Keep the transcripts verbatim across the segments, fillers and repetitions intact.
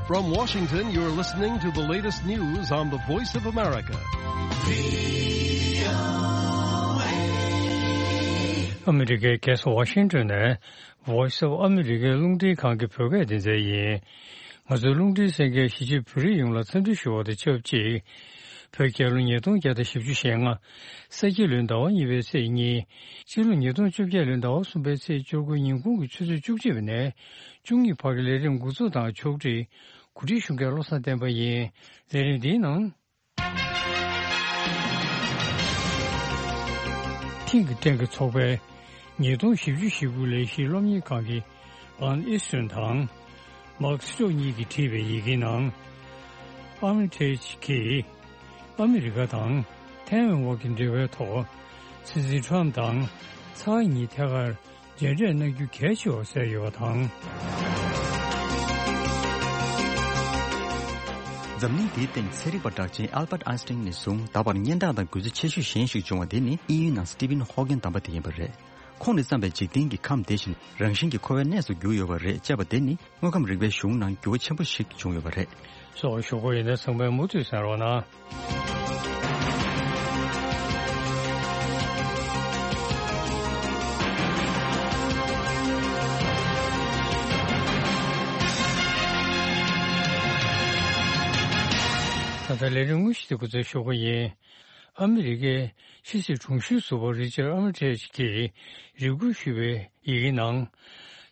From Washington, you're listening to the latest news on the Voice of America. ཨ་མི་རི་ཀའི་རྒྱལ་ས་ཝ་ཤིང་ཏོན་ནས་Voice of America རླུང་འཕྲིན་ཁང་གི་བོད་སྐད་སྡེ་ཚན་ཡིན། ང་ཚོའི་རླུང་འཕྲིན་གསན་མཁན་གཞིས་བྱེས་བོད་རིགས་ཡོངས་ལ་འཚམས་འདྲི་ཞུ་བ་དང་ཆབས་ཅིག་བོད་རྒྱལ་ལོ་ཉིས་སྟོང་བརྒྱ་དང་བཞི་བཅུ་ཞེ་ལྔ། ས་ཁྱི་ལོའི་ཟླ་བ་གཉིས་པའི་ཚེས་གཉིས། སྤྱི་ལོ་ཉིས་སྟོང་བཅོ་བརྒྱད་ལོའི་ཟླ་བ་གསུམ་པའི་ཚེས་བཅུ་དགུ་ཉིན་གུང་གི་ཆུ་ཚོད་བཅུ་གཅིག་པ་ནས་བཅུ་གཉིས་བར་གྱི་ལས་རིམ་འགོ་འཛུགས་དང་ཕྱོགས་སྒྲིག་གོ་སྒྲིག་ཞུ་མཁན་བློ་བཟང་བསྟན་པ་ཡིན། ལས་རིམ་འདིའི་ནང་། ཐིང་གི་ཀྲེང་གི་ཚོགས་པའི་ཉིས་སྟོང་བཞི་བཅུ་ཞེ་དགུ་ལས་གཞི་སློབ་གཉེར་ཁང་གི་ཝན་ཨི་སུན་དང་མཱག་སི་ཀྲོག་གཉིས་ཀྱིས་བྲིས་པའི་ཡི་གེའི་ནང་། ཨར་མི་ཊེཇ་གྱིས་ཨ་མི་རི་ཀ་དང་ཐའེ་ཝན་དབར་གྱི་འབྲེལ་བའི་ཐོག་སྲིད་འཛིན་ཁྲོམ་དང་ཚ་ཁ་གཉིས་ཐད་ཀར་མཇལ་འཕྲད་གནང་རྒྱུ་གལ་ཆེ་བར་གསལ་ཡོད་པ་དང་། འཛམ་གླིང་འདིའི་སྟེང་ཚན་རིག་པ་གྲགས་ཅན་ཨལ་བྷར་ཨན་སི་ཊིན་ནས་བཟུང་ད་བར་སྙན་གྲགས་དང་འགུལ་རྩོལ་ཆེ་ཤོས་གཞན་ཞིག་བྱུང་བ་དེ་ནི་དབྱིན་ཡུལ་ནང་སི་ཊི་ཕིན་ཧོ་ཀིན་གདམས་པ་དེ་ཡིན་པ་རེད། ཁོང་ནས་བརྩམས་པའི་འཇིག་རྟེན་གྱི་ཁམས་དེ་བཞིན་རང་བཞིན་གྱིས་འཁོར་བའི་གནས་སུ་གྱུར་ཡོད་པ་རེད་ཅེས་པ་དེ་ནི་དངོས་ཁམས་རིག་པའི་གཞུང་ནང་འགྱུར་བ་ཆེན་པོ་ཞིག་བྱུང་ཡོད་པ་རེད། སོགས་ཞུ་གི་ཡིན་ན་ཚང་མས་མུ་མཐུད་གསན་རོགས་གནང་། ད་ལྟ་ལས་རིམ་དངོས་གཞི་དེ་འགོ་འཛུགས་ཞུ་གི་ཡིན། ཨ་མི་རི་ཀའི་ཕྱི་སྲིད་དྲུང་ཞུའི་ཟུར་པ་རི་ཅར་ཨ་མི་ཊེཇ་གྱིས་རེ་སྐུལ་ཞུས་པའི་ཡི་གེའི་ནང་།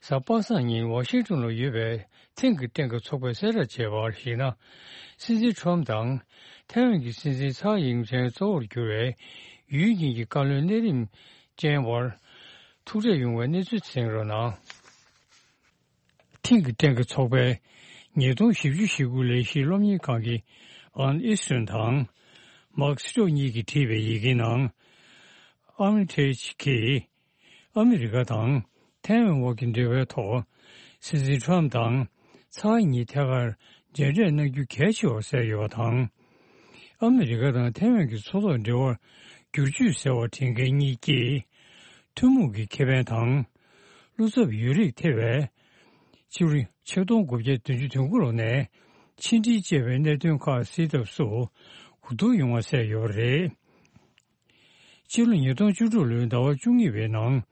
གཟའ་པ་སངས་ཉིན་ཝ་ཤིང་ཏོན་ལ་ཡོད་པའི་ཐེངས་ཀྱི་ཐེངས་ཀྱི་ཚོགས་པས་གསལ་བསྒྲགས་བྱས་པར་གཞིགས་ན། སྲིད་འཛིན་ཁྲོམ་དང་ཐའེ་ཝན་གྱི་སྲིད་འཛིན་ཚའེ་ཡིང་ཆན་གཙོ་བོར་གྱུར་བའི་ཡུལ་གཉིས་ཀྱི་བཀའ་བློན་གནད་རིམ་ཅན་བར་ཐུག་འཕྲད་ཡོང་བའི་གནས་ཚུལ་གསན་རོགས་གནང་། ཐེངས་ཀྱི་ཐེངས་ཀྱི་ཚོགས་པས་ཉིས་སྟོང་བཞི་བཅུ་ཞེ་དགུ་ལས་གཞི་སློབ་གཉེར་ཁང་གི་ཝན་ཨི་སུན་དང་མཱག་སི་ཀྲོག་གཉིས་ཀྱིས་བྲིས་པའི་ཡི་གེའི་ནང་། ཨར་མི་ཊེཇ་གྱིས་ཨ་མི་རི་ཀ་དང་ཐའེ་ཝན་དབར་གྱི་འབྲེལ་བའི་ཐོག་སྲིད་འཛིན་ཁྲོམ་དང་ཚའེ་གཉིས་ཐད་ཀར་མཇལ་འཕྲད་གནང་རྒྱུ་གལ་ཆེ་བར་གསལ་ཡོད་པ་དང་། ཨ་མི་རི་ཀ་དང་ཐའེ་ཝན་གྱི་མཚོ་ཐོག་འབྲེལ་བར་བསྒྱུར་བཅོས་ཟེར་བ་འདྲེན་མཁན་གཉིས་ཀྱིས་ཐུན་མོང་གི་ཁེ་ཕན་དང་། བློ་འཚབ་ཡོད་རིགས་ཐེ་བའི་སྤྱི་ལོ་ཆིག་སྟོང་དགུ་བརྒྱ་བདུན་ཅུ་དོན་དགུ་ལོ་ནས་ཕྱི་འབྲེལ་ཅེས་པའི་གནད་དོན་ཁག་སེལ་ཐབས་སུ་གོ་བསྡུར་ཡོང་བ་གསལ་ཡོད་པ་རེད། སྤྱི་ལོ་ཉིས་སྟོང་བཅུ་དྲུག་ལོའི་ཟླ་བ་བཅུ་གཉིས་པའི་ནང་།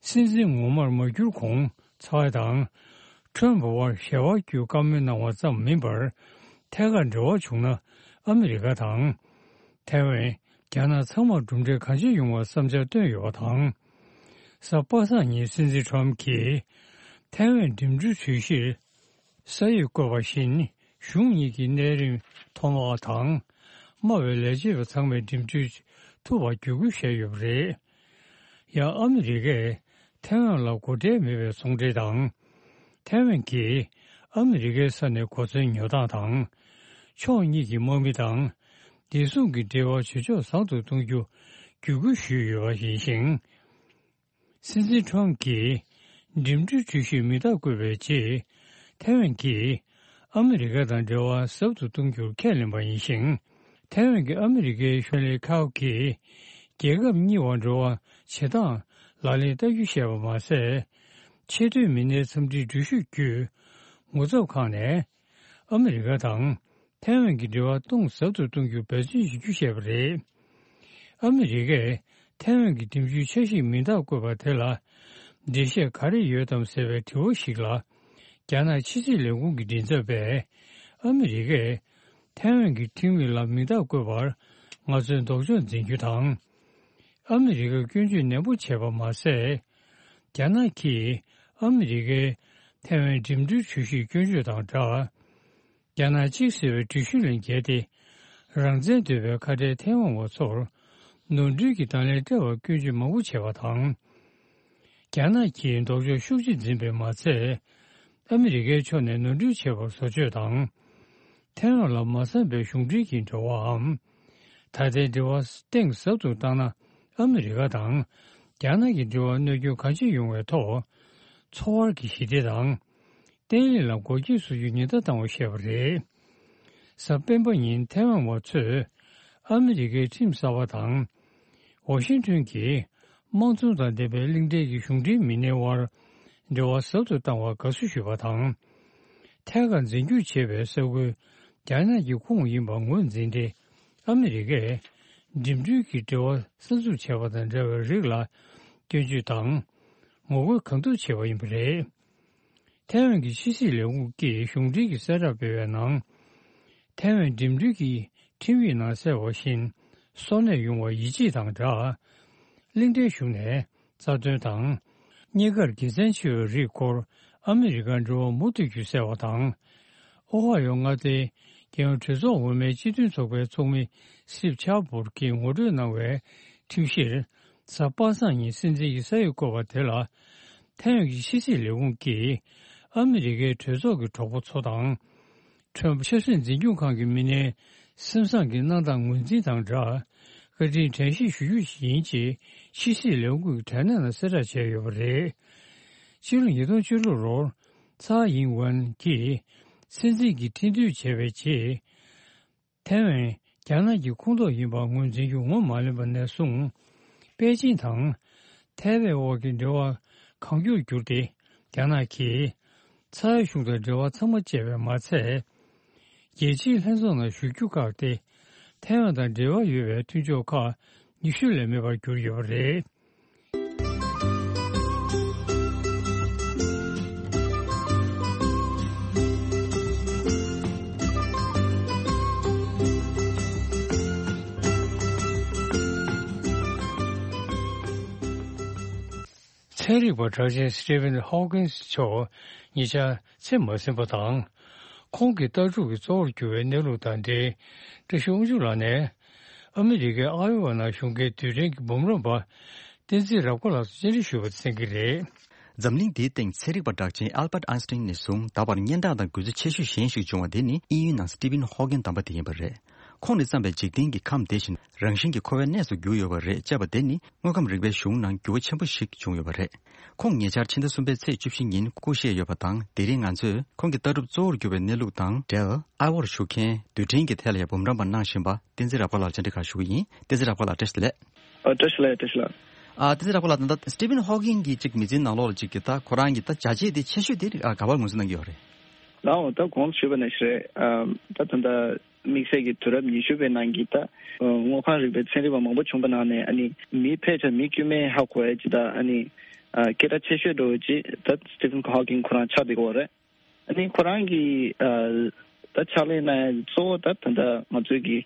སྲིད་འཛིན་ངོ་མར་མ་གྱུར་གོང་ཚའེ་དང་ཁྲོམ་བར་ཞལ་བར་བརྒྱུད་བཀའ་མོལ་གནང་བ་ཙམ་མིན་པར་ཐད་ཀར་འབྲེལ་བ་བྱུང་ན་ཨ་མི་རི་ཀ་དང་ཐའེ་ཝན། རྒྱ་ནག་ཚང་མར་གྲུབ་འབྲས་གང་ཆེ་ཡོང་བར་བསམ་འཆར་བཏོན་ཡོད་པ་དང་། གཟའ་པ་སངས་ཉིན་སྲིད་འཛིན་ཁྲོམ་གྱིས་ཐའེ་ཝན་འགྲིམ་འགྲུལ་གྲུ་བཞིར་ས་ཡིག་བཀོད་པ་བཞིན་གཞུང་གཉིས་ཀྱི་གནད་རིམ་མཐོ་དམག་དང་དམའ་བའི་ལས་བྱེད་པ་ཚང་མས་འགྲིམ་འགྲུལ་ཐུབ་པར་བརྒྱུད་སྐུལ་བྱས་ཡོད་པ་རེད། ཡང་ཨ་མི་རི་ཀས་ཐའེ་ཝན་ལ་སྒོ་ཁྲལ་མེད་པའི་ཚོང་འབྲེལ་དང་། ཐའེ་ཝན་གྱིས་ཨ་མི་རི་ཀའི་ས་ནས་གོ་མཚོན་ཉོ་སྟངས་དང་། ཕྱོགས་གཉིས་ཀྱི་དམག་མི་དང་བདེ་སྲུང་གི་འབྲེལ་བ་ཇེ་ཕྱོགས་བཟང་དུ་གཏོང་རྒྱུ་བརྒྱུད་སྐུལ་ཞུས་ཡོད་པ་ཡིན་ཞིང་། སྲིད་འཛིན་ཁྲོམ་གྱིས་འགྲིམ་འགྲུལ་གྲུ་བཞིར་མིང་རྟགས་བཀོད་པའི་རྗེས། ཐའེ་ཝན་གྱིས་ཨ་མི་རི་ཀ་དང་འབྲེལ་བ་ཟབ་ཏུ་གཏོང་རྒྱུར་ཁས་ལེན་པ་ཡིན་ཞིང་། ཐའེ་ཝན་གྱི་ཨ་མི་རི་ཀའི་ཤོ་ལས་ཁའོ་གིས་རྒྱལ་ཁབ་གཉིས་བར་འབྲེལ་བ་བྱེད་སྟངས་ལག་ལེན་བསྟར་རྒྱུ་བཤད་པ་མ་ཟད། ཆེས་མཐོའི་མི་སྣའི་འཚམས་འདྲིའི་འགྲུལ་བཞུད་བརྒྱུད། ངོ་ཚབ་ཁང་ནས་ཨ་མི་རི་ཀ་དང་ཐའེ་ཝན་གྱི་འབྲེལ་བ་སྟོང་ཟབ་ཏུ་གཏོང་རྒྱུར་འབད་བརྩོན་བྱེད་རྒྱུ་བཤད་པ་རེད། ཨ་མི་རི་ཀས་ཐའེ་ཝན་གྱི་འགྲིམ་འགྲུལ་འཆར་གཞིར་མིང་རྟགས་བཀོད་པ་དེ་ལ་འགྲེལ་བཤད་ག་རེ་ཡོད་དམ་ཟེར་བའི་དྲི་བ་ཞིག་ལ། རྒྱ་ནག་ཕྱི་སྲིད་ལས་ཁུངས་ཀྱི་མགྲིན་ཚབ་པས་ཨ་མི་རི་ཀས་ཐའེ་ཝན་གྱི་ཁྲིམས་ཡིག་ལ་མིང་རྟགས་བཀོད་པར་ང་ཚོས་ལྡོག་ཕྱོགས་འཛིན་རྒྱུ་དང་། ཨ་མི་རི་ཀར་སྐྱོན་བརྗོད་ནན་པོ་བྱས་པ་མ་ཟད། རྒྱ་ནག་གིས་ཨ་མི་རི་ཀའི་ཐའེ་ཝན་འགྲིམ་འགྲུལ་གྲུ་བཞིར་སྐྱོན་བརྗོད་དང་སྦྲགས། རྒྱ་ནག་གཅིག་ཟེར་བའི་འགྲུལ་བཞུད་ལས་འགལ་ཏེ། རང་བཙན་འདོད་པའི་ཁ་བྲལ་ཐའེ་ཝན་བ་ཚོར་ནོར་འཁྲུལ་གྱི་དང་ལེན་སྤྲད་པར་སྐྱོན་བརྗོད་མང་པོ་བྱས་པ་དང་། རྒྱ་ནག་གིས་ལྡོག་ཕྱོགས་ཤུགས་ཆེ་འཛིན་པས་མ་ཚད། ཨ་མི་རི་ཀའི་ཕྱོགས་ནས་ནོར་འཁྲུལ་བྱས་པར་བཟོ་བཅོས་དང་། ཐའེ་ཝན་ལ་མ་བསམ་པའི་གཞུང་འབྲེལ་གྱི་འབྲེལ་བའམ། ད་ལྟའི་འབྲེལ་བ་གཏིང་ཟབ་ཏུ་བཏང་ན་ཨ་མི་རི་ཀ་དང་རྒྱ་ནག་གི་འབྲེལ་བར་གནོད་སྐྱོན་གང་ཆེ་ཡོང་བའི་ཐོག་འཚོ་བར་གྱི་ཞི་བདེ་དང་། བརྟན་ལྷིང་ལ་འགོག་རྐྱེན་བཟོ་རྒྱུའི་ཉེན་བརྡ་བཏང་བ་ཞེས་པ་རེད། གཟའ་སྤེན་པ་ཉིན་ཐའེ་ཝན་བ་ཚོས་ཨ་མི་རི་ཀའི་ཁྲིམས་གསར་པ་དང་། ཝ་ཤིང་ཏོན་གྱིས་དམངས་གཙོ་དང་ལྡན་པའི་གླིང་ཕྲན་གྱི་གཞུང་འབྲེལ་མི་སྣའི་དབར་འབྲེལ་བ་ཟབ་ཏུ་བཏང་བར་དགའ་བསུ་ཞུས་པ་དང་། ཐད་ཀར་འཛིན་སྐྱོང་བྱེད་པའི་ས་ཁུལ་རྒྱ་ནག་གི་ཁོངས་ཡིན་པ་ངོས་འཛིན་ཏེ། ཨ་མི་རི་ཀས་འགྲིམ་འགྲུལ་གྱི་འབྲེལ་བ་གསར་འཛུགས་བྱས་པ་དང་འབྲེལ་བའི་རིགས་ལ་སྐྱོན་བརྗོད་དང་ངོ་རྒོལ་གང་ཐུབ་བྱས་པ་ཡིན་པ་རེད། ཐའེ་ཝན་གྱི་ཕྱི་སྲིད་ལས་ཁུངས་ཀྱིས་གཞུང་འབྲེལ་གྱི་གསལ་བསྒྲགས་སྤེལ་བའི་ནང་། ཐའེ་ཝན་འགྲིམ་འགྲུལ་གྱི་ཁྲིམས་ཡིག་ནང་གསལ་བ་བཞིན། སོར་གནས་ཡོང་བར་ཡིད་ཆེས་དང་སྦྲགས། གླིང་ཕྲན་གཞུང་ནས་རྩ་དོན་དང་། གཉིས་ཀར་དགེ་མཚན་ཆེ་བའི་རིགས་སྐོར་ཨ་མི་རི་ཀར་འབྲེལ་བ་མུ་མཐུད་རྒྱུ་གསལ་བ་དང་། ཨོ་ཧ་ཡོ་མངའ་སྡེའི་རྒྱལ་ཡོངས་གྲོས་ཚོགས་འོས་མིའི་སྤྱི་མཐུན་ཚོགས་པའི་ཚོགས་མི་སི་ཊིབ་ཆར་བྷོར་གྱིས་ངོ་སྤྲོད་གནང་བའི་ཁྲིམས་གཞིར། གཟའ་པ་སངས་ཉིན་སྲིད་འཛིན་གྱི་ས་ཡིག་བཀོད་པ་དེ་ལ། ཐའེ་ཝན་གྱི་ཕྱི་སྲིད་ལས་ཁུངས་ཀྱིས་ཨ་མི་རི་ཀའི་གྲོས་ཚོགས་ཀྱི་གྲོགས་པོ་ཚོ་དང་། ཁྲོན་པ་ཆབ་སྲིད་འཛིན་སྐྱོང་ཁང་གི་མི་སྣའི་སེམས་བཟང་གི་གནང་སྟངས་ངོས་འཛིན་དང་སྦྲགས། བཀའ་དྲིན་དྲན་ཤེས་ཞུ་རྒྱུ་ཞིག་ཡིན་ཅེས་ཕྱི་སྲིད་ལས་ཁུངས་ཀྱི་དྲ་གནས་ནང་གསལ་བསྒྲགས་བྱས་ཡོད་པ་རེད། ཕྱི་ལོ་ཉིས་སྟོང་བཅུ་དྲུག་ལོར་ཚའེ་ཡིན་ཝེན་གྱིས་སྲིད་འཛིན་གྱི་ཁྲི་འདོན་བྱས་པའི་རྗེས། ཐའེ་ཝན་རྒྱ་ནག་གི་ཁོངས་གཏོགས་ཡིན་པ་ངོས་འཛིན་རྒྱུ་ངོ་མ་ལོན་པ་ནས་བཟུང་། པེ་ཅིང་དང་ཐའེ་ཝན་དབར་གྱི་འབྲེལ་བ་གང་མགྱོགས་བསྒྱུར་ཏེ། རྒྱ་ནག་གིས་ཚའེ་གཞུང་དང་འབྲེལ་བ་ཚང་མ་བཅད་པས་མ་ཚད། རྒྱལ་སྤྱིའི་ལྷན་ཚོགས་ནང་ཞུགས་རྒྱུ་བཀག་སྟེ། ཐའེ་ཝན་དང་འབྲེལ་བ་ཡོད་པའི་མཐུན་ཕྱོགས་ཁག་ཉི་ཤུ་ལས་མེད་པར་གྱུར་ཡོད་པ་རེད། ཚན་རིག་པ་གྲགས་ཅན་སི་ཊི་ཕན་ཧོ་ཀིན་སི་མཆོག་ཉེ་ཆར་ཚེ་མ་ཟིན་པ་དང་། ཁོང་གི་ལྟ་གྲུབ་ཀྱི་གཙོ་བོར་གྱུར་བའི་གནས་ལུགས་དང་འབྲེལ། བཀྲ་ཤིས་དབང་ཕྱུག་ལགས་ནས། ཨ་མི་རི་ཀའི་ཨའི་ཝ་ནང་གཞུང་འབྲེལ་རྡུལ་ཕྲན་གྱི་འབུམ་རམས་པ་བསྟན་འཛིན་རབ་དགའ་ལགས་སུ་བཅར་འདྲི་ཞུས་པ་དེ་གསན་གྱི་རེད། འཛམ་གླིང་འདིའི་སྟེང་ཚན་རིག་པ་གྲགས་ཅན་ཨལ་བྷར་ཨན་སི་ཊིན་ནས་བཟུང་ད་བར་སྙན་གྲགས་དང་འགུལ་ཚད་ཆེ་ཤོས་གཞན་ཞིག་བྱུང་བ་དེ་ནི་དབྱིན་ཡུལ་ནང་སི་ཊི་ཕན་ཧོ་ཀིན་དམ་པ་དེ་ཡིན་པ་རེད། ཁོང་ནས་བརྩམས་པའི་འཇིག་རྟེན་གྱི་ཁམས་དེ་བཞིན་རང་བཞིན་གྱིས་འཁོར་བའི་གནས་སུ་གྱུར་ཡོད་པ་རེད་ཅེས་པ་དེ་ནི་དངོས་ཁམས་རིག་པའི་གཞུང་ནང་འགྱུར་བ་ཆེན་པོ་ཞིག་བྱུང་ཡོད་པ་རེད། ཁོང་ཉེ་ཆར་ཕྱི་ཟླ་གསུམ་པའི་ཚེས་བཅུ་བཞི་ཉིན་སྐུ་གཤེགས་ཡོད་པ་དང་། དེ་རིང་ང་ཚོས་ཁོང་གི་ལྟ་གྲུབ་གཙོ་བོར་གྱུར་པའི་གནས་ལུགས་དང་འབྲེལ། ཨའི་ཝར་བཞུགས་མཁན་རྡུལ་ཕྲན་གྱི་ཐད་ལ་ཡང་འབུམ་རམས་པ་གནང་བཞིན་པ་བསྟན་འཛིན་རབ་དགའ་ལགས་བཅར་འདྲི་ཁག་ཞུ་གི་ཡིན། བསྟན་འཛིན་རབ་དགའ་ལགས་བཀྲ་ཤིས་བདེ་ལེགས། ཨ། བཀྲ་ཤིས་བདེ་ལེགས། བཀྲ་ཤིས་བདེ་ལེགས། ཨ། བསྟན་འཛིན་རབ་དགའ་ལགས། ད་ལྟ་སི་ཊི་ཕན་ཧོ་ཀིན་གྱི་ཅིག་མི་ཚེའི་ནང་ལོགས་ལ་ཅིག་གི་ད་ཁོ་རང་གི་ད་བྱས་རྗེས་དེ་ཆེ་ཤོས་དེ་ཨ་ག་པར་ངོས་འཛིན་གནང་གི་ཡོད་རེད། ལགས་འོང་། ད་གོང་དུ་ཞུས་པ་ནང་བཞིན་རེད། ཨ། ད་ད་ལྟ་དམིགས་བསལ་གྱི་དུས་རབས་ཉི་ཤུ་པའི་ནང་གི་ད་དངོས་ཁམས་རིག་པའི་ཚན་རིག་པ་མང་པོ་བྱུང་པ་ནང་ནས། ཨ་ནི་མི་ཕལ་ཆེར་མི་དཀྱུས་མས་ཧ་གོ་ཡ་ཅིག་ད་ཨ་ནི་ཨ་སྐད་གྲགས་ཆེ་ཤོས་འདྲ་བོ་ཅིག་ད་སི་ཊི་ཕན་ཧོ་ཀིན་ཁོ་རང་ཆགས་བསྡད་ཀྱི་ཡོད་རེད། ཨ་ནི་ཁོ་རང་གིས་ཨ་ད་ཕྱག་ལས་གནང་ཡ་གཙོ་བོ་ད་ད་ལྟ་ང་ཚོའི་གི་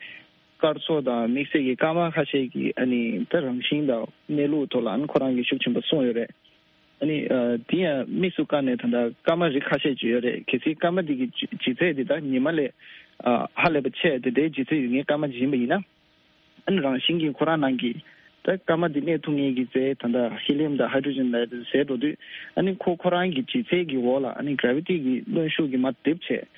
སྐར་ཚོགས་དང་དམིགས་བསལ་གྱི་སྐར་མ་ཁ་ཤས་ཀྱི་ཨ་ནི་ད་རང་བཞིན་དང་གནས་ལུགས་ཐོག་ལ་ཨ་ནི་ཁོ་རང་གིས་ཤུགས་ཆེན་པོ་གསུངས་ཡོད་རེད། ཨ་ནི་ཨ་དེ་ཡང་དམིགས་སུ་བཀར་ནས་ད་ལྟ་སྐར་མ་རིགས་ཁ་ཤས་ཅིག་ཡོད་རེད། གལ་སྲིད་སྐར་མ་འདི་གི་ལྗི་ལྗིད་ཚད་འདི་ད་ཉི་མ་ལས་ཨ་ཧ་ལས་པ་ཆེ་དེ་འདྲའི་ལྗིད་ཚད་ཡོད་མཁན་སྐར་མ་ཅིག་ཡིན་པ་ཡིན་ན། ཨ་ནི་རང་བཞིན་གྱིས་ཁོ་རང་ནང་གི་ད་སྐར་མ་འདི་གནས་ཐུབ་མཁན་གྱི་རྫས་ད་ལྟ་ཧི་ལི་ཡམ་དང་ཧའི་ཌྲོ་ཇན་ལབ་ཡ་དེ་ཟད་འགྲོ་དུས། ཨ་ནི་ཁོ་ཁོ་རང་གི་ལྗིད་ཚད་ཀྱི་འོག་ལ་ཨ་ནི་གྷ་ར་ཝི་ཊི་གི་གནོན་ཤུགས་ཀྱིས་མར་རྡིབ་བྱས།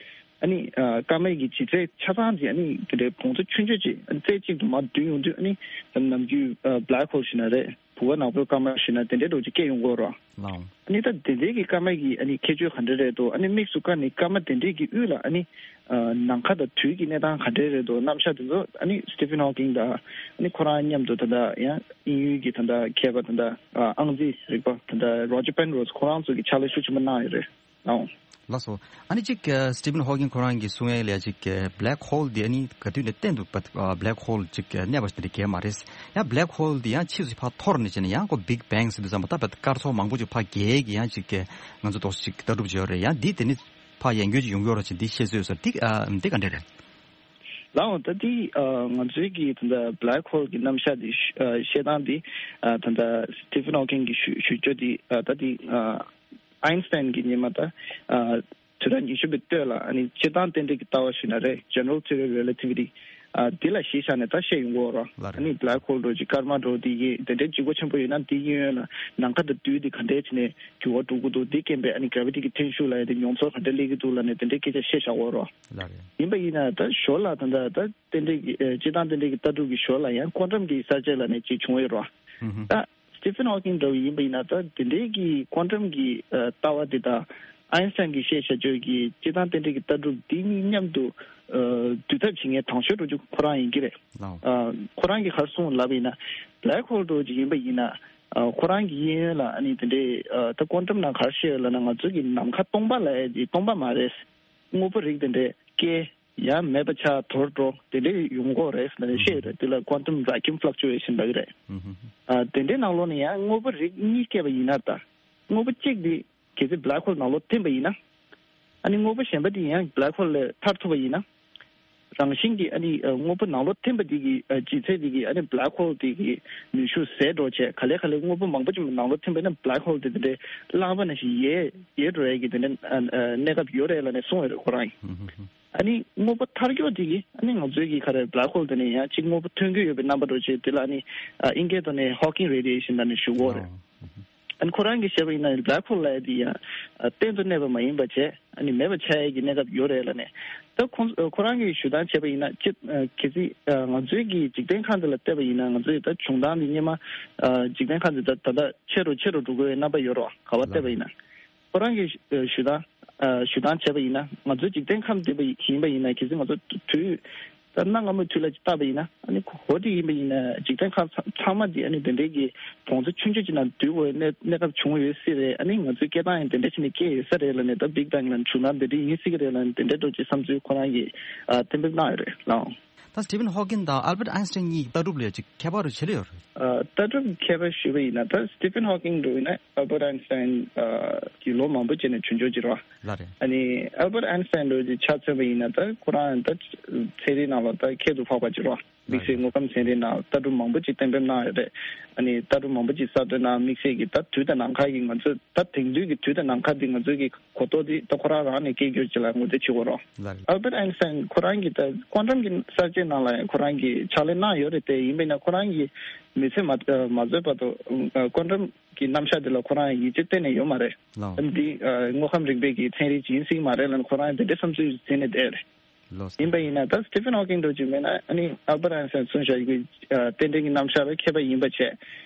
ཨ་ནི་ཨ་སྐར་མའི་གི་ལྗིད་ཚད་ཆ་ཚང་ཅིག་ཨ་ནི་དེ་འདྲའི་བོངས་ཚོ་ཆུང་ཆུང་ཅིག་ཨ་ནི་རྩེ་གཅིག་ཏུ་མར་བསྡུས་ཡོང་དུས། ཨ་ནི་ནམ་རྒྱུན་ཨ་བྷེ་ལེག་ཧོལ་ཞེ་ན་རེད། བུ་ག་ནག་པོའི་སྐར་མ་ཞེ་ན་དེ་འདྲའི་འདྲ་བོ་ཅིག་སྐྱེ་ཡོང་གི་ཡོད་རེད། ལགས་འོང་། ཨ་ནི་ད་དེ་འདྲའི་གི་སྐར་མ་གི་ཨ་ནི་ཁྱད་ཆོས་ག་འདྲ་རེད་འདུག་ཨ་ནི་དམིགས་སུ་བཀར་ནས་སྐར་མ་དེ་འདྲའི་གི་དབུས་ལ་ཨ་ནི་ཨ་ནམ་མཁའ་དང་དུས་ཀྱི་གནས་སྟངས་ག་འདྲ་རེད་འདུག་རྣམ་གཞག་དེ་ཚོ་ཨ་ནི་སི་ཊི་ཕན་ཧོ་ཀིན་དང་ཨ་ནི་ཁོ་རང་མཉམ་དུ་ད་ལྟ་ཡང་དབྱིན་ཡུལ་གྱི་ད་ལྟ་མཁས་པ་ད་ལྟ་ཨ་ཨང་རྩིས་རིག་པ་ད་ལྟ་རོ་ཇར་པེན་རོ་སི་ཁོ་རང་ཚོ་གི་ཕྱག་ལས་ཤུགས་ཆེན་པོ་གནང་ཡོད་རེད། ལགས་འོང་། ལགས་སོ། ཨ་ནི་གཅིག་ཨ་སི་ཊི་ཕན་ཧོ་ཀིན་ཁོ་རང་གིས་གསུང་ཡས་ལ་ཡ་གཅིག་ཨ་བྷེ་ལེག་ཧོལ་འདི་ཨ་ནི་ག་དུས་ནས་གཏན་དུ་བ་ཨ་བྷེ་ལེག་ཧོལ་གཅིག་ཨ་གནས་པ་ཞིག་དེ་འདྲ་གང་ཡང་མ་རེད། ཡང་བྷེ་ལེག་ཧོལ་འདི་ཡང་ཕྱིས་སུ་ཕར་འཐོར་ནས་བྱས་ནས་ཡང་ཁོ་བིག་བེང་ཟེར་དུས་ཙམ་པ་ད་བར་སྐར་ཚོགས་མང་པོ་ཅིག་ཕར་རྒྱས་ཀྱི་ཡང་གཅིག་ཨ་ང་ཚོ་ཏོག་ཙམ་ཅིག་ལྟ་གྲུབ་ཅིག་ཡོད་རེད། ཡང་འདི་དེ་ནི་ཕར་ཡང་བསྐྱར་ཅིག་ཡོང་གི་ཡོད་རེད་ཅེས་འདི་བཤད་སྲོལ་ཡོད་ས་རེད། འདི་ཨ་འདི་ག་འདྲ་རེད། ལགས་འོང་། ད་འདི་ཨ་ང་ཚོའི་གི་ད་ལྟ་བྷེ་ལེག་ཧོལ་གི་རྣམ་གཞག་འདི་ཨ་བཤད་སྟངས་འདི་ཨ་ད་ལྟ་སི་ཊི་ཕན་ཧོ་ཀིན་གི་ཞུ་ཞུ་སྐྱོ་འདི་ཨ་ད་འདི་ཨ་ཨའིན་སི་ཊན་གྱི་སྔོན་མ་ད་ཨ་དུས་རབས་ཉི་ཤུ་པའི་སྟོད་ལ་ཨ་ནི་སྤྱིར་བཏང་རྟེན་འབྲེལ་གྱི་ལྟ་བ་ཞུས་ན་རེད། General Theory of Relativity ཨ་འདི་ལ་གཞི་བཞག་ནས་ད་བཤད་ཡོང་གི་ཡོད་རེད། ལགས་རེད། ཨ་ནི་བྷེ་ལེག་ཧོལ་འདྲ་བོ་ཅིག་སྐར་མ་འདྲ་བོ་དེ་གི་དེ་འདྲའི་ལྗིད་ཁོག་ཆེན་པོ་ཡོད་ན་དེ་གི་གཡོན་ལ་ནམ་མཁའ་དང་དུས་དེ་ག་འདྲས་བྱས་ནས་འགྱུར་བ་འགྲོ་གི་འདུག་དེ་རྐྱེན་པས་ཨ་ནི་གྷ་ར་ཝི་ཊི་གི་འཐེན་ཤུགས་ལབ་ཡ་དེ་མྱོང་ཚོར་ག་འདྲས་སླེབས་ཀྱི་འདུག་ལབ་ནས་དེ་འདྲའི་སྐད་ཆ་བཤད་བཞག་ཡོད་རེད། ལགས་རེད། ཡིན་པ་ཡིན་ན་ད་ཞོར་ལ་ད་ད་ད་རྟེན་འབྲེལ་གྱི་ཨ་སྤྱིར་བཏང་རྟེན་འབྲེལ་གྱི་ལྟ་གྲུབ་ཀྱི་ཞོར་ལ་ཡང་ཀོན་ཊམ་གྱི་གསར་བརྗེ་ལབ་ནས་ཅིག་བྱུང་ཡོད་རེད། ཧུམ་ཧུམ། ད་སི་ཊི་ཕན་ཧོ་ཀིན་འདྲ་བོ་ཡིན་པ་ཡིན་ན་ད་དེ་འདྲའི་གི་ཀོན་ཊམ་གྱི་ཨ་ལྟ་བ་དེ་དང་ཨའིན་སི་ཊན་གྱིས་བཤད་བྱ་སྤྱོད་ཀྱི་སྤྱིར་བཏང་རྟེན་འབྲེལ་གྱི་ལྟ་གྲུབ་འདི་གཉིས་མཉམ་དུ་ཨ་འདུས་ཐབས་བྱེད་མཁན་དང་ཤོས་འགྲོ་རྒྱུ་ཁོ་རང་ཡིན་གྱི་རེད། ལགས་འོང་། ཨ་ཁོ་རང་གིས་ག་རེ་གསུངས་ལབ་པ་ཡིན་ན་བྷེ་ལེག་ཧོལ་འདྲ་བོ་ཅིག་ཡིན་པ་ཡིན་ན་ཨ་ཁོ་རང་གི་གཡས་གཡོན་ལ་ཨ་ནི་དེ་འདྲའི་ཨ་ད་ཀོན་ཊམ་ནང་ག་རེ་བཤད་ཡོད་ལབ་ན་ང་ཚོ་གི་ནམ་མཁའ་སྟོང་པ་ལབ་ཡ་དེ་སྟོང་པ་མ་རེད། དངོས་པོ་རིགས་དེ་འདྲའི་སྐྱེ། ཡང་མེད་པ་ཆགས་དོར་འགྲོ་དེ་འདྲའི་ཡོང་གི་རེད་ཟེར་ནས་བཤད་ཡོད་རེད། དེ་ལ་quantum vacuum fluctuation ལབ་ཀྱི་རེད། ཨ་དེ་འདྲའི་ནང་ལོགས་ནས་ཡང་དངོས་པོ་རིགས་གཉིས་སྐྱེས་པ་ཡིན་ན། ད་དངོས་པོ་གཅིག་དེ་གལ་སྲིད་black hole ནང་ལོགས་ཐིམ་པ་ཡིན་ན། ཨ་ནི་དངོས་པོ་གཞན་པ་དེ་ཡང་black hole ལས་ཐར་ཐུབ་པ་ཡིན་ན། རང་བཞིན་གྱིས་ཨ་ནི་ཨ་དངོས་པོ་ནང་ལོགས་ཐིམ་པ་དེ་གི་ཨ་ལྗིད་ཚད་དེ་གིས་ཨ་ནི་black hole དེ་གི་ནུས་ཤུགས་ཟད་འགྲོ་བྱས། ག་ལེ་ག་ལེ་དངོས་པོ་མང་པོ་ཅིག་ནང་ལོགས་ཐིམ་པ་ཡིན་ན་black hole དེ་དེ་འདྲའི་རླངས་པ་ནང་བཞིན་ཡལ་ཡལ་འགྲོ་ཡས་ཀྱི་དེ་འདྲའི་ཨ་ཨ་གནས་སྐབས་ཡོད་རེད་ལབ་ནས་གསུངས་ཡོད་རེད་ཁོ་རང་གིས། ཨ་ནི་དངོས་པོ་ཐར་མཁན་དེ་གིས་ཨ་ནི་ང་ཚོའི་གི་ག་རེ་black hole དེ་ནས་ཡང་གཅིག་དངོས་པོ་ཐོན་གྱི་ཡོད་པའི་རྣམ་པ་འདྲ་བྱས། དེ་ལ་ཨ་ནི་ཨ་ཨིན་སྐད་ཐོག་ནས་Hawking radiation ལབ་ནས་ཞུ་གི་ཡོད་རེད། ཨ་ནི་ཁོ་རང་གིས་བཤད་པ་ཡིན་ན་black hole ལབ་ཡ་དེ་ཡང་ཨ་གཏན་དུ་གནས་པ་མ་ཡིན་པ་བྱས། ཨ་ནི་མེད་པ་ཆགས་ཡས་ཀྱི་གནས་སྐབས་ཡོད་རེད་ལབ་ནས། ད་ཁོང་ཁོ་རང་གིས་ཞུ་སྟངས་བྱས་པ་ཡིན་ན་ཅི་ཨ་གལ་སྲིད་ཨ་ང་ཚོའི་གི་འཇིག་རྟེན་ཁམས་འདི་ལ་བལྟས་པ་ཡིན་ན། ང་ཚོའི་ད་བྱུང་སྟངས་འདི་སྔོན་མ་ཨ་འཇིག་རྟེན་ཁམས་འདི་ད་ད་ལྟ་ཆེ་རུ་ཆེ་རུ་འགྲོ་དགོས་པའི་རྣམ་པ་ཡོད་རེད་བ། ག་པར་བལྟས་པ་ཡིན་ན། ཁོ་རང་གིས་ཞུ་ཨ་ཞུ་སྟངས་ཨ་ཞུ་སྟངས་བྱས་པ་ཡིན་ན། ང་ཚོ་འཇིག་རྟེན་ཁམས་འདི་པ་ཡིན་པ་ཡིན་ན། གལ་སྲིད་ང་ཚོ་དུས་ད་གནའ་སྔ་མོའི་དུས་ལ་ཅིག་བལྟས་པ་ཡིན་ན། ཨ་ནི་གོ་དེ་ཡིན་པ་ཡིན་ན་འཇིག་རྟེན་ཁམས་ཚང་ཚང་མ་འདི་ཨ་ནི་དེ་འདྲའི་གི་བོངས་ཚོ་ཆུང་ཆུང་ཅིག་ནང་སྡུད་དགོས་གནས་གནས་སྐབས་བྱུང་ཡོད་སྲིད་རེད། ཨ་ནི་ང་ཚོའི་སྐད་གདངས་ཡང་དེ་འདྲ་བྱས་ནས་སྐྱེས་ཡོད་ས་རེད་ལབ་ནས། ད་Big Bang ལ་བྱུང་སྟངས་དེ་འདྲ་ཡིན་སྲིད་ཀྱི་རེད་ལབ་ནས་དེ་འདྲ་འདྲ་ཅིག་བསམ་ཚུལ་ཁོ་རང་གིས་ཨ་གཏན་འབེབས་གནང་ཡོད་རེད་ལགས། ད་Stephen Hawking དང་Albert Einstein གཉིས་ལྟ་གྲུབ་ལ་ཅིག་ཁྱད་པར་རུ་ཆེ་ལེ་ཡོད་རེད། ཨ་ལྟ་གྲུབ་ཁྱད་པར་ཞུས་པ་ཡིན་ན། ད་Stephen Hawking འདྲ་བོ་ཡིན་ན་Albert Einstein ཨ་གི་ལོ་མང་པོ་རྗེས་ནས་བྱུང་ཆོག་ཅིག་རེད་བ། ལགས་རེད། ཨ་ནི་Albert Einstein འདྲ་བོ་ཅིག་ཆ་མཚོན་པ་ཡིན་ན། ད་ཁོ་རང་ད་ཚན་རིག་ནང་ལ་ད་ཁྱད་དུ་འཕགས་པ་ཅིག་རེད་བ། དམིགས་བསལ་དངོས་ཁམས་ཚན་རིག་ནང་ལྟ་གྲུབ་མང་པོ་ཅིག་གཏན་འབེབས་གནང་ཡོད་རེད། ཨ་ནི་ལྟ་གྲུབ་མང་པོ་ཅིག་གསར་གཏོད་གནང་། དམིགས་བསལ་གྱིས་ད་དུས་དང་ནམ་མཁའ་གི་ང་ཚོ་ད་དེང་དུས་ཀྱི་དུས་དང་ནམ་མཁའ་འདི་ང་ཚོའི་གི་གོ་རྟོགས་འདི་ད་ཁོ་རང་རང་ནས་སྐྱེ་རྒྱུ་ཅིག་ལ་ངོས་འཛིན་བྱེད་དགོས་རེད། ལགས་རེད། Albert Einstein ཁོ་རང་གིས་ད་ཀོན་ཊམ་གྱི་གསར་བརྗེ་ནང་ལ་ཁོ་རང་གིས་ཕྱག་ལས་གནང་ཡོད་རེད་དེ། ཡིན་པས་ན་ཁོ་རང་གིས་མི་ཚེ་མ་མ་རྫོགས་བར་དུ་ཀོན་ཊམ་གྱི་རྣམ་གཞག་འདི་ལ་ཁོ་རང་ཡིད་ཆེས་གཏན་ནས་ཡོད་མ་རེད། ལགས། འདི་དངོས་ཁམས་རིག་པའི་གི་ཚན་རིག་ཅིག་ཡིན་སྲིད་ཀྱི་མ་རེད་ལབ་ནས་ཁོ་རང་དེ་འདྲའི་བསམ་ཚུལ་འཛིན་ནས་བསྡད་ཡོད་རེད། ལགས། ཡིན་པ་ཡིན་ན་ད་Stephen Hawking འདྲ་ཅིག་མེད་ན། ཨ་ནི་Albert Einstein གསུངས་བཞག་གི་ཨ་རྟེན་འབྲེལ་གྱི་རྣམ་གཞག་ལ་མཁས་པ་ཡིན་པ་བྱས།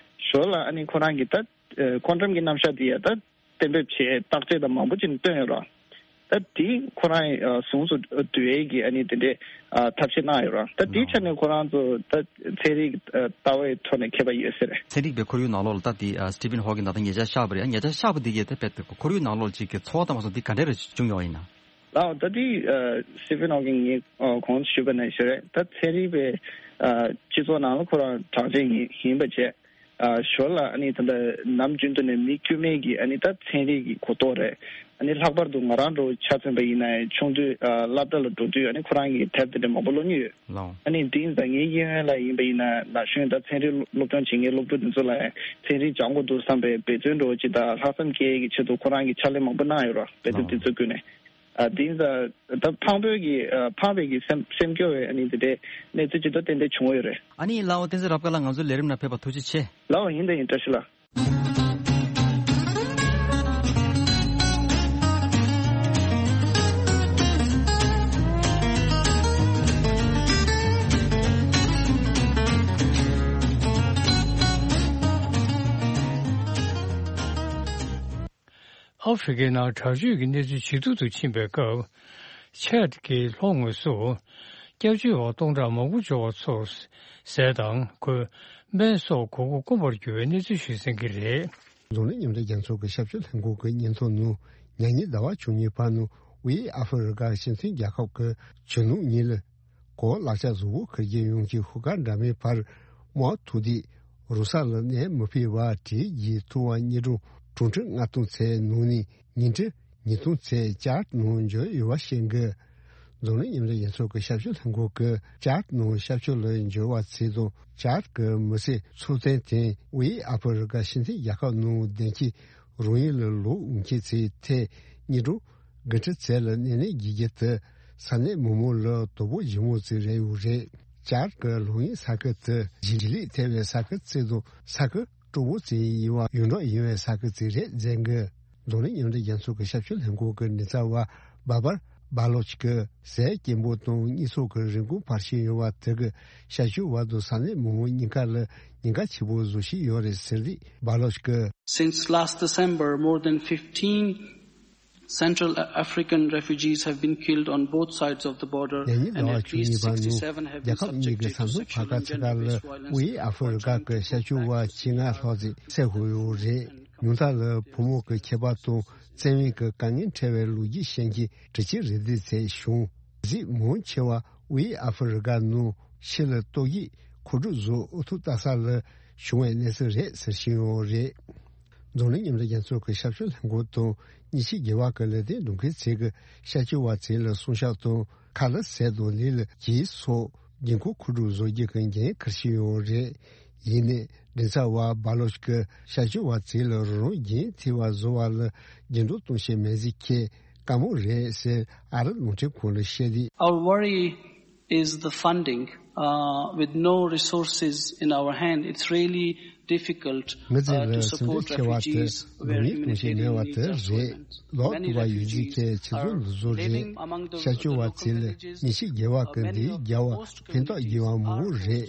ཞོར་ལ་ཨ་ནི་ཁོ་རང་གིས་ད་ཨ་ཀོན་ཊམ་གྱི་རྣམ་གཞག་འདི་ཡ་ད་གཏན་འབེབས་བྱས། བརྟག་དཔྱད་དང་མང་པོ་ཅིག་བཏོན་ཡོད་རེད། ད་དེ་ཁོ་རང་ཨ་ཟུང་དུ་འབྲེལ་ཡས་ཀྱི་ཨ་ནི་དེ་འདྲའི་ཨ་ཐབས་ཤེས་གནང་ཡོད་རེད། ད་དེའི་ཆ་ནས་ཁོ་རང་ཚོ་ད་ཚན་རིག་ཨ་ལྟ་བའི་ཐོག་ནས་མཁས་པ་ཡོད་ས་རེད། ཚན་རིག་པའི་ཁོར་ཡུག་ནང་ལོགས་ལ་ད་དེ་ཨ་Stephen Hawking ད་ལྟ་ཉེ་ཆར་གཤེགས་པ་རེད། ཉེ་ཆར་གཤེགས་པ་འདི་གས་ད་དཔེ་ཁོར་ཡུག་ནང་ལོགས་ཅིག་གི་ཚོར་བ་དང་མ་སོང་འདི་ག་འདྲ་རེ་བྱུང་ཡོད་ཡིན་ན། ལགས། ད་དེ་ཨ་Stephen Hawking ངས་ཨ་གོང་དུ་ཞུས་པ་ནང་བཞིན་རེད། ད་ཚན་རིག་པའི་ཨ་སྤྱི་ཚོགས་ནང་ལ་ཁོ་རང་གྲགས་ཅན་ཡིན་ཡིན་པ་བྱས། ཨ་ཞོར་ལ་ཨ་ནི་ད་ལྟ་ནམ་རྒྱུན་དུ་ནས་མི་དཀྱུས་མའི་གི་ཨ་ནི་ད་ཚན་རིག་གི་གོ་རྟོགས་རེད། ཨ་ནི་ལྷག་པར་དུ་ང་རང་འདྲ་བོ་ཆ་མཚོན་པ་ཡིན་ན་ཡང་ཆུང་དུས་ཨ་སློབ་གྲྭ་ལ་འགྲོ་དུས་ཨ་ནི་ཁོ་རང་གི་དེབ་དེ་འདྲ་མང་པོ་ཀློག་མྱོང་ཡོད། ལགས། ཨ་ནི་དེ་ཡིན་ཙང་ངའི་གཡས་གཡོན་ལ་ཡིན་པ་ཡིན་ན་ན་གཞོན་ད་ཚན་རིག་སློབ་སྦྱོང་བྱེད་མཁན་སློབ་ཕྲུག་དེ་ཚོ་ལ་ཡང་ཚན་རིག་སྦྱང་དགོས་འདུག་བསམ་པའི་འབད་བརྩོན་འདྲ་བོ་ཅིག་དང་ལྷག་བསམ་སྐྱེ་ཡས་ཀྱི་ཆེད་དུ་ཁོ་རང་གིས་ཕྱག་ལས་མང་པོ་གནང་ཡོད་རེད། དཔེ་དེབ་དེ་ཚོ་བརྒྱུད་ནས། ཨ་དེ་ཡིན་ཙང་ད་ཕངས་པའི་གི་ཨ་ཕངས་པའི་གི་སེམས་སེམས་སྐྱོ་བའི་ཨ་ནི་དེ་འདྲའི་གནས་ཚུལ་ཅིག་ད་ཏན་ཏན་བྱུང་ཡོད་རེད། ཨ་ནི་ལགས་འོ། བསྟན་འཛིན་རབ་དཀར་ལགས་ང་ཚོའི་ལས་རིམ་ནང་ཕེབས་པར་ཐུགས་རྗེ་ཆེ། ལགས་འོ། ཡིན་ད་ཡིན། བཀྲ་ཤིས་ལགས། ཨ་ཧྥེ་རི་ཁའི་ནང་དྲག་སྤྱོད་ཀྱི་གནས་ཚུལ་ཇེ་སྡུག་ཏུ་ཕྱིན་པའི་སྐབས། ཆད་ཀྱི་ལྷོ་ངོས་སུ་སྐྱབས་བཅོལ་བ་སྟོང་ཕྲག་མང་པོ་འབྱོར་བ་ཚོར་ཟས་དང་གོས། སྨན་སོགས་དགོས་མཁོ་དཀོན་པར་གྱུར་བའི་གནས་ཚུལ་ཞིག་གསན་གྱི་རེད། རྫོང་ནི་མཉམ་འབྲེལ་རྒྱལ་ཚོགས་ཀྱི་ཞབས་ཞུ་ལྷན་ཁང་གི་སྙན་ཐོ་ནང་ཉེ་ཉིན་ཟླ་བ་བཅུ་གཉིས་པ་ནང་དབུས་ཨ་ཧྥེ་རི་ཁ་སྤྱི་མཐུན་རྒྱལ་ཁབ་ཀྱི་གཞོན་ནུ་གཉིས་ལ། གོ་ལག་ཆ་གཟུགས་པོ་འཁྱེར་རྒྱུ་ཡོང་གི་ཧུར་ཐག་འདྲ་མིན་བར་དམག་ཐུག་དུས་རུ་ས་ལ་གནས་མི་ཕོད་པ་དེ་ཡིས་ཐུག་པ་ཉིན་གྲངས་དྲུག་ཁྲི་ལྔ་སྟོང་ཙམ་ནང་ནས་ཉིན་ཁྲི་ཉིས་སྟོང་ཙམ་ཅཱར་ནང་འབྱོར་ཡོད་པ་ཤེས་དགོས། རྫོང་ནི་མཉམ་འབྲེལ་རྒྱལ་ཚོགས་ཀྱི་ཞབས་ཞུ་ལྷན་ཁང་གིས་ཅཱར་ནང་ཞབས་ཞུ་ལ་འབྱོར་བ་ཚོ་དང་ཅཱར་གྱི་མི་སེར་ཚོགས་ཐེངས་དེ་དབུས་ཨ་ཧྥེ་རི་ཁ་སྤྱི་མཐུན་རྒྱལ་ཁབ་ནང་བདེ་སྐྱིད་རང་ཡུལ་ལ་ལོག་འོང་མཁན་ཚོའི་ཐད་ཉིན་གྲངས་དགུ་ཁྲི་ཙམ་ལ་གནས་ནས་རྒྱུག་རྒྱུ་དེ་ས་གནས་མི་མང་ལ་དོ་ཕོག་ལྗིད་མོ་ཙམ་རེད་ཡོད་རེད། ཅཱར་གྱི་ལོག་གཡེམ་ས་ཁུལ་དེ་ལྗིད་ལུས་ཐེབས་པའི་ས་ཁུལ་ཙམ་དང་ས་ཁུལ་སྤྲོ་པོ་ཙམ་ཡིན་པ་ཡོངས་གྲགས་ཡིན་པའི་ས་ཁུལ་ཙམ་རེད་མཛད་འགོ། རྫོང་ནི་མཉམ་འབྲེལ་རྒྱལ་ཚོགས་ཀྱི་ཞབས་ཞུ་ལྷན་ཁང་གི་མགྲིན་ཚབ་པ་བྷ་བར་བྷ་ལོཆ་གིས་ཟས་སྐྱིན་པོ་དང་གཉིད་སོགས་ཀྱི་རིན་གོང་འཕར་བཞིན་ཡོད་པ་དེ་གིས་ཞབས་ཞུ་བ་དང་ས་གནས་མི་མང་གཉིས་ཀ་ལ་ཉེན་ཁ་ཆེ་པོ་བཟོ་བཞིན་ཡོད་རེད་ཟེར་དུས་བྷ་ལོཆ་གིས། Since last December, more than fifteen Central African refugees have been killed on both sides of the border, ཉེ་ཉིན་ཟླ་བ་བཅུ་གཉིས་པ་ནང་རྒྱལ་ཁབ་གཉིས་ཀྱི་ས་མཚམས་བར་ཁ་ཚ་ཁ་ལ་དབུས་ཨ་ཧྥེ་རི་ཁ་གི་ཤར་ཕྱོགས་བ་བཅོ་ལྔ་ལྷག་ཙམ་བསད་ཡོད་རེད། ཉུང་མཐའ་ལ་བུ་མོ་གི་ཁྱད་པར་དང་བཙན་གཡེམ་གྱི་དཀའ་ངལ་འཕྲད་པའི་ལོ་རྒྱུས་བཤད་མཁན་དྲི་ཆུའི་རི་ལྡེབས་ཚད་བྱུང་། གཟིགས་མང་ཆེ་བ་དབུས་ཨ་ཧྥེ་རི་ཀ་ནང་ཕྱི་ལ་ཏོག་དབྱིབས་མཁོ་སྒྲུབ་བཟོ་ཨུ་ཐུག་ལྟ་ས་ལ་བྱུང་བའི་གནས་ཚུལ་རེད་ཟེར་བཞིན་ཡོད་རེད། འཛམ་གླིང་མཉམ་འབྲེལ་རྒྱལ་ཚོགས་ཀྱི་ཞབས་ཞུ་ལྷན་ཁང་དང་ཉིན་ཕྱེད་བརྒལ་བ་གི་ལས་དོན་སྒྲུབ་མཁན་ཚོས་ཀྱི་བྱ་སྤྱོད་པ་ཚོ་ལ་སྲུང་སྐྱོབ་དང་ཁ་ལག་ཟས་དང་ལས་ལ་གྱིས་སོགས་དགོས་མཁོ་མཁོ་སྒྲུབ་བཟོ་རྒྱུ་གི་འགན་འཁུར་བཞིན་ཡོད་རེད། ཡིན་ནའི་མགྲིན་ཚབ་པ་སྦ་ལོ་ཆི་གིས་བྱ་སྤྱོད་པ་ཚོ་ལ་རང་རང་འགན་འཁྱེར་བ་བཟོ་བ་ལ་འགྱུར་ལྡོག་གཏོང་བྱེད་མེད་ཟིག་ཁྱེད་དཀའ་མོ་རེད་ཟེར་ཨ་རི་རླུང་འཕྲིན་ཁང་ལ་བཤད་དུས། Our worry is the funding, uh, with no resources in our hand. It's really difficult, མི་ཚེ་uh, to ལ་སེམས་support ཁྲལ་ཆེ་བ་དེ་refugees སྡུག་བསྔལ་གཏོང་བྱེད་མེད་པ་དེ་རེད། ལོ་དུ་བ་ཡོད་ཚིག་ཁྱེད་ཁྱེད་ཚོ་འདི་ཚོ་རེད། བྱ་སྤྱོད་པ་ཚོ་ལ་ཉིན་ཕྱེད་བརྒལ་བ་གི་འདི་རྒྱལ་བ་ཕན་ཐོགས་རྒྱས་པ་མང་པོ་རེད།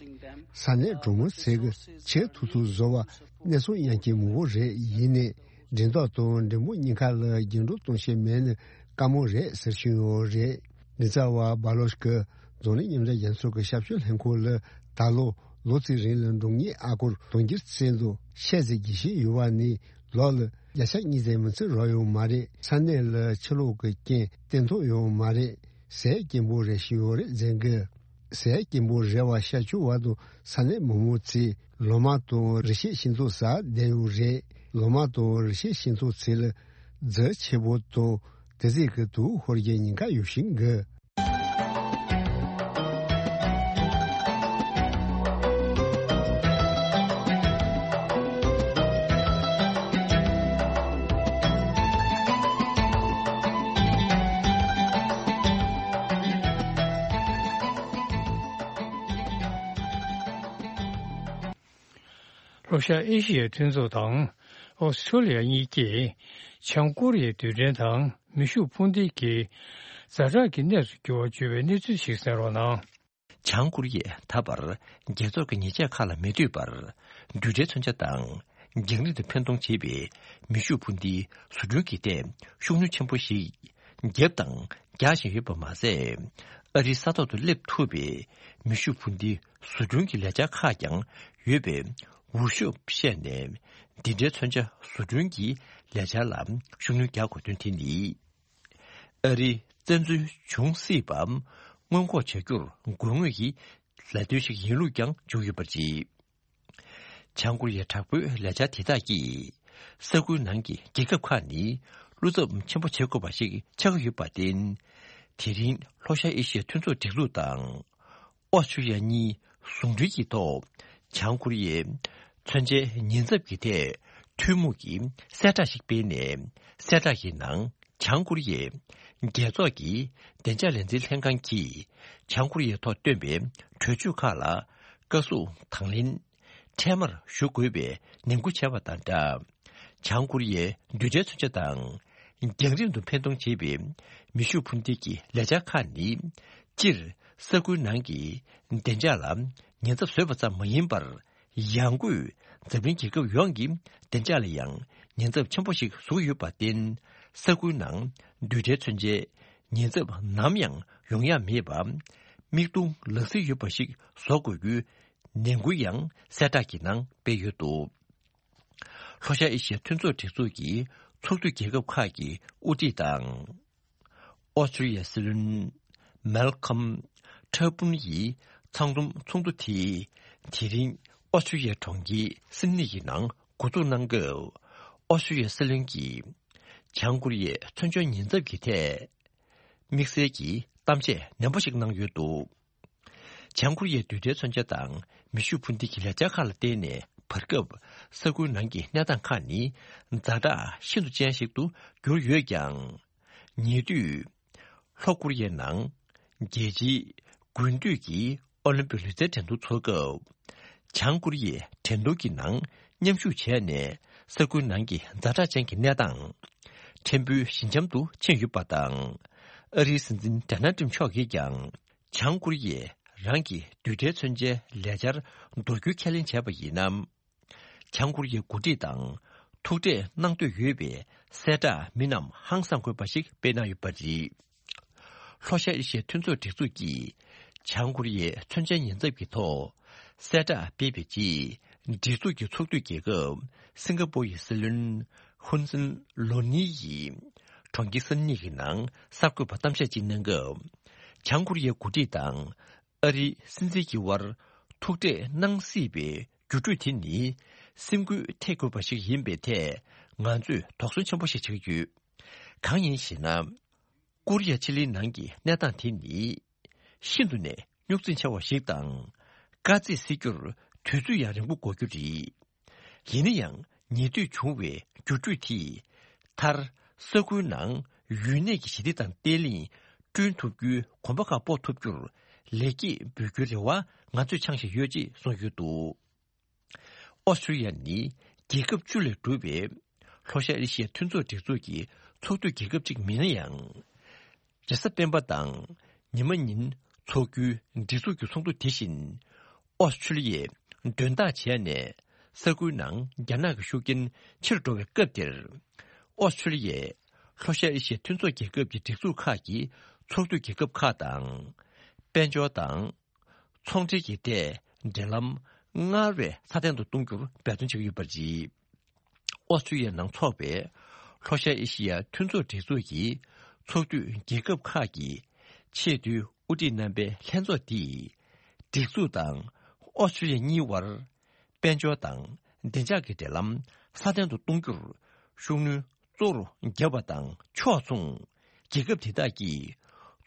ས་གནས་གྲོང་མི་ཚོས་གི་ཆེས་ཐུག་ཐུག་བཟོ་བ་གནས་ཚུལ་ཡང་སྐྱེ་མང་པོ་རེད། ཡིན་ནའི་འགྲན་ཟླ་དང་འགྲན་པོ་གཉིས་ཀ་ལ་རྒྱུན་འགྲོ་གཏོང་བྱེད་མེད་ནི་དཀའ་མོ་རེད་ཟེར་བཞིན་ཡོད་རེད། མགྲིན་ཚབ་པ་སྦ་ལོ་ཆི་གིས་འཛམ་གླིང་མཉམ་འབྲེལ་རྒྱལ་ཚོགས་ཀྱི་ཞབས་ཞུ་ལྷན་ཁང་ལ་ད་ལོ་ལོ་གཅིག་རིང་ལ་འབྲོག་གཉེར་ཨ་སྒོར་དུང་ཕྱུར་ཚད་དུ་ཤད་ཟེར་རྒྱུ་ཞིག་ཡོད་པ་ནི་ལོ་ལ་བརྒྱ་ཆ་གཉིས་ཙམ་མི་ཚེ་རོགས་ཡོང་མ་རེད། ས་གནས་ལ་ཕྱི་ལོགས་ཀྱི་རྐྱེན་བརྟན་ཐོག་ཡོང་མ་རེད། ཟས་སྐྱིན་པོ་རེ་ཞིག་ཡོད་རེད་ཟེར་གི། ཟས་སྐྱིན་པོ་རེ་བ་ཤ་ཆུ་བར་དུ་ས་གནས་མི་མང་ཚོས་ལོ་མ་དང་རི་སྐྱེས་ཤིང་ཏོག་ཟ་བསྡད་ཡོད་རེད། ལོ་མ་དང་རི་སྐྱེས་ཤིང་ཏོག་ཚོ་ལ་རྫས་ཆེ་པོ་དང་དེ་ཚོ་གི་དུག་ཤོར་རྒྱུ་ཉེན་ཁ་ཡོད་བཞིན་གི། ལྷོ་ཤར་ཨེ་ཤི་ཡའི་མཐུན་ཚོགས་དང་ཨོ་སི་ཁྲུ་ལི་ཡ་གཉིས་ཀྱིས་བྱང་ཀོ་རི་ཡའི་རྡུལ་ཕྲན་དང་མེ་ཤུགས་འཕུར་མདེལ་གྱི་ཛ་དྲག་གི་གནས་སུ་གྱུར་བར་བརྗོད་པའི་གནས་ཚུལ་ཞིག་གསན་རོགས་གནང་། བྱང་ཀོ་རི་ཡས་ད་བར་རྒྱལ་ཚོགས་ཀྱི་ཉེས་ཆད་ཁག་ལ་མི་ལྟོས་པར་རྡུལ་ཕྲན་མཚོན་ཆ་དང་རྒྱང་རིང་དུ་འཕེན་གཏོང་བྱེད་པའི་མེ་ཤུགས་འཕུར་མདེལ་བཟོ་སྐྲུན་གྱི་ཐད་ཤུགས་སྣོན་ཆེན་པོ་ཞིག་བརྒྱབ་དང་རྒྱག་བཞིན་ཡོད་པ་མ་ཟད། ཨ་རིའི་ས་ཐོག་ཏུ་སླེབས་ཐུབ་པའི་མེ་ཤུགས་འཕུར་མདེལ་བཟོ་སྐྲུན་གྱི་ལས་འཆར་ཁག་ཀྱང་ཡོད་པའི་འུར་ཤོབ་བཤད་ནས། འདི་འདྲའི་མཚོན་ཆ་བཟོ་སྐྲུན་གྱི་ལས་འཆར་ལ་ཤུགས་སྣོན་རྒྱག་དགོས་དོན་དེ་ནི། ཨ་རིའི་བཙན་འཛུལ་འབྱུང་སྲིད་པ་སྔོན་འགོག་བྱ་རྒྱུར་དགོས་ངེས་ཀྱི་ལས་དོན་ཞིག་ཡིན་ལུགས་ཀྱང་བརྗོད་ཡོད་པ་རེད། བྱང་ཀོ་རི་ཡའི་དྲག་པོའི་ལས་འཆར་དེ་དག་གིས་ས་ཁུལ་ནང་གི་རྒྱལ་ཁབ་ཁག་ནི་བློ་འཚབ་ཆེན་པོ་བྱེད་དགོས་པ་ཞིག་ཆགས་ཀྱི་ཡོད་པར་བརྟེན། དེ་རིང་ལྷོ་ཤར་ཨེ་ཤི་ཡའི་མཐུན་ཚོགས་སྒྲིག་འཛུགས་དང་། ཨོ་སི་ཁྲུ་ལི་ཡ་གཉིས་ཟུང་འབྲེལ་གྱི་ཐོག་བྱང་ཀོ་རི་ཡའི་མཚོན་ཆའི་ཉེན་ཚབས་ཀྱི་ཐད་ཐུན་མོང་གི་གསལ་བསྒྲགས་ཤིག་སྤེལ་ནས། གསལ་བསྒྲགས་ཀྱི་ནང་། བྱང་ཀོ་རི་ཡའི་རྒྱལ་ཚོགས་ཀྱི་བདེ་འཇགས་ལས་འཛིན་ལྷན་ཁང་གིས་བྱང་ཀོ་རི་ཡའི་ཐོག་བཏོན་པའི་གྲོས་ཆོད་ཁག་ལ་བཀའ་ཟུར་དང་ལེན་འཕྲལ་མར་ཞུ་དགོས་པའི་ནན་སྐུལ་བྱས་པ་དང་སྦྲགས། བྱང་ཀོ་རི་ཡའི་རྡུལ་ཕྲན་མཚོན་ཆ་དང་རྒྱང་རིང་དུ་འཕེན་གཏོང་བྱེད་པའི་མེ་ཤུགས་འཕུར་མདེལ་གྱི་ལས་འཆར་ཁག་ནི། སྤྱིར་ས་ཁུལ་ནང་གི་བདེ་འཇགས་ལ་ཉེན་ཚབས་བཟོས་པ་ཙམ་མ་ཡིན་པར། ཡང་སྒོས་འཛམ་གླིང་རྒྱལ་ཁབ་ཡོངས་ཀྱི་བདེ་འཇགས་ལ་ཡང་ཉེན་ཚབས་ཆེན་པོ་ཞིག་བཟོ་གི་ཡོད་པར་བརྟེན། ས་ཁུལ་ནང་རྡུལ་ཕྲན་མཚོན་ཆའི་ཉེན་ཚབས་ནམ་ཡང་ཡོང་ཡ་མེད་པ། མིག་མཐོང་ལག་ཟིན་ཡོད་པ་ཞིག་བཟོ་དགོས་རྒྱུའི་ནན་སྐུལ་ཡང་གསལ་བསྒྲགས་ཀྱི་ནང་སྤེལ་ཡོད་འདུག་ལྷོ་ཤར་ཨེ་ཤི་ཡའི་མཐུན་ཚོགས་སྒྲིག་འཛུགས་ཀྱི་ཚོགས་འཐུས་རྒྱལ་ཁབ་ཁག་གི་དབུ་ཁྲིད་དང་། ཨོ་སི་ཀྲི་ཡའི་སྲིད་བློན་མལ་ཁམ་ཁྲ་པུན་ཡིས་ཚང་འཛོམས་ཚོགས་འདུ་དེ་དེ་རིང་ཨོ་སི་ཀྲི་ཡའི་གྲོང་ཁྱེར་སིད་ནི་ཡི་ནང་འགོ་འཛུགས་གནང་སྐབས། ཨོ་སི་ཀྲི་ཡའི་སྲིད་བློན་གྱིས་བྱང་ཀོ་རི་ཡའི་མཚོན་ཆའི་ཉེན་ཚབས་ཀྱི་ཐད་དམིགས་བསལ་གྱི་གཏམ་བཤད་ནན་པོ་ཞིག་གནང་ཡོད་འདུག་བྱང་ཀོ་རི་ཡའི་རྡུལ་ཕྲན་མཚོན་ཆ་དང་མེ་ཤུགས་འཕུར་མདེལ་གྱི་ལས་འཆར་ཁག་ལ་བརྟེན་ནས། བར་སྐབས་ས་ཁུལ་ནང་གི་གནས་སྟངས་ཁག་ནི་ཛ་དྲག་ཤིན་ཏུ་ཅན་ཞིག་ཏུ་གྱུར་ཡོད་ཀྱང་། ཉེ་དུས་ལྷོ་ཀོ་རི་ཡའི་ནང་རྒྱལ་སྤྱིའི་དགུན་དུས་ཀྱི་ཨོ་ལིམ་པིག་ལུས་རྩལ་འགྲན་བསྡུར་འཚོགས་སྐབས། བྱང་ཀོ་རི་ཡས་འགྲན་བསྡུར་གྱི་ནང་མཉམ་ཞུགས་བྱས་ནས། ས་ཁུལ་ནང་གི་ཛ་དྲག་ཅན་གྱི་གནས་སྟངས་ཕྲན་བུ་ཞི་འཇམ་དུ་ཕྱིན་ཡོད་པ་དང་། ཨ་རིའི་སྲིད་འཛིན་ཌོ་ནལ་ཊམ་མཆོག་གིས་ཀྱང་། བྱང་ཀོ་རི་ཡས་རང་གི་རྡུལ་ཕྲན་མཚོན་ཆའི་ལས་འཆར་མདོར་བསྡུས་ཁས་ལེན་བྱས་པ་ཡིན་ན། བྱང་ཀོ་རི་ཡའི་འགོ་ཁྲིད་དང་ཐུག་འཕྲད་གནང་འདོད་ཡོད་པའི་གསལ་བསྒྲགས་མི་རྣམས་ཧང་སང་དགོས་པ་ཞིག་སྤེལ་གནང་ཡོད་པ་རེད། ལྷོ་ཤར་ཨེ་ཤི་ཡའི་མཐུན་ཚོགས་སྒྲིག་འཛུགས་ཀྱིས་བྱང་ཀོ་རི་ཡའི་མཚོན་ཆའི་ཉེན་ཚབས་ཀྱི་ཐོག་གསལ་བསྒྲགས་སྤེལ་བའི་རྗེས། སྒྲིག་འཛུགས་ཀྱི་ཚོགས་འཐུས་རྒྱལ་ཁབ་སིང་ག་པོར་ཡི་སྲིད་བློན་ཧུན་སན་ལོ་ནི་ཡིས་གྲོང་ཁྱེར་སན་ནི་གི་ནང་གསར་འགོད་པར་གཏམ་བཤད་ཅིག་གནང་སྐབས། བྱང་ཀོ་རི་ཡའི་འགོ་ཁྲིད་དང་ཨ་རིའི་སྲིད་འཛིན་གྱི་དབར་ཐུག་འཕྲད་གནང་སྲིད་པའི་འགྱུར་འགྲོས་དེ་ནི་སེམས་འགུལ་ཐེབས་དགོས་པ་ཞིག་ཡིན་པའི་ཐད་ང་ཚོས་དོགས་ཟོན་ཆེན་པོ་ཞིག་བྱེད་ཀྱི་ཡོད། གང་ཡིན་ཞེ་ན། ཀོ་རི་ཡ་ཕྱེད་ལེའི་ནང་གི་གནས་སྟངས་དེ་ནི་ཤིན་ཏུ་ནས་རྙོག་འཛིང་ཆེ་བ་ཞིག་དང་། དཀའ་ཚེགས་སེལ་རྒྱུར་དུས་ཚོད་ཡང་རིང་པོ་འགོར་རྒྱུ་རེད། ཡིན་ན་ཡང་ཉེ་དུས་བྱུང་བའི་འགྱུར་འགྲོས་དེས་མཐར་ས་ཁུལ་ནང་ཡུན་གནས་ཀྱི་ཞི་བདེ་དང་བརྟན་ལྷིང་བསྐྲུན་ཐུབ་རྒྱུའི་གོམ་པ་ཁ་སྤོ་ཐུབ་རྒྱུར་ལེགས་སྐྱེས་འབུལ་རྒྱུའི་རེ་བ་ང་ཚོས་འཆང་བཞིན་ཡོད་ཅེས་གསུངས་ཡོད་འདུག། ཨོ་སི་ཀྲི་ལི་ཡ་ནི་རྒྱལ་ཁབ་བཅུ་ལས་གྲུབ་པའི་ལྷོ་ཤར་ཨེ་ཤི་ཡའི་མཐུན་ཚོགས་སྒྲིག་འཛུགས་ཀྱི་ཚོགས་འཐུས་རྒྱལ་ཁབ་ཅིག་མིན་ན་ཡང་། རེས་གཟའ་སྤེན་པ་དང་ཉི་མ་ཉིན་འཚོགས་རྒྱུའི་སྒྲིག་འཛུགས་ཀྱི་ཚོགས་འདུ་དེ་བཞིན་ཨོ་སི་ཀྲི་ལི་ཡས་མགྲོན་བདག་བྱས་ནས་ས་ཁུལ་ནང་རྒྱ་ནག་གི་ཤུགས་རྐྱེན་ཆེ་རུ་འགྲོ་བའི་སྐབས་དེར། ཨོ་སི་ཀྲི་ལི་ཡས་ལྷོ་ཤར་ཨེ་ཤི་ཡའི་མཐུན་ཚོགས་རྒྱལ་ཁབ་ཀྱི་སྒྲིག་འཛུགས་ཁག་གི་ཚོགས་འཐུས་རྒྱལ་ཁབ་ཁག་དང་། དཔལ་འབྱོར་དང་། ཚོང་འབྲེལ་གྱི་ཐད་འབྲེལ་ལམ་སྔར་བས་སྲ་བརྟན་དུ་གཏོང་རྒྱུར་འབད་བརྩོན་བྱེད་ཀྱི་ཡོད་པ་རེད། ཨོ་སི་ཀྲི་ལི་ཡའི་ནང་འཚོགས་པའི་ལྷོ་ཤར་ཨེ་ཤི་ཡ་མཐུན་ཚོགས་སྒྲིག་འཛུགས་ཀྱི་ཚོགས་འཐུས་རྒྱལ་ཁབ་ཁག་གི་ཆེས་མཐོའི་དབུ་ཁྲིད་རྣམ་པའི་ལྷན་ཚོགས་འདིས། སྒྲིག་འཛུགས་དང་ཨོ་སི་ཀྲི་ལི་ཡ་གཉིས་དབར་དཔལ་འབྱོར་དང་བདེ་འཇགས་ཀྱི་འབྲེལ་ལམ་སྲ་བརྟན་དུ་གཏོང་རྒྱུར་ཤུགས་སྣོན་གཙོ་བོར་བརྒྱབ་པ་དང་ཕྱོགས་མཚུངས། རྒྱལ་ཁབ་དེ་དག་གིས་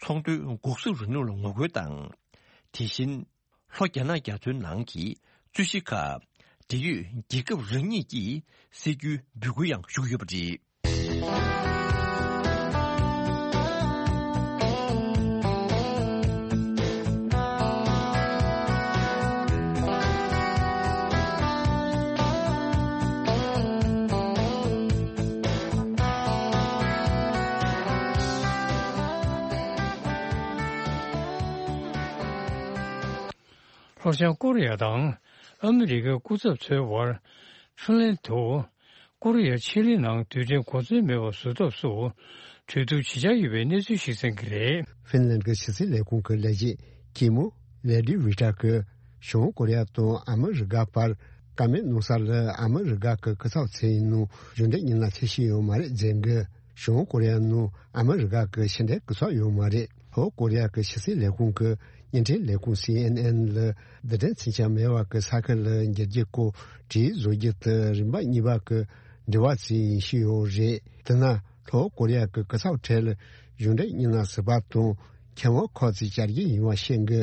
ཚོང་དོན་འགོག་སྲུང་རིང་ལུགས་ལ་ངོ་རྒོལ་དང་། དེ་བཞིན། ལྷོ་རྒྱ་ནག་རྒྱ་མཚོའི་ནང་གི་རྩོད་གཞི་ཁག་འབྲེལ་ཡོད་རྒྱལ་ཁབ་རང་ཉིད་ཀྱིས་སེལ་རྒྱུའི་འབོད་སྐུལ་ཡང་ཞུ་གི་ཡོད་པ་རེད། ལྷོ་བྱང་ཀོ་རི་ཡ་དང་ཨ་མི་རི་ཀའི་སྐུ་ཚབ་ཚོའི་དབར་ཧྥིན་ལན་དུ་ཀོ་རི་ཡ་ཕྱེད་ལེའི་ནང་རྡུལ་ཕྲན་གོ་མཚོན་མེད་པ་བཟོ་ཐབས་སུ་གྲོས་བསྡུར་བྱེད་འཆར་ཡོད་པའི་གནས་ཚུལ་ཞིག་གསན་གྱི་རེད། ཧྥིན་ལན་གྱི་ཕྱི་སྲིད་ལས་ཁུངས་ཀྱི་ལས་བྱེད་ཀི་མོ་ལེ་ཌི་ཝི་ཀྲ་གིས་བྱང་ཀོ་རི་ཡ་དང་ཨ་མི་རི་ཀ་བར་བཀའ་མོལ་གནང་ས་ལ་ཨ་མི་རི་ཀ་གི་སྐུ་ཚབ་ཚོའི་ནང་གཞུང་འབྲེལ་མི་སྣ་ཕེབས་བཞིན་ཡོད་མ་རེད་ཟེར་གི། བྱང་ཀོ་རི་ཡ་ནང་ཨ་མི་རི་ཀ་གི་ཕྱི་འབྲེལ་སྐུ་ཚབ་ཡོད་མ་རེད། ལྷོ་ཀོ་རི་ཡ་གི་ཕྱི་སྲིད་ལས་ཁུངས་ཀྱི་བརྙན་འཕྲིན་ལས་ཁུངས་སི་ཨེན་ཨེན་ལ་བརྡ་དོན་མཚོན་ཆ་མེད་པ་གི་ས་ཁུལ་ལ་འགྱུར་རྒྱུ་སྐོར་བྲིས་བཟོ་རྒྱུ་དེ་རིམ་པ་གཉིས་པ་གི་འབྲེལ་བ་ཅིག་ཡིན་བཞིན་ཡོད་རེད། དེ་ན་ལྷོ་ཀོ་རི་ཡ་གི་སྐུ་ཚབ་གྲས་ལ་གཞུང་འབྲེལ་མི་སྣ་ཟུར་པ་དང་མཁས་དབང་ཁག་ཅིག་བཅར་གྱི་ཡིན་པ་ཤེས་གི།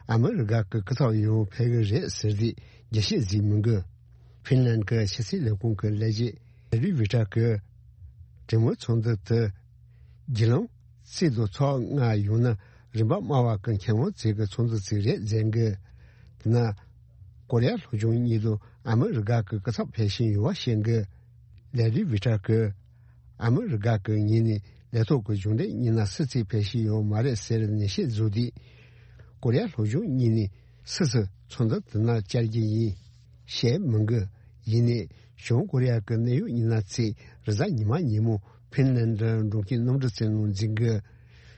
ཨ་མི་རི་ཀ་གི་སྐུ་ཚབ་ཡང་ཕེབས་གི་རེད་ཟེར་ཏེ་རྒྱས་བཤད་ཟིག་མི་འདུག། ཧྥིན་ལན་གྱི་ཕྱི་སྲིད་ལས་ཁུངས་ཀྱི་ལས་བྱེད་ལེ་རི་ཝི་ཀྲ་གིས་གྲོས་མོལ་ཚོགས་འདུ་དེ་བརྒྱུད་ལམ་རྩིས་དང་ཚོགས་ལྔ་ཡོང་ན་རིམ་པ་དམའ་བ་གི་མཁས་དབང་ཚོའི་གི་ཚོགས་འདུ་ཅིག་རེད་ཟེར་གི། དེ་ན་ཀོ་རི་ཡ་ལྷོ་བྱང་གཉིས་ལ་ཨ་མི་རི་ཀ་གི་སྐུ་ཚབ་ཕེབས་བཞིན་ཡོད་པ་ཤེས་གི། ལེ་རི་ཝི་ཀྲ་གིས་ཨ་མི་རི་ཀ་གི་ངོས་ནས་ལས་ཐོག་གི་གཞུང་འབྲེལ་མི་སྣ་སུ་གཅིག་ཕེབས་བཞིན་ཡོད་མ་རེད་ཟེར་ནན་བཤད་བཟོས་ཏེ། ཀོ་རི་ཡ་ལྷོ་བྱང་གཉིས་ནས་སུ་སུ་ཚོགས་འདུ་དེ་ནང་བཅར་གྱི་ཡིན་བཤད་མི་འདུག། ཡིན་ནའི་བྱང་ཀོ་རི་ཡ་གི་གནད་ཡོད་མི་སྣ་ཚོས་རེས་གཟའ་ཉི་མ་ཉིན་མོ་ཧྥིན་ལན་ལ་འགྲོ་མཁན་གནམ་གྲུ་རྩེ་ནང་འཛུལ་གི།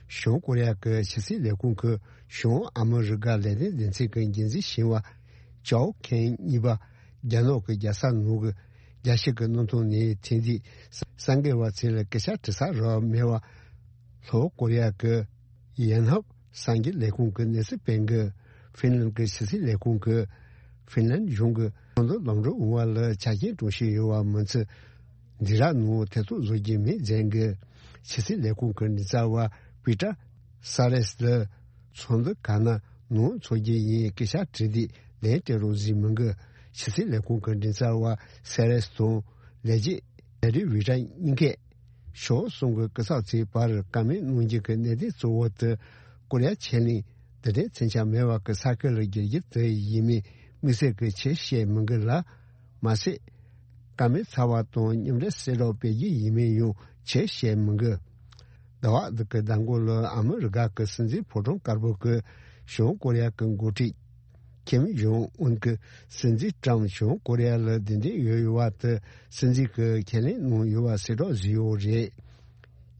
བྱང་ཀོ་རི་ཡ་གི་ཕྱི་སྲིད་ལས་ཁུངས་ཀྱི་བྱང་ཨ་མི་རི་ཀ་ལས་དོན་སྡེ་ཚན་གྱི་འགན་འཛིན་ཞིང་བ་ཅའོ་ཁེན་གཉིས་པ་རྒྱ་ནག་གི་རྒྱལ་ས་ནང་གི་རྒྱལ་སྤྱི་གི་གནམ་ཐང་ནས་ཐེངས་འདིའི་གསར་འགོད་པ་ཚོ་ལ་སྐད་ཆ་དྲི་ས་རག་མེད་པ། ལྷོ་ཀོ་རི་ཡ་གི་ཡན་ཧབ་གསར་འགྱུར་ལས་ཁུངས་ཀྱི་གནས་ཚུལ་སྤེལ་གི། ཧྥིན་ལན་གྱི་ཕྱི་སྲིད་ལས་ཁུངས་ཀྱིས་ཧྥིན་ལན་གཞུང་གི་ཚོགས་འདུ་ལམ་འགྲོ་འོང་བ་ལ་ཆ་རྐྱེན་སྲུང་བཞིན་ཡོད་པ་མིན་ཚེ། འཛིང་རགས་ནང་ཐེ་གཏོགས་བཟོ་རྒྱུ་མེད་ཟེར་གི། ཕྱི་སྲིད་ལས་ཁུངས་ཀྱི་མགྲིན་ཚབ་པ་པི་ཏྲ་ས་རེས་ལ་ཚོགས་འདུ་ག་ན་ནང་འཚོགས་རྒྱུ་ཡིན་སྐད་ཆ་དྲིས་ཏེ་ལན་སྤྲད་རོགས་ཟེར་མི་འདུག། ཕྱི་སྲིད་ལས་ཁུངས་ཀྱི་མགྲིན་ཚབ་པ་ས་རེས་དང་ལས་བྱེད་ལེ་རི་ཝི་ཀྲ་གཉིས་ཀས་ཕྱོགས་གསུམ་གྱི་སྐུ་ཚབ་ཚོའི་བར་བཀའ་མོལ་གནང་རྒྱུ་གི་གནད་དོན་གཙོ་བོ་དེ་ཀོ་རི་ཡ་ཕྱེད་གླིང་རྡུལ་ཕྲན་མཚོན་ཆ་མེད་པ་གི་ས་ཁུལ་ལ་བསྒྱུར་རྒྱུ་དེ་ཡིན་མིན་དམིགས་བསལ་གྱི་ཁྱབ་བཤད་མི་འདུག་ལ། མ་ཟད། བཀའ་མོལ་ཚར་བ་དང་མཉམ་འབྲེལ་གསལ་བསྒྲགས་སྤེལ་རྒྱུ་ཡིན་མིན་ཡང་ཁྱབ་བཤད་མི་འདུག། ཟླ་བ་འདི་གི་ཟླ་འགོ་ལ་ཨ་མི་རི་ཀ་གི་སྲིད་འཛིན་ཕོ་བྲང་དཀར་པོ་གི་བྱང་ཀོ་རི་ཡ་གི་འགོ་ཁྲིད་ཀིམ་ཇོང་ཨུན་གྱིས་སྲིད་འཛིན་ཀྲམ་བྱང་ཀོ་རི་ཡ་ལ་གདན་འདྲེན་ཡོད་ཡོད་པ་དེ་སྲིད་འཛིན་གྱིས་ཁས་ལེན་གནང་ཡོད་པ་གསལ་བསྒྲགས་བཟོས་ཡོད་རེད།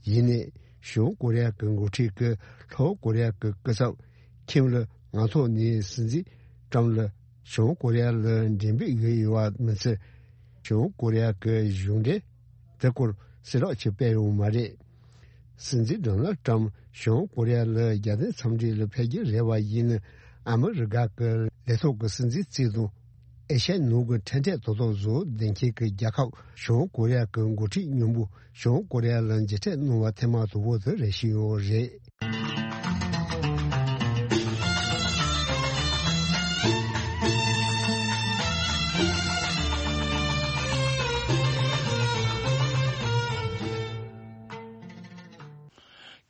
ཡིན་ནའི་བྱང་ཀོ་རི་ཡ་གི་འགོ་ཁྲིད་ཀྱིས་ལྷོ་ཀོ་རི་ཡ་གི་སྐུ་ཚབ་ཁིམ་ལ་ངག་ཐོག་ནས་སྲིད་འཛིན་ཀྲམ་ལ་ བྱང་ཀོ་རི་ཡ་ལ་འགྲན་འབོད་ཡོད་ཡོད་པ་མི་ཚད། བྱང་ཀོ་རི་ཡ་གི་གཞུང་འབྲེལ་དེ་སྐོར་གསལ་བསྒྲགས་ཅིག་སྤེལ་ཡོད་མ་རེད། སྲིད་འཛིན་ཌོ་ནལ་ཊམ་བྱང་ཀོ་རི་ཡ་ལ་རྒྱལ་དོན་འཚམས་འདྲི་ལ་ཕེབས་རྒྱུ་རེད་པ་ཡིན་ན། ཨ་མི་རི་ཀ་གི་ལས་ཐོག་གི་སྲིད་འཛིན་རྩིས་དང་། ཨེ་ཤ་ཡའི་ནང་གི་འཕྲེད་འཕྲེད་དོ་དོ་བཟོ་ལྡན་མཁན་གྱི་རྒྱལ་ཁབ་བྱང་ཀོ་རི་ཡ་གི་འགོ་ཁྲིད་མཉམ་པོ་བྱང་ཀོ་རི་ཡ་ལ་མཇལ་འཕྲད་གནང་བ་ཐེངས་མ་དང་པོ་དེ་རེད་བཞིན་ཡོད་རེད།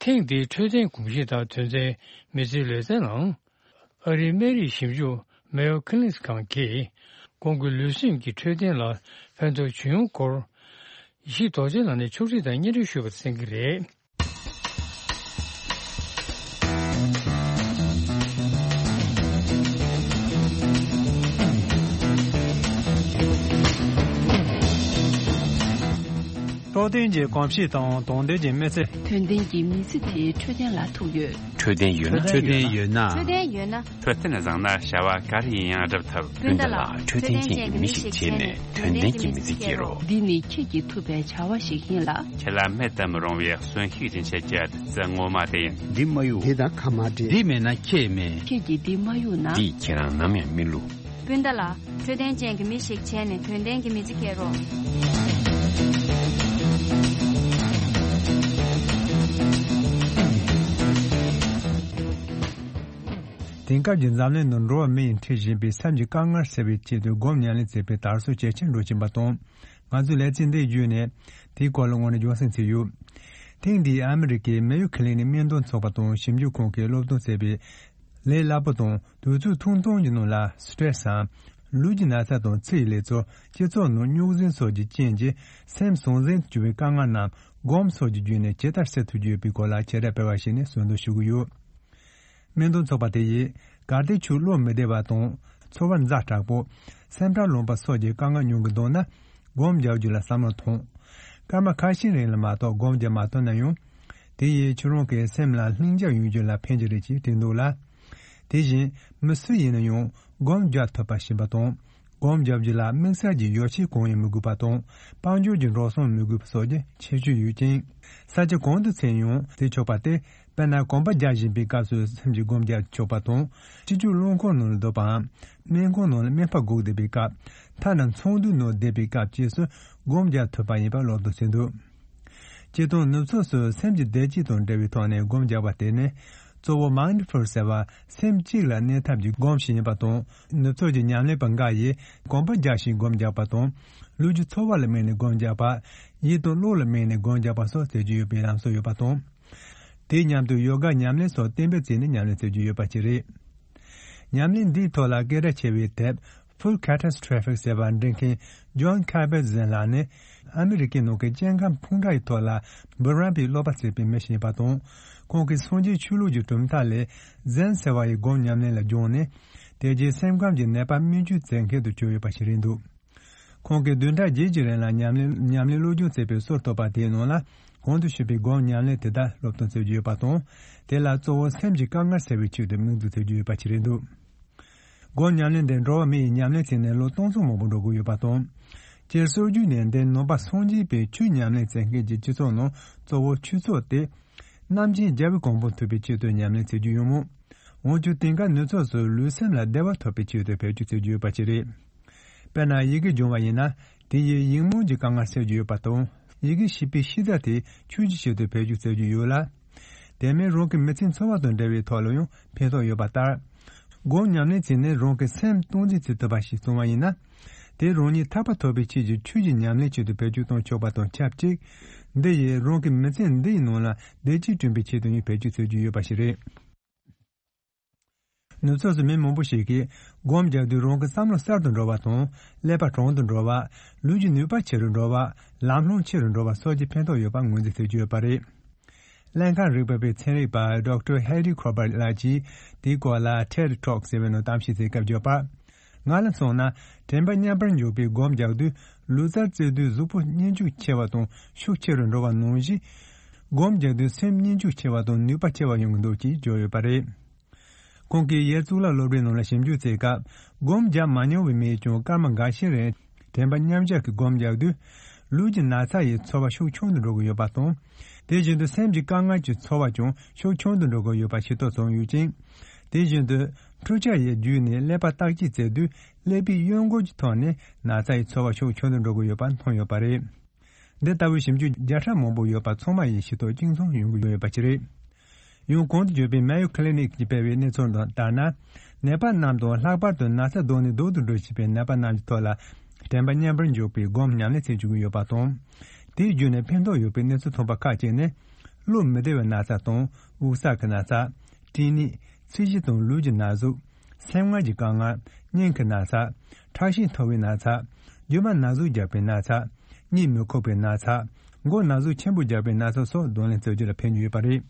ཐེངས་འདིའི་འཕྲོད་བསྟེན་གོམས་གཤིས་དང་དོན་ཚན་མི་ཚེའི་ལེ་ཚན་ནང་། ཨ་རིའི་སྨན་རིགས་ཞིབ་འཇུག་མེ་ཡོ་ཁི་ལིན་སི་ཁང་གིས་ཁོང་གི་ལུས་སེམས་ཀྱི་འཕྲོད་བསྟེན་ལ་ཕན་ཐོགས་བྱུང་ཡོང་སྐོར། ཡེ་ཤེས་རྡོ་རྗེ་ལགས་ནས་ཕྱོགས་སྒྲིག་དང་སྙན་སྒྲོན་ཞུས་པ་གསན་གྱི་རེད། འཕྲོད་བསྟེན་གྱི་གོམས་གཤིས་དང་དོན་ལྡན་གྱི་མི་ཚེ། དོན་ལྡན་གྱི་མི་ཚེ་དེའི་འཕྲོད་བསྟེན་ལ་ཐུག་ཡོད། འཕྲོད་བསྟེན་ཡོད་ན། འཕྲོད་བསྟེན་ཡོད་ན། འཕྲོད་བསྟེན་ཡོད་ན། འཕྲོད་བསྟེན་བཟང་ན་བྱ་བ་ག་རེ་ཡིན་ཡང་སྒྲུབ་ཐུབ། སྤུན་ཟླ་ལགས། འཕྲོད་བསྟེན་ཅན་གྱི་མི་ཞིག་བྱས་ནས་དོན་ལྡན་གྱི་མི་ཚེ་སྐྱེལ་རོགས། འདི་ནི་ཁྱེད་ཀྱིས་ཐུབ་པའི་བྱ་བ་ཞིག་ཡིན་ལ། ཁྱེད་ལ་མེད་དུ་མི་རུང་བའི་གསོན་ཤུགས་སྦྱིན་བྱེད་ཀྱི་བདུད་རྩི་ངོ་མ་དེ་ཡིན། འདི་མ་གཡུག་འདི་དང་ཁ་མ་བྲལ། འདི་མེད་ན་ཁྱེད་མེད། ཁྱེད་ཀྱིས་འདི་མ་གཡུག་ན། འདིས་ཁྱེད་རང་ནམ་ཡང་མི་བསླུ། སྤུན་ཟླ་ལགས། འཕྲོད་བསྟེན་ཅན་གྱི་མི་ཞིག་བྱས་ནས་དོན་ལྡན་གྱི་མི་ཚེ་སྐྱེལ་རོགས། དེང་སྐབས་ཀྱི་འཛམ་གླིང་ནང་འགྲོ་བ་མི་ཡིས་འཕྲད་བཞིན་པའི་སེམས་ཀྱི་དཀའ་ངལ་སེལ་བའི་ཆེད་དུ་སྒོམ་ཉམས་ལེན་བྱེད་པའི་དར་སྲོལ་ཇེ་ཆེར་འགྲོ་བཞིན་པ་དང་། ང་ཚོས་ལེ་ཚན་འདིའི་བརྒྱུད་ནས་དེའི་སྐོར་ལ་དངོས་གནས་རྒྱུན་སྲིང་བྱས་ཡོད། ཐེངས་འདིའི་ཨ་མི་རི་ཀའི་མེ་ཡོ་ཁི་ལི་ནིག་སྨན་དོན་ཚོགས་པ་དང་ཞིབ་འཇུག་ཁང་གིས་སློབ་སྟོན་བྱས་པའི་ལས་སླ་པོ་དང་དུས་ཚོད་ཐུང་ཐུང་གི་ནང་ལ་སི་ཊེ་རེ་སི་སམ། ལུས་ཀྱི་ན་ཚ་དང་ཚེ་ཡི་ལས་ཚོར། སྤྱི་ཚོགས་ནང་རྙོག་ཟིང་སོགས་ཀྱི་རྐྱེན་གྱིས་སེམས་ཟང་ཟིང་དུ་གྱུར་པའི་དཀའ་ངལ་རྣམས་སྒོམ་སོགས་ཀྱི་བརྒྱུད་ནས་ཇི་ལྟར་སེལ་ཐུབ་རྒྱུ་ཡོད་པའི་སྐོར་ལ་བྱེ་བྲག་སྤེལ་བ་ཞིག་ནས་གསོལ་འདེབས་ཞུ་གི་ཡོད། སྨན་དོན་ཚོགས་པ་དེ་ཡིས་གལ་ཏེ་ཁྱོད་བློ་མི་བདེ་བ་དང་ཚོར་བ་ཛ་དྲག་པོ། སེམས་ཁྲལ་ལངས་པ་སོགས་ཀྱི་དཀའ་ངལ་མྱོང་གི་འདུག་ན། སྒོམ་རྒྱག་རྒྱུ་ལ་བསམ་བློ་ཐོངས། སྐར་མ་ཁ་ཤས་རིང་ལ་མ་གཏོགས་སྒོམ་རྒྱག་མ་ཐུབ་ན་ཡང་། དེ་ཡིས་ཁྱོད་རང་གི་སེམས་ལ་ལྷིང་འཇགས་ཡོང་རྒྱུ་ལ་ཕན་གྱི་རེད་ཅེས་བྲིས་འདུག་ལ། དེ་བཞིན་མི་སུ་ཡིན་ན་ཡང་སྒོམ་རྒྱག་ཐུབ་པ་ཞིག་ཡིན་པ་དང་། སྒོམ་རྒྱག་རྒྱུ་ལ་དམིགས་བསལ་གྱི་ཡོ་བྱད་གང་ཡང་མི་དགོས་པ་དང་། དཔལ་འབྱོར་གྱི་འགྲོ་སོང་མི་དགོས་པ་སོགས་ཀྱི་ཁྱད་ཆོས་ཡོད་ཅིང་། ས་ཆ་གང་དུ་ཕྱིན་ཡང་བྱེད་ཆོག་པ་སྟེ། དཔེར་ན་གོམ་པ་རྒྱག་བཞིན་པའི་སྐབས་སུ་སེམས་ཀྱིས་སྒོམ་རྒྱག་ཆོག་པ་དང་། སྤྱི་སྤྱོད་རླངས་འཁོར་ནང་ལ་སྡོད་པའམ། སྨན་ཁང་ནང་ལ་སྨན་པ་སྒུག་བསྡད་པའི་སྐབས། ཐ་ན་ཚོགས་འདུའི་ནང་བསྡད་པའི་སྐབས་བཅས་སུ་སྒོམ་རྒྱག་ཐུབ་པ་ཡིན་པ་སློབ་སྟོན་བྱས་འདུག། སྤྱིར་བཏང་ནུབ་ཕྱོགས་སུ་སེམས་ཀྱི་བདེ་སྐྱིད་དང་འབྲེལ་བའི་ཐོག་ནས་སྒོམ་རྒྱག་པ་དེ་ནི། གཙོ་བོ་མའིན་ཌི་ཕུལ་ཟེར་བ་སེམས་གཅིག་ལ་གནས་ཐབས་ཀྱི་སྒོམ་ཞིག་ཡིན་པ་དང་། ནུབ་ཕྱོགས་ཀྱི་ཉམས་ལེན་པ་འགའ་ཡིས་གོམ་པ་རྒྱག་བཞིན་སྒོམ་རྒྱག་པ་དང་། ལུས་ཀྱི་ཚོར་བ་ལ་དམིགས་ནས་སྒོམ་རྒྱག་པ། ཡིད་དང་བློ་ལ་དམིགས་ནས་སྒོམ་རྒྱག་པ་སོགས་བྱེད་ཀྱི་ཡོད་པའི་ལམ་སྲོལ་ཡོད་པ་དང་། དེའི་མཉམ་དུ་ཡོ་ག་ཉམས་ལེན་སོགས་གཏན་འབེབས་བྱས་ནས་ཉམས་ལེན་བྱེད་ཀྱི་ཡོད་པ་ཞིག་རེད། ཉམས་ལེན་འདིའི་ཐོག་ལ་སྐད་གྲགས་ཆེ་བའི་དེབ་Full Catastrophic ཟེར་བ་འབྲི་མཁན་Jon Kabat-Zinn ལགས་ནི་ཨ་མི་རི་ཀའི་ནང་གི་སྐྱེ་ཁམས་ཕུང་དཀྲག་གི་ཐོག་ལ་འབུམ་རམས་པའི་ཀློག་པ་བྱེད་པའི་མི་ཞིག་ཡིན་པ་དང་། ཁོང་གིས་སངས་རྒྱས་ཆོས་ལུགས་ཀྱི་གྲུབ་མཐའ་ལས་ཛེན་ཟེར་བ་ཡི་སྒོམ་ཉམས་ལེན་ལ་སྦྱངས་ནས། དེ་རྗེས་སེམས་ཁམས་ཀྱི་ནད་པ་སྨན་བཅོས་མཛད་མཁན་དུ་གྱུར་ཡོད་པ་ཞིག་རེད་འདུག། ཁོང་གིས་བདུན་ཕྲག་བརྒྱད་ཀྱི་རིང་ལ་ཉམས་ལེན་ཉམས་ལེན་སློབ་སྦྱོང་བྱས་པའི་སྲོལ་བཏོད་པ་དེའི་ནང་ལ། གོང་དུ་ཞུས་པའི་སྒོམ་ཉམས་ལེན་དེ་དག་སློབ་སྟོན་བྱེད་ཀྱི་ཡོད་པ་དང་། དེ་ལ་གཙོ་བོ་སེམས་ཀྱི་དཀའ་ངལ་སེལ་བའི་ཆེད་དུ་དམིགས་འཛུགས་བྱེད་ཀྱི་ཡོད་པ་ཞིག་རེད་འདུག། སྒོམ་ཉམས་ལེན་དེ་འགྲོ་བ་མི་ཡིས་ཉམས་ལེན་བྱས་ནས་ལོ་སྟོང་ཚོ་མང་པོ་འགྲོ་གི་ཡོད་པ་དང་། སྤྱིར་སྲོལ་རྒྱུན་ནས་འདི་ནང་པ་སངས་རྒྱས་པའི་ཆོས་ཉམས་ལེན་བྱེད་མཁན་གྱི་སྤྱི་ཚོགས་ནང་གཙོ་བོ་ཆོས་ཚོགས་ཏེ། རྣམ་མཁྱེན་རྒྱལ་བའི་གོ་འཕང་ཐོབ་པའི་ཆེད་དུ་ཉམས་ལེན་བྱེད་ཀྱི་ཡོད་མོད། འོན་ཀྱང་དེང་སྐབས་ནུབ་ཕྱོགས་སུ་ལུས་སེམས་ལ་བདེ་བ་ཐོབ་པའི་ཆེད་དུ་བེད་སྤྱོད་བྱེད་ཀྱི་ཡོད་པ་ཞིག་རེད། དཔེར་ན་ཡི་གེ་སྦྱོང་བ་ཡིན་ན། དེ་ཡིས་ཡིག་རྨོངས་ཀྱི་དཀའ་ངལ་སེལ་རྒྱུ་ཡོད་པ་དང་། ཡི་གེ་ཤེས་པའི་ཤེས་རྩལ་དེ་ཆོས་ཀྱི་ཆེད་དུ་བེད་སྤྱོད་བྱེད་རྒྱུ་ཡོད་ལ། དེ་མིན་རང་གི་མི་ཚེའི་འཚོ་བ་དང་འབྲེལ་བའི་ཐོག་ལ་ཡང་ཕན་ཐོགས་ཡོད་པ་ལྟར། སྒོམ་ཉམས་ལེན་བྱས་ནས་རང་གི་སེམས་སྟངས་འཛིན་བྱེད་ཐུབ་པ་ཞིག་བྱུང་བ་ཡིན་ན། དེ་རང་ཉིད་ཐར་པ་ཐོབ་པའི་ཆེད་ཀྱི་ཆོས་ཀྱི་ཉམས་ལེན་ཆེད་དུ་བེད་སྤྱོད་གཏོང་ཆོག་པ་དང་ཆབས་ཅིག། འདི་ཡིས་རང་གི་མི་ཚེ་འདིའི་ནང་ལ་བདེ་སྐྱིད་བསྐྲུན་པའི་ཆེད་དུ་ཡང་བེད་སྤྱོད་བྱེད་རྒྱུ་ཡོད་པ་ཞིག་རེད། ནུབ་ཕྱོགས་སུ་མི་མང་པོ་ཞིག་གིས་སྒོམ་རྒྱག་དུས་རང་གི་བསམ་བློ་གསར་དུ་འགྲོ་བ་དང་། ཀླད་པ་དྲང་དུ་འགྲོ་བ། ལུས་ཀྱི་ནུས་པ་ཆེ་རུ་འགྲོ་བ། ལམ་ལྷོང་ཆེ་རུ་འགྲོ་བ་སོགས་ཀྱི་ཕན་ཐོགས་ཡོད་པ་ངོས་འཛིན་བྱེད་ཀྱི་ཡོད་པ་རེད། ཀླད་ཁམས་རིག་པ་བའི་ཚན་རིག་པ་Doctor Heidi Colbert ལགས་ཀྱིས་དེའི་སྐོར་ལ་ཐེད་ཊོག་ཟེར་བའི་ནང་གཏམ་བཤད་བྱེད་སྐབས་བརྗོད་པར། ང་ལ་མཚོན་ན། དྲན་པ་མཉམ་པར་འཇོག་པའི་སྒོམ་རྒྱག་དུས་ལུས་རྩལ་རྩེ་དུས་གཟུགས་པོ་མཉེན་ལྕུག་ཆེ་བ་དང་ཤུགས་ཆེ་རུ་འགྲོ་བ་ནང་བཞིན། སྒོམ་རྒྱག་དུས་སེམས་མཉེན་ལྕུག་ཆེ་བ་དང་ནུས་པ་ཆེ་བ་ཡོང་གི་འདུག་ཅེས་བརྗོད་ཡོད་པ་རེད། ཁོང་གིས་ཡེལ་གཙུག་ལག་སློབ་གྲྭའི་ནང་ལ་ཞིབ་འཇུག་བྱས་སྐབས། སྒོམ་བརྒྱབ་མ་མྱོང་བའི་མིས་ཀྱང་སྐར་མ་འགའ་ཤས་རིང་དྲན་པ་མཉམ་གཞག་གི་སྒོམ་བརྒྱབ་དུས། ལུས་ཀྱི་ན་ཚ་ཡི་ཚོར་བ་ཤུགས་ཆུང་དུ་འགྲོ་གི་ཡོད་པ་དང་། དེ་བཞིན་དུ་སེམས་ཀྱི་དཀའ་ངལ་གྱི་ཚོར་བ་ཀྱང་ཤུགས་ཆུང་དུ་འགྲོ་གི་ཡོད་པ་ཤེས་རྟོགས་བྱུང་ཡོད་ཅིང་། དེ་བཞིན་དུ་འཕྲུལ་ཆས་ཡི་བརྒྱུད་ནས་ཀླད་པ་བརྟག་དཔྱད་བྱས་དུས། ཀླད་པའི་གཡོན་སྐོར་གྱི་ཐོག་ནས་ན་ཚ་ཡི་ཚོར་བ་ཤུགས་ཆུང་དུ་འགྲོ་གི་ཡོད་པ་མཐོང་ཡོད་པ་རེད། འདི་ལྟ་བུའི་ཞིབ་འཇུག་བརྒྱ་ཕྲག་མང་པོ་ཡོད་པ་ཚང་མ་ཡིས་ཤེས་རྟོགས་གཅིག་མཚུངས་ཡོང་གི་ཡོད་པ་ཅིག་རེད། ཡང་གོང་དུ་བརྗོད་པའི་Mayo Clinic གིས་སྤེལ་བའི་གནས་ཚུལ་ལྟར་ན། ནད་པ་རྣམས་དང་ལྷག་པར་དུ་ན་ཚ་ལྡོག་ནས་སྡུག་ཏུ་འགྲོ་བཞིན་པའི་ནད་པ་རྣམས་ཀྱི་ཐོག་ལ་དྲན་པ་མཉམ་པར་འཇོག་པའི་སྒོམ་ཉམས་ལེན་བྱེད་བཅུག་གི་ཡོད་པ་དང་། དེའི་བརྒྱུད་ནས་ཕན་ཐོགས་ཡོད་པའི་གནས་ཚུལ་ཐོན་པ་ཁག་ཅིག་ནི། བློ་མི་བདེ་བའི་ན་ཚ་དང་དབུགས་བསགས་ཀྱི་ན་ཚ། སྐྲན་ནད། ཚད་གཞི་དང་ལུས་ཀྱི་ན་ཟུག། སེམས་ངལ་གྱི་དཀའ་ངལ། སྙིང་གི་ན་ཚ། ཁྲག་ཤེད་མཐོ་བའི་ན་ཚ། རྒྱུ་མ་ན་ཟུག་རྒྱག་པའི་ན་ཚ། གཉིད་མི་ཁུག་པའི་ན་ཚ། མགོ་ན་ཟུག་ཆེན་པོ་རྒྱག་པའི་ན་ཚ་སོགས་གདོང་ལེན་བྱ་རྒྱུ་ལ་ཕན་གྱི་ཡོད་པ་རེད།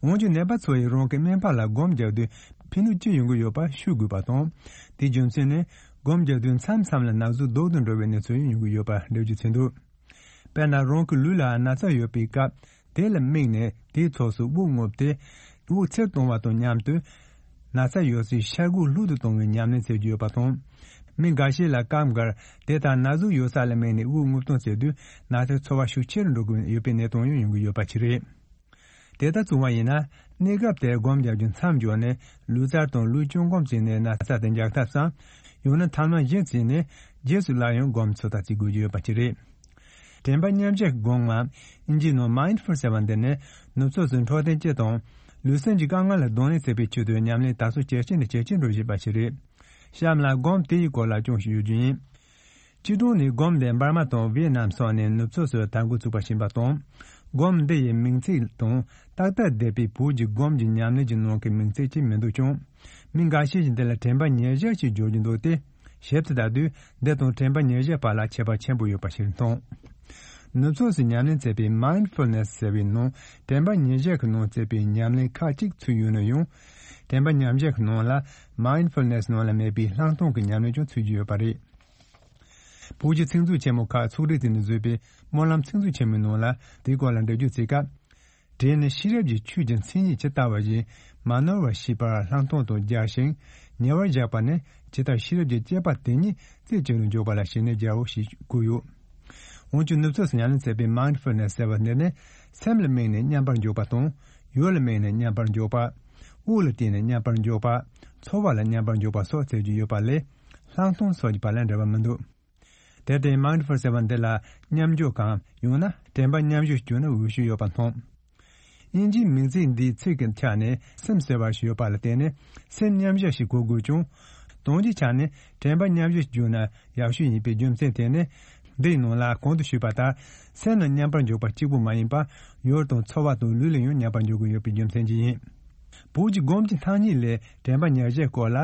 འོན་ཀྱང་ནད་པ་ཚོ་ཡིས་རང་གི་སྨན་པ་ལ་སྒོམ་རྒྱག་དུས་ཕན་ནུས་ཅི་ཡོང་གི་ཡོད་པ་ཤོད་དགོས་པ་དང་། དེའི་རྒྱུ་མཚན་ནི། སྒོམ་རྒྱག་དུས་མཚམས་མཚམས་ལ་ན་ཟུག་ལྡོག་ཏུ་འགྲོ་བའི་གནས་ཚུལ་ཡང་ཡོང་གི་ཡོད་པ་འགྲེལ་བརྗོད་བྱས་འདུག། དཔེར་ན། རང་གི་ལུས་ལ་ན་ཚ་ཡོད་པའི་སྐབས། དེ་ལ་དམིགས་ནས་དེའི་ཕྱོགས་སུ་དབུགས་རྔུབ་སྟེ། དབུགས་ཚུར་གཏོང་བ་དང་མཉམ་དུ། ན་ཚ་ཡོད་སའི་ཤ་ཁུ་ལྷུག་ཏུ་གཏོང་བའི་ཉམས་ལེན་བྱེད་རྒྱུ་ཡོད་པ་དང་། མི་འགའ་ཤས་ལ་སྐབས་འགར་དེ་ལྟར་ན་ཟུག་ཡོད་ས་ལ་དམིགས་ནས་དབུགས་རྔུབ་གཏོང་བྱེད་དུས་ན་ཚའི་ཚོར་བ་ཤུགས་ཆེ་རུ་འགྲོ་གི་ཡོད་པའི་གནས་སྟངས་ཡང་ཡོང་གི་ཡོད་པ་ཅིག་རེད། དེ་ལྟར་བྱུང་བ་ཡིན་ན། གནས་སྐབས་དེར་སྒོམ་རྒྱག་རྒྱུ་མཚམས་འཇོག་ནས་ལུས་རྩལ་དང་ལུས་སྤྱོད་སྒོམ་བྱས་ནས་ན་ཚ་དེ་འཇགས་ཐབས་སམ། ཡང་ན་ཐ་མ་གཞི་བྱས་ནས་རྗེས་སུ་སླར་ཡང་སྒོམ་ཚུགས་ཐབས་བྱེད་དགོས་ཀྱི་ཡོད་པ་ཅིག་རེད། དྲན་པ་མཉམ་གཞག་གི་སྒོམ་ངམ། ཨིན་ཇིའི་ནང་Mindful ཟེར་བ་འདི་ནི་ནུབ་ཕྱོགས་སུ་འཕྲོད་བསྟེན་སྤྱི་དང་། ལུས་སེམས་ཀྱི་དཀའ་ངལ་ལ་གདོང་ལེན་བྱེད་པའི་ཆེད་དུ་ཉམས་ལེན་དར་སྲོལ་ཇེ་ཆེ་ནས་ཇེ་ཆེར་འགྲོ་བཞིན་པ་ཞིག་རེད། གཤམ་ལ་སྒོམ་དེ་ཡི་སྐོར་ལ་ཅུང་ཞིག་ཡོད་རྒྱུ་ཡིན། སྤྱིར་བཏང་ནས་སྒོམ་དེ་འབར་མ་དང་ཝེ་ནམ་སོགས་ནས་ནུབ་ཕྱོགས་སུ་དར་འགོ་ཚུགས་པ་ཡིན་པ་དང་། སྒོམ་འདི་ཡི་མིང་ཚིག་དང་ཏག་ཏག་འདས་པའི་བོད་ཀྱི་སྒོམ་གྱི་ཉམས་ལེན་གྱི་ནང་གི་མིང་ཚིག་ཅིག་མི་འདུག་ཀྱང་། མི་འགའ་ཤས་ཀྱིས་འདི་ལ་དྲན་པ་ཉེར་བཞག་ཅེས་བརྗོད་ཀྱི་འདུག་སྟེ། ཞིབ་ཏུ་བལྟ་དུས་འདི་དང་དྲན་པ་ཉེར་བཞག་བར་ལ་ཁྱད་པར་ཆེན་པོ་ཡོད་པ་ཞིག་མཐོང་། ནུབ་ཕྱོགས་སུ་ཉམས་ལེན་བྱེད་པའི་Mindfulness ཟེར་བའི་ནང་དྲན་པ་ཉེར་བཞག་གི་ནང་བྱེད་པའི་ཉམས་ལེན་ཁག་ཅིག་ཚུད་ཡོད་ན་ཡང་། དྲན་པ་མཉམ་བཞག་གི་ནང་ལ་Mindfulness ནང་ལ་མེད་པའི་ལྷག་མཐོང་གི་ཉམས་ལེན་ཀྱང་ཚུད་ཀྱི་ཡོད་པ་རེད། བོད་ཀྱི་ཚིག་མཛོད་ཆེན་མོ་ཁག་ཚོགས་སྒྲིག་བྱས་ནས་བཟོས་པའི་སྨོན་ལམ་ཚིག་མཛོད་ཆེན་མོའི་ནང་ལ་དེའི་སྐོར་ལ་འགྲེལ་བརྗོད་བྱེད་སྐབས། དེ་ནི་ཤེས་རབ་ཀྱི་ཆོས་ཀྱི་མཚན་ཉིད་ཇི་ལྟ་བ་བཞིན་མ་ནོར་བར་ཤེས་པར་ལྷག་མཐོང་དུ་སྦྱར་ཞིང་ཉེ་བར་བཞག་པ་ནི་ཇི་ལྟར་ཤེས་རབ་ཀྱི་དཔྱད་པ་དེ་ཉིད་རྩད་གཅོད་དུ་འཇོག་པ་ལ་ཞེན་ནས་སྦྱར་རོ་ཞེས་བཀོད་ཡོད། འོན་ཀྱང་ནུབ་ཕྱོགས་སུ་ཉམས་ལེན་བྱེད་པའི་Mindfulness ཟེར་བ་འདི་ནི་སེམས་ལ་དམིགས་ནས་མཉམ་པར་འཇོག་པ་དང་། ཡུལ་ལ་དམིགས་ནས་མཉམ་པར་འཇོག་པ། དབུགས་ལ་བརྟེན་ནས་མཉམ་པར་འཇོག་པ། ཚོར་བ་ལ་མཉམ་པར་འཇོག་པ་སོགས་བྱེད་རྒྱུ་ཡོད་པ་ལས། ལྷག་མཐོང་སོགས་ཀྱི་བར་ལ་འབྲེལ་བ་མི་འདུག། དེར་བརྟེན་Mindful ཟེར་བ་འདི་ལ་མཉམ་འཇོག་གམ་ཡང་ན་དྲན་པ་མཉམ་བཞག་ཞེས་བརྗོད་ན་འོས་ཤོས་ཡོད་པ་མཐོང་། དབྱིན་ཇིའི་མིང་ཚིག་འདིའི་ཚིག་གི་ཆ་ནས་སེམས་ཟེར་བ་ཞིག་ཡོད་པ་ལ་བརྟེན་ནས་སེམས་མཉམ་བཞག་ཞེས་གོ་དགོས་ཀྱང་། དོན་གྱི་ཆ་ནས་དྲན་པ་མཉམ་བཞག་ཞེས་བརྗོད་ན་ཡག་ཤོས་ཡིན་པའི་རྒྱུ་མཚན་དེ་ནི། འདིའི་ནང་ལ་གོང་དུ་ཞུས་པ་ལྟར་སེམས་ལ་མཉམ་པར་འཇོག་པ་གཅིག་པུ་མ་ཡིན་པར་ཡུལ་དང་ཚོར་བ་དང་ལུས་ལ་ཡང་མཉམ་པར་འཇོག་དགོས་ཡོད་པའི་རྒྱུ་མཚན་གྱིས་ཡིན། བོད་ཀྱི་སྒོམ་གྱི་ཐ་སྙད་ལས་དྲན་པ་ཉེར་བཞག་སྐོར་ལ་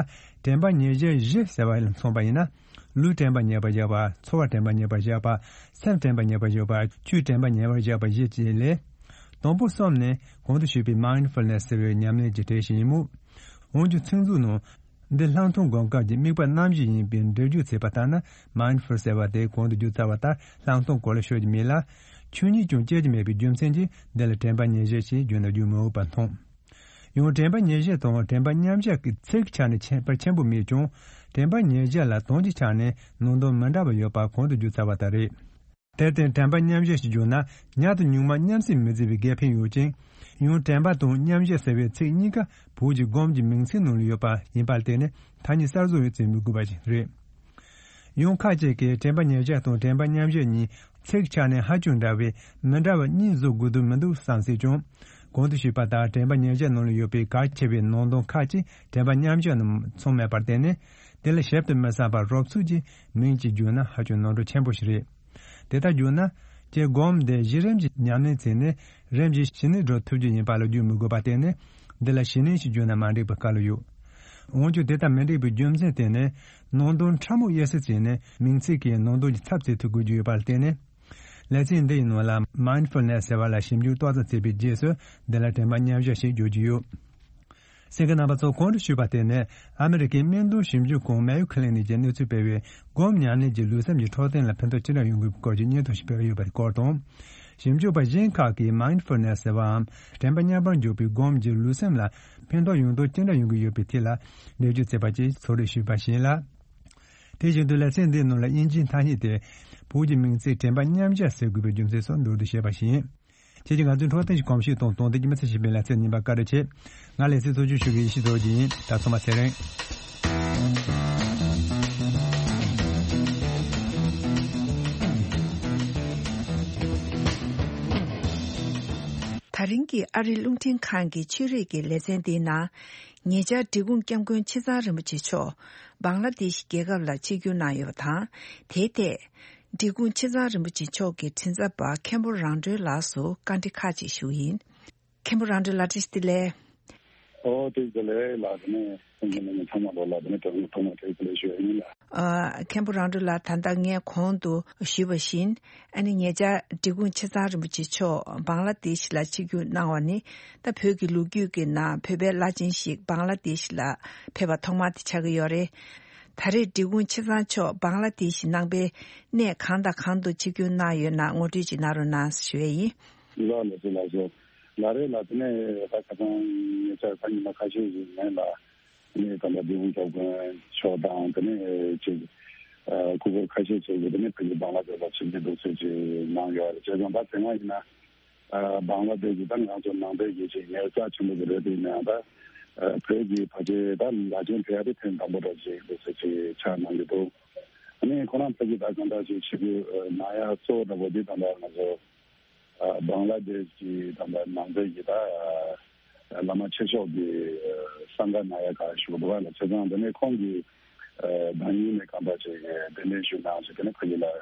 དྲན་པ་ཉེར་བཞག་བཞི་ཟེར་བ་ལ་མཚོན་པ་ཡིན་ན། ལུས་དྲན་པ་ཉེར་བར་བཞག་པ། ཚོར་བ་དྲན་པ་ཉེར་བར་བཞག་པ། སེམས་དྲན་པ་ཉེར་བར་བཞག་པ། ཆོས་དྲན་པ་ཉེར་བར་བཞག་པ་བཞི་བཅས་ལས། དང་པོ་གསུམ་ནི་གོང་དུ་ཞུས་པའི་Mindfulness ཟེར་བའི་ཉམས་ལེན་གྱི་གྲས་ཤིག་ཡིན་མོད། འོན་ཀྱང་ཚིག་མཛོད་ནང་། འདི་ལྷག་མཐོང་སྒོམ་སྐབས་ཀྱི་དམིགས་པ་རྣམ་བཞི་ཡིན་པའི་འགྲེལ་བརྗོད་བྱས་པ་ལྟར་ན། Mindful ཟེར་བ་དེ་གོང་དུ་བརྗོད་ཚར་བ་ལྟར་ལྷག་མཐོང་སྐོར་ལ་ཤོད་ཀྱི་མེད་ལ། ཆོས་ཉིད་ཀྱང་སྐྱེ་རྒྱུ་མེད་པའི་རྒྱུ་མཚན་གྱིས་འདི་ལ་དྲན་པ་ཉེར་བཞག་ཅེས་བརྗོད་ན་བརྗོད་མི་འོས་པ་མཐོང་། ཡང་དྲན་པ་ཉེར་བཞག་དང་དྲན་པ་མཉམ་བཞག་གི་ཚིག་ཆ་ནས་ཁྱད་པར་ཆེན་པོ་མེད་ཀྱང་། དྲན་པ་ཉེར་བཞག་ལ་དོན་གྱི་ཆ་ནས་ནང་དོན་མི་འདྲ་བ་ཡོད་པ་གོང་དུ་བརྗོད་ཚར་བ་ལྟར་རེད། དེར་བརྟེན་དྲན་པ་མཉམ་བཞག་ཅེས་བརྗོད་ན་ཉག་དང་ཉུང་མ་མཉམ་བསྲེས་མི་བརྩི་བའི་འགལ་ཕན་ཡོད་ཅིང་། ཡང་དྲན་པ་དང་མཉམ་བཞག་ཟེར་བའི་ཚིག་གཉིས་ཀ་བོད་ཀྱི་སྒོམ་གྱི་མིང་ཚིག་ནང་ལ་ཡོད་པ་ཡིན་པར་བརྟེན་ནས་ཐ་སྙད་གསར་བཟོ་ཡང་བྱེད་མི་དགོས་པ་ཞིག་རེད། ཡང་ཁ་ཅིག་གིས་དྲན་པ་ཉེར་བཞག་དང་དྲན་པ་མཉམ་བཞག་གཉིས་ཚིག་ཆ་ནས་ཧ་ཅང་འདྲ་བས་མི་འདྲ་བ་གཉིས་བཟོ་དགོས་དོན་མི་འདུག་བསམ་སྲིད་ཀྱང་། གོང་དུ་ཞུས་པ་ལྟར་དྲན་པ་ཉེར་བཞག་ནང་ལ་ཡོད་པའི་གལ་ཆེ་བའི་ནང་དོན་ཁག་ཅིག་དྲན་པ་མཉམ་བཞག་ནང་ཚང་མེད་པར་བརྟེན་ནས། དེ་ལ་ཞིབ་ཏུ་མི་བསམ་པར་རོབ་ཚུགས་ཀྱིས་མིང་གཅིག་བརྗོད་ན་ཧ་ཅང་ནོར་འཁྲུལ་ཆེན་པོ་ཞིག་རེད། དེ་ལྟར་བརྗོད་ན། ཀྱི་སྒོམ་དེ་གཞི་རིམ་གྱི་ཉམས་ལེན་བྱས་ནས་རིམ་གྱིས་ཞི་གནས་འགྲོ་ཐུབ་རྒྱུ་ཡིན་པ་ལ་བརྗོད་མི་དགོས་པར་བརྟེན་ནས། འདི་ལ་ཞི་གནས་ཞེས་བརྗོད་ན་མ་འགྲིག་པའི་སྐལ་ཡོད། འོན་ཀྱང་དེ་ལྟར་མི་འགྲིག་པའི་རྒྱུ་མཚན་དེ་ནི། ནང་དོན་ཕྲ་མོ་དབྱེ་ཞིབ་བྱས་ནས་མིང་ཚིག་གི་ནང་དོན་གྱི་ཚབ་བྱེད་ཐུབ་དགོས་རྒྱུ་ཡོད་པར་བརྟེན་ནས། ལེ་ཚན་འདི་ཡི་ནང་ལ་Mindfulness ཟེར་བ་ལ་ཞིབ་འཇུག་ཏོག་ཙམ་བྱས་པའི་རྗེས་སུ་འདི་ལ་དྲན་པ་མཉམ་བཞག་ཞེས་བརྗོད་ཀྱི་ཡོད། གསན་མཁན་རྣམ་པ་ཚོ། གོང་དུ་ཞུས་པ་དེ་ནི་ཨ་མི་རི་ཀའི་སྨན་དོན་ཞིབ་འཇུག་ཁང་Mayo Clinic གྱིས་གནས་ཚུལ་སྤེལ་བའི་སྒོམ་ཉམས་ལེན་གྱིས་ལུས་སེམས་ཀྱི་འཕྲོད་བསྟེན་ལ་ཕན་ཐོགས་ཅི་འདྲ་ཡོང་དགོས་པའི་སྐོར་གྱི་སྙན་ཐོ་ཞིག་སྤེལ་ཡོད་པའི་སྐོར་དང་། ཞིབ་འཇུག་པ་གཞན་ཁག་གིས་མའིན་ཌི་ཕུལ་ནེ་སི་ཟེར་བའམ་དྲན་པ་མཉམ་པར་འཇོག་པའི་སྒོམ་གྱིས་ལུས་སེམས་ལ་ཕན་ཐོགས་ཡོང་དོན་ཅི་འདྲ་ཡོང་གི་ཡོད་པའི་ཐད་ལ་འགྲེལ་བརྗོད་བྱས་པ་བཅས་ཚོགས་འདུར་ཞུས་པ་ཞིག་ལ། དེ་བཞིན་དུ་ལེ་ཚན་འདིའི་ནང་ལ་དབྱིན་ཇིའི་ཐ་སྙད་དེ་བོད་ཀྱི་མིང་ཚིག་དྲན་པ་མཉམ་གཞག་ཟེར་དགོས་པའི་རྒྱུ་མཚན་སོགས་མདོར་བསྡུས་བཤད་པ་ཞིག་ཡིན། ཁྱེད་ཀྱིས་ང་ཚོའི་འཕྲོད་བསྟེན་གྱི་གོམས་གཤིས་དང་དོན་ལྡན་གྱི་མི་ཚེ་ཞིག་སྤེལ་ལ་ཚེ་ཉིན་པ་བཀའ་དྲིན་ཆེ། ང་ལེ་ཚན་གཙོ་སྐྱོང་ཞུ་མཁན་ཡེ་ཤེས་རྡོ་རྗེ་ཡིན། ད་ཚང་མ་ཚེ་རིང་། ད་རིང་གི་ཨ་རིའི་རླུང་འཕྲིན་ཁང་གི་ཆོས་རིག་གི་ལེ་ཚན་འདིའི་ནང་། ཉེ་ཆར་འབྲི་གུང་སྐྱབས་མགོན་ཆེ་ཚང་རིན་པོ་ཆེ་མཆོག་བང་ལ་དེ་ཤི་རྒྱལ་ཁབ་ལ་ཆིབས་བསྒྱུར་གནང་ཡོད་པ་དང་། དེའི་ཐད། འབྲི་གུང་ཆེ་ཚང་རིན་པོ་ཆེ་མཆོག་གི་མགྲིན་ཚབ་པ་མཁན་པོ་རང་གྲོལ་ལགས་སུ་བཀའ་འདྲི་ཁག་ཅིག་ཞུ་གི་ཡིན། མཁན་པོ་རང་གྲོལ་ལགས། བཀྲ་ཤིས་བདེ་ལེགས། ཨོ་བཀྲ་ཤིས་བདེ་ལེགས་ལགས། དེ་ནས་སེམས་ཅན་ལ་ཉེ་ཚང་མ་ལོ་ལ་དེ་ནས་དོན་ཐོག་མ་བཀྲ་ཤིས་བདེ་ལེགས་ཞུ་ཡ་ཡིན་ལགས། ཨ། མཁན་པོ་རང་གྲོལ་ལགས། ད་ལྟ་ངས་གོང་དུ་ཞུས་པ་བཞིན། ཨ་ནི་ཉེ་ཆར་འབྲི་གུང་ཆེ་ཚང་རིན་པོ་ཆེ་མཆོག་བང་ལ་དེ་ཤི་ལ་ཆིབས་བསྒྱུར་གནང་བ་ནི། ད་བོད་ཀྱི་ལོ་རྒྱུས་ཀྱི་ནང་བོད་པའི་བླ་ཆེན་ཞིག་བང་ལ་དེ་ཤི་ལ་ཕེབས་པ་ཐོག་མ་དེ་ཆགས་ཀྱི་ཡོད་རེད། ད་རེས་འབྲི་གུང་ཆེ་ཚང་མཆོག་བང་ལ་དེ་ཤི་ནང་པའི་གནས་གང་དང་གང་དུ་ཆིབས་བསྒྱུར་གནང་ཡོད་ན་ངོ་སྤྲོད་ཅིག་གནང་རོགས་གནང་ཞུ་ཡས་ཡིན། ལགས་ལགས་སོ་ལགས་སོ། ལགས་རེད་ལགས། དེ་ནས་ད་ཁ་སང་ཉེ་ཆར་ད་ཉི་མ་ཁ་ཤས་ཤིག་ནས་ལ། དེ་ནས་ད་ལྟ་འབྲི་གུང་སྐྱབས་མགོན་མཆོག་དང་དེ་ནས་ཅིག་ཨ་སྐུ་འཁོར་ཁ་ཤས་ཤིག་གིས་དེ་ནས་ཕ་གི་བང་ལ་དེ་ལ་ཆིབས་བསྒྱུར་འདུག་སེ་ཅིག་གནང་ཡོད་རེད། བྱས་ཙང་ད་དེ་སྔ་ཡིན་ན་ཨ་བང་ལ་དེ་གི་ད་ང་ཚོ་ནང་པའི་གི་ཅིག་ངལ་རྩོལ་ཆེན་པོ་གི་རེད། དེ་ཡིན་ན་ཡང་ད་ཨ་བོད་ཀྱི་ཕལ་ཆེར་ད་བླ་ཆེན་ཕེབས་ཡ་དེ་ཐེངས་དང་པོ་འདྲ་ཅིག་འདུག་སེ་ཅིག་ཆགས་གནང་གི་འདུག་ཨ་ནི་ཁོ་རང་ཕ་གི་ད་གང་འདྲ་ཅིག་ཆིབས་བསྒྱུར་གནང་ཡ་གཙོ་བོ་འདྲ་པོ་དེ་ད་ལྟ་ང་ཚོ། ཨ་བང་ལ་དེ་ཤི་གི་ད་ལྟ་ནང་པའི་གི་ད་ཨ་བླ་མ་ཆེ་ཤོས་ཀྱི་ཨ་སངྒ་ན་ཡ་ག་ཞུ་འདུག་པ་ལ། བྱས་ཙང་དེ་ནས་ཁོང་གིས་ཨ་ད་ཉིད་ནས་གང་འདྲ་ཅིག་གདན་འདྲེན་ཞུ་གནང་ཞིག་དེ་ནས་ཕ་གི་ལ་ཨ་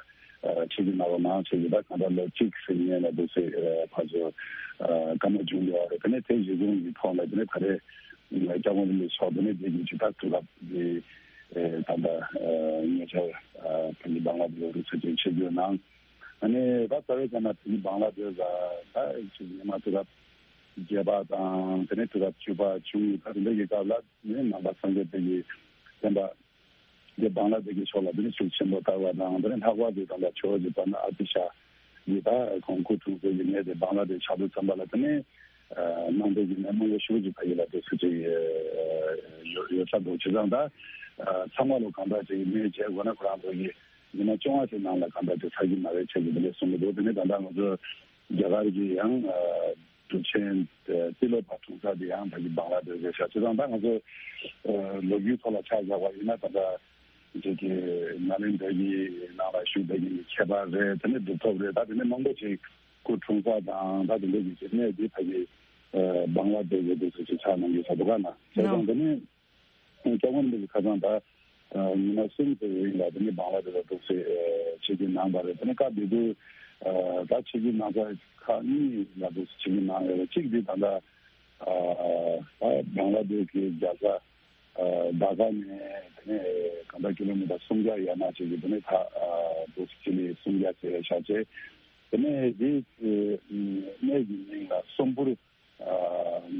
ཆིབས་བསྒྱུར་གནང་རོགས་གནང་ཞེས་ཀྱི་ད་གང་འདྲ་ལོ་གཅིག་ཟིན་ཉེ་ལ་འདུག་སེ་ཨ་ཕར་ཚུར་ཨ་བཀའ་མོལ་བྱུང་ཡོད་རེད། དེ་ནས་དེ་གཞི་བཟུང་གི་ཐོག་ལ་དེ་ནས་ད་རེས་སྐྱབས་མགོན་རིན་པོ་ཆེ་མཆོག་དེ་ནས་དེ་གི་ཅིག་ད་དུས་སྐབས་ཀྱི་ཨ་ད་ལྟ་ཨ་ཉེ་ཆར་ཨ་ཕ་གི་བང་ལ་དེ་ལ་རུ་ཚོད་ཅིག་ཆིབས་བསྒྱུར་གནང་། ཨ་ནི་ད་རྩ་བའི་ཆ་ནས་དེ་ནི་བང་ལ་དེ་ལ་ད་ཅིག་ཉི་མ་དུས་རབས་བརྒྱད་པ་དང་དེ་ནས་དུས་རབས་བཅུ་པ་བཅུ་གཉིས་ད་དེ་འདྲ་གི་སྐབས་ལ་ནི་ནང་པ་སངས་རྒྱས་པའི་གི་བསྟན་པ་དེ་བང་ལ་དེ་གི་ཕྱོགས་ལ་དེ་ནི་ཤུགས་ཆེན་པོ་དར་བ་དང་། དེ་ནས་ལྷག་པར་དུ་ད་ལྟ་ཇོ་བོ་རྗེ་དཔལ་ལྡན་ཨ་ཏི་ཤ་གི་ད་ཁོང་སྐུ་འཁྲུངས་སའི་གི་གནས་དེ་བང་ལ་དེ་ཆགས་དུས་ཙམ་པ་ལ་དེ་ནས་ནང་པའི་གི་གནས་མང་པོ་ཞེ་པོ་ཅིག་ཕ་གི་ལ་དེ་ཚོ་ཅིག་ཡོད་ཡོད་ས་འདུག་བྱས་ཙང་ད་ཚང་མ་ལོ་གང་འདྲ་ཅིག་གནས་བྱས་དགོས་ན་ཁོ་རང་ཚོ་གི་ཉི་མ་བཅོ་ལྔ་ཞིག་ནང་ལ་གང་འདྲ་དེ་ཚར་གྱི་མ་རེད་ཅེས་ཀྱི་དེ་འདྲ་གསུང་གི་འདུག་དེ་ནས་ད་ལྟ་ང་ཚོ་རྒྱ་གར་གྱི་ཡང་གྲུབ་ཆེན་ཏི་ལོ་པ་གྲོང་གསེབ་དེ་ཡང་ཕ་གི་བང་ལ་དེ་རེད་ཤག་བྱས་ཙང་ད་ང་ཚོ་ལོ་རྒྱུས་ཐོག་ལ་ཆ་བཞག་པ་ཡིན་ན་ད་ལྟ་ཅིག་གི་ནཱ་ལེནྡྲ་གི་ནང་ལ་བཞུགས་པའི་གི་ཁྱད་པར་རེད། དེ་ནས་གྲུབ་ཐོབ་རེད། ད་དེ་ནས་མང་པོ་ཅིག་སྐུ་འཁྲུངས་ས་དང་ད་དེ་འདྲ་གི་ཅིག་གནས་དེ་ཕ་གི་བང་ལ་དེ་རེད་འདུག་ཟེར་ཅིག་ཆགས་གནང་གི་ས་འདུག་ག་ན་བྱས་ཙང་དེ་ནས། སྐྱབས་མགོན་རིན་པོ་ཆེ་ཁ་སང་ད་ཉི་མ་གསུམ་ཙམ་རིང་ལ་དེ་ནས་བང་ལ་དེ་ལ་འདུག་སེ་ཆིབས་བསྒྱུར་གནང་བ་རེད། དེ་ནས་སྐབས་དེ་དུས་ད་ཆིབས་བསྒྱུར་གནང་ས་ཁག་གཉིས་ལ་འདུག་སེ་ཆིབས་བསྒྱུར་གནང་ཡོད་རེད། གཅིག་དེ་ད་ལྟ་ད་བང་ལ་དེ་གི་རྒྱལ་ས་ཌ་ཀ་ནས་དེ་ནས་གང་ལྟར་ཀི་ལོ་མི་ཊར་སུམ་བརྒྱ་ཡར་མར་ཅིག་གི་དེ་ནས་ད་འདུག་སེ་ཆིབས་ལ་སུམ་བརྒྱ་ཟེར་བཞག་བྱས། དེ་ནས་དེ་གནས་ཀྱི་མིང་ལ་སོམ་པུར།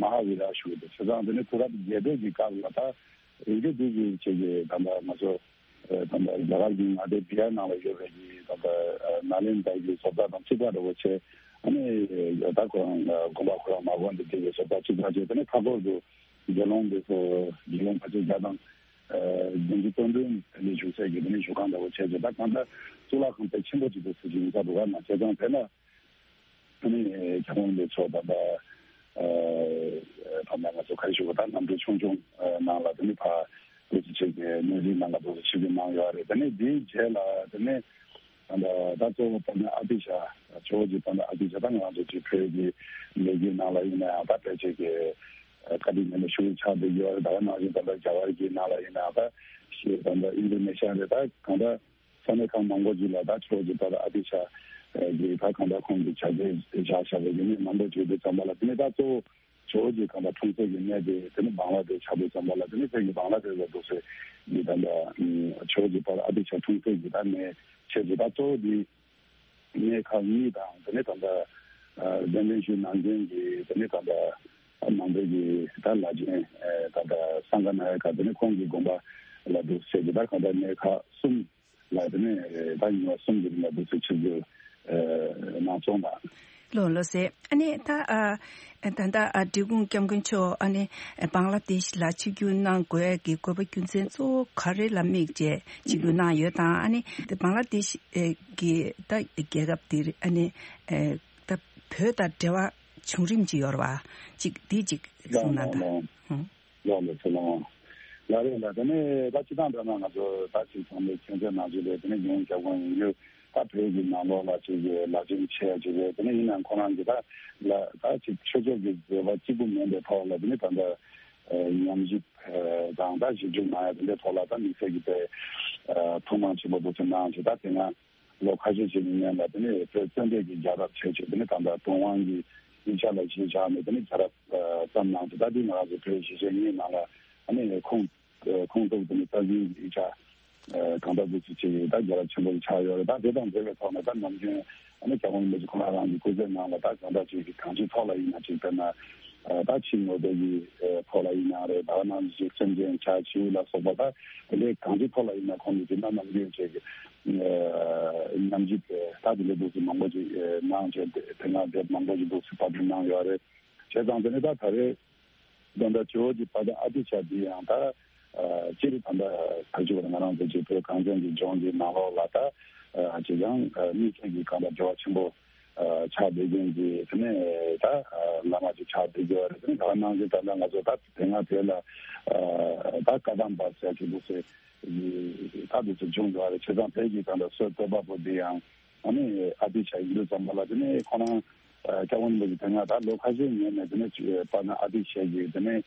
མ་ཧཱ་བི་ར་ཞུ་དེ་བྱས་ཙང་དེ་ནས་དུས་རབས་བརྒྱད་པའི་གི་སྐབས་ལ་ད་རིག་གནས་འདི་གི་ཆེད་ཀྱི་ད་ལྟ་ང་ཚོ་ད་ལྟ་རྒྱ་གར་གྱི་མངའ་སྡེ་བི་ཡ་ནང་ལ་ཡོད་པའི་གི་ད་ལྟ་ནཱ་ལེནྡྲ་གི་བཟོ་ལྟ་དང་གཅིག་པ་འདྲ་བོ་བྱས། ཨ་ནི་ད་ཁོ་རང་དགོན་པ་ཁོ་རང་མ་དགོན་འདི་གི་བཟོ་ལྟ་གཅིག་པ་བྱས། དེ་ནས་མཐའ་འཁོར་དུ་དགེ་སློང་འདི་ཚོ་དགེ་སློང་ཕལ་ཆེར་བརྒྱ་དང་བདུན་ཅུ་དོན་བདུན་དེ་འདྲ་བཞུགས་སའི་གི་དེ་ནས་བཞུགས་ཁང་འདྲ་བོ་བྱས་བྱས། ད་གང་ལྟར་གཙུག་ལག་ཁང་དཔེ་ཆེན་པོ་ཅིག་འདུག་ཟེར་གྱི་ཡིན་ས་འདུག་ག་ན། བྱས་ཙང་དེ་ལ། ཨ་ནི་སྐྱབས་མགོན་རིན་པོ་ཆེ་མཆོག་ད་ལྟ་ཨ་ད་ལྟ་ང་ཚོ་ག་རེ་ཞུ་དགོས། ད་གནམ་གྲུ་ཆུང་ཆུང་ནང་ལ་དེ་ནི་ཕར་འདུག་སེ་ཆིབས་ཀྱི་གནས་རིའི་ནང་ལ་འདུག་སེ་ཆིབས་ཀྱི་གནང་ཡོད་རེད། དེ་ནི་དེའི་རྗེས་ལ་དེ་ནི་ད་ལྟ་ད་གཙོ་བོ་དཔལ་ལྡན་ཨ་ཏི་ཤ་ཇོ་བོ་རྗེ་དཔལ་ལྡན་ཨ་ཏི་ཤ་ད་ང་ཚོ་ཅིག་བོད་ཀྱི་ལོ་རྒྱུས་ནང་ལ་ཡིན་ན་ཡང་ད་ཕལ་ཆེར་གྱི་བཀའ་དྲིན་ཉེ་ལ་ཞུ་ཆགས་བསྡད་ཡོད་རེད། ད་ག་ནང་བཞིན་ད་ལྟ་རྒྱ་གར་གྱི་ནང་ལ་ཡིན་ན་ཡང་ད་ཤི་ད་ལྟ་ཨིན་ཌོ་ནེ་ཤི་ཡ་རེད། ད་གང་ལྟར། ས་གནས་ཁག་མང་པོ་ཞིག་ལ་ད་ཇོ་བོ་རྗེ་དཔལ་ལྡན་ཨ་ཏི་ཤ་གི་ད་གང་ལྟར་ཁོང་གི་བྱ་དེ་བཞག་བཞག་པའི་གནས་མང་པོ་བྱེད་དུས་ཙམ་པ་ལ། དེ་ནས་ད་གཙོ་བོ་ཇོ་བོ་རྗེ་གང་ལྟར་འཁྲུངས་ས་གི་གནས་དེ་དེ་ནི་བང་ལ་དེ་ཆགས་དུས་ཙམ་པ་ལ། དེ་ནི་ཕ་གི་བང་ལ་དེ་ལ་འདུག་སེ་གི་ད་ལྟ་ཇོ་བོ་རྗེ་དཔལ་ལྡན་ཨ་ཏི་ཤ་འཁྲུངས་ས་གི་ད་གནས་བྱས་ཏེ། ད་གཙོ་བོ་དེ་གནས་ཁག་གཉིས་དང་། དེ་ནས་ད་ལྟ་གདན་འདྲེན་ཞུས་གནང་མཁན་གྱི་དེ་ནས་ད་ལྟ་ནང་པའི་གི་ད་བླ་ཆེན་ད་ལྟ་སངྒ་ན་ཡ་ག་དེ་ནས་ཁོང་གི་དགོན་པ་ལ་འདུག་སེ་གི་ད་གང་ལྟར་གནས་ཁག་གསུམ། ལ་དེ་ནས་ད་ཉི་མ་གསུམ་གྱི་རིང་ལ་འདུག་སེ་ཆིབས་བསྒྱུར་ ཨ་ནང་སོང་དང་། ལོ་ལོ་ཟེར། ཨ་ནི་ད་ཨ་ད་ལྟ་ཨ་འབྲི་གུང་སྐྱབས་མགོན་མཆོག་ཨ་ནི་བང་ལ་དེཤ་ལ་ཆིབས་བསྒྱུར་གནང་དགོས་ཀྱི་དགོས་པ་རྒྱུ་མཚན་གཙོ་བོ་ག་རེ་ལ་དམིགས་བྱས་ཆིབས་བསྒྱུར་གནང་ཡོད་དང་། ཨ་ནི་དེ་བང་ལ་དེཤ་གི་ད་རྒྱལ་ཁབ་དེ་ཨ་ནི་ད་བོད་དང་འབྲེལ་བ་བྱུང་རིམ་ཅིག་ཡོད་རེད་བ། ཅིག་དེ་ཅིག་གསུངས་གནང་དང་། ལགས་ལགས་ལགས་ལགས་ལགས་ལགས། ལགས་རེད་ལགས། དེ་ནས་ད་སྤྱི་བཏང་འདྲ་ན་ང་ཚོ་ད་ཅིག་ཚང་མས་མཁྱེན་གསལ་ནང་བཞིན་རེད། དེ་ནས་ཡོངས་ཁྱབ་ཁོངས་ཡིན་རྒྱུ་ད་བོད་ཀྱི་ནང་ལོགས་ལ་ཅིག་གི་ལ་ཅིག་ཆེ་ཅིག་རེད། དེ་ནས་ཡིན་ནའང་ཁོ་རང་གི་ད་ལ་ད་ཅིག་ཆོས་ཕྱོགས་ཀྱི་བཟོད་པ་གཅིག་པུ་མིན་པའི་ཐོག་ལ་དེ་ནས་ད་ལྟ་ཉམས་ཞིབ་དང་ད་ཞིབ་འཇུག་གནང་ཡ་དེ་འདྲའི་ཐོག་ལ་ད་དམིགས་བསལ་གྱི་དེ་ཐུགས་སྣང་ཆེན་པོ་འདུག་ཟེར་གནང་ཅིག་ད་དེ་སྔ་ལོ་ཁ་ཤས་ཤིག་གི་སྔོན་ལ་དེ་ནས་བོད་བཙན་བྱོལ་གྱི་རྒྱལ་རབས་བྱས་ཆོག་དེ་ནས་ད་ལྟ་དུང་དབང་གི་ཡིག་ཆ་ལ་གཞི་བཞག་ནས་དེ་ནས་རྒྱལ་རབས་བརྩམས་གནང་ཚེ་ད་དེ་ང་རང་ཚོ་བོད་གཞིས་བྱེས་གཉིས་ནང་ལ་ཨ་ནི་ཁུངས་ཁུངས་གཏུགས་དེ་ནས་རྩ་འཛིན་གྱི་ཡིག་ཆ་གང་ལྟར་དུ་ཚུད་ཆེ་ཡོད། ད་རྒྱལ་རབས་ཆེན་པོ་ཆགས་ཡོད་རེད། ད་དེ་དང་འབྲེལ་བའི་ཐོག་ནས་ད་ནམ་རྒྱུན་ཨ་ནི་རྒྱལ་བ་རིན་པོ་ཆེ་ཁོང་རང་རང་གི་སྐུ་ཚེ་ནང་ལ་ད་གང་ལྟར་ཅིག་གི་གང་ཅིའི་ཐོག་ལ་ཡིན་ན་ཅིག་དཔེར་ན་ད་ཕྱི་དངོས་པོ་གི་ཐོག་ལ་ཡིན་ན་རེད། ད་ག་ནང་བཞིན་སེམས་ཅན་བྱ་བྱིའུ་ལ་སོགས་པ་ད་དེ་འདྲའི་གང་ཅིའི་ཐོག་ལ་ཡིན་ན་ཁོང་གིས་ཅིག་ན་ནམ་རྒྱུན་ཅིག་གི་ཉམས་ཞིབ་ད་དེ་འདྲའི་འདུག་སེ་མང་པོ་ཅིག་གནང་བྱས་དེ་སྔ་དེབ་མང་པོ་ཅིག་འདུག་སེ་པར་སྐྲུན་གནང་ཡོད་རེད། བྱས་ཙང་དེ་ནས་ད་ད་རེས་ད་ལྟ་ཇོ་བོ་རྗེ་དཔལ་ལྡན་ཨ་ཏི་ཤ་འདི་ཡང་ད་སྤྱིར་ད་ལྟ་ད་ཅིག་ང་རང་ཚོ་ཅིག་བོད་གངས་ཅན་གྱི་ལྗོངས་ཀྱི་ནང་ལོགས་ལ་ད་ཅིག་ཡང་དམིགས་བསལ་གྱི་གང་ལྟར་འབྲེལ་བ་ཆེན་པོ་ཆགས་བསྡད་མཁན་གྱི་དེ་ནས་ད་བླ་མ་ཅིག་ཆགས་བསྡད་ཀྱི་ཡོད་རེད། དེ་ནས་ད་ག་ནང་བཞིན་ད་ལྟ་ང་ཚོ་ད་དེ་སྔ་བོད་ལ་ད་བཀའ་གདམས་པ་ཟེར་གྱི་འདུག་སེ་ད་འདུག་སེ་བྱུང་ཡོད་རེད། བྱས་ཙང་བོད་ཀྱི་ད་ལྟ་སྲོལ་བཏོད་པ་པོ་འདི་ཡང་ཨ་ནི་ཨ་ཏི་ཤ་ཡིན་དུས་ཙམ་པ་ལ་དེ་ནས་ཁོ་རང་སྐྱབས་མགོན་རིན་པོ་ཆེ་དེ་སྔ་ད་ལོ་ཁ་ཤས་སྔོན་ནས་དེ་ནས་དཔལ་ལྡན་ཨ་ཏི་ཤ་གི་དེ་ནས་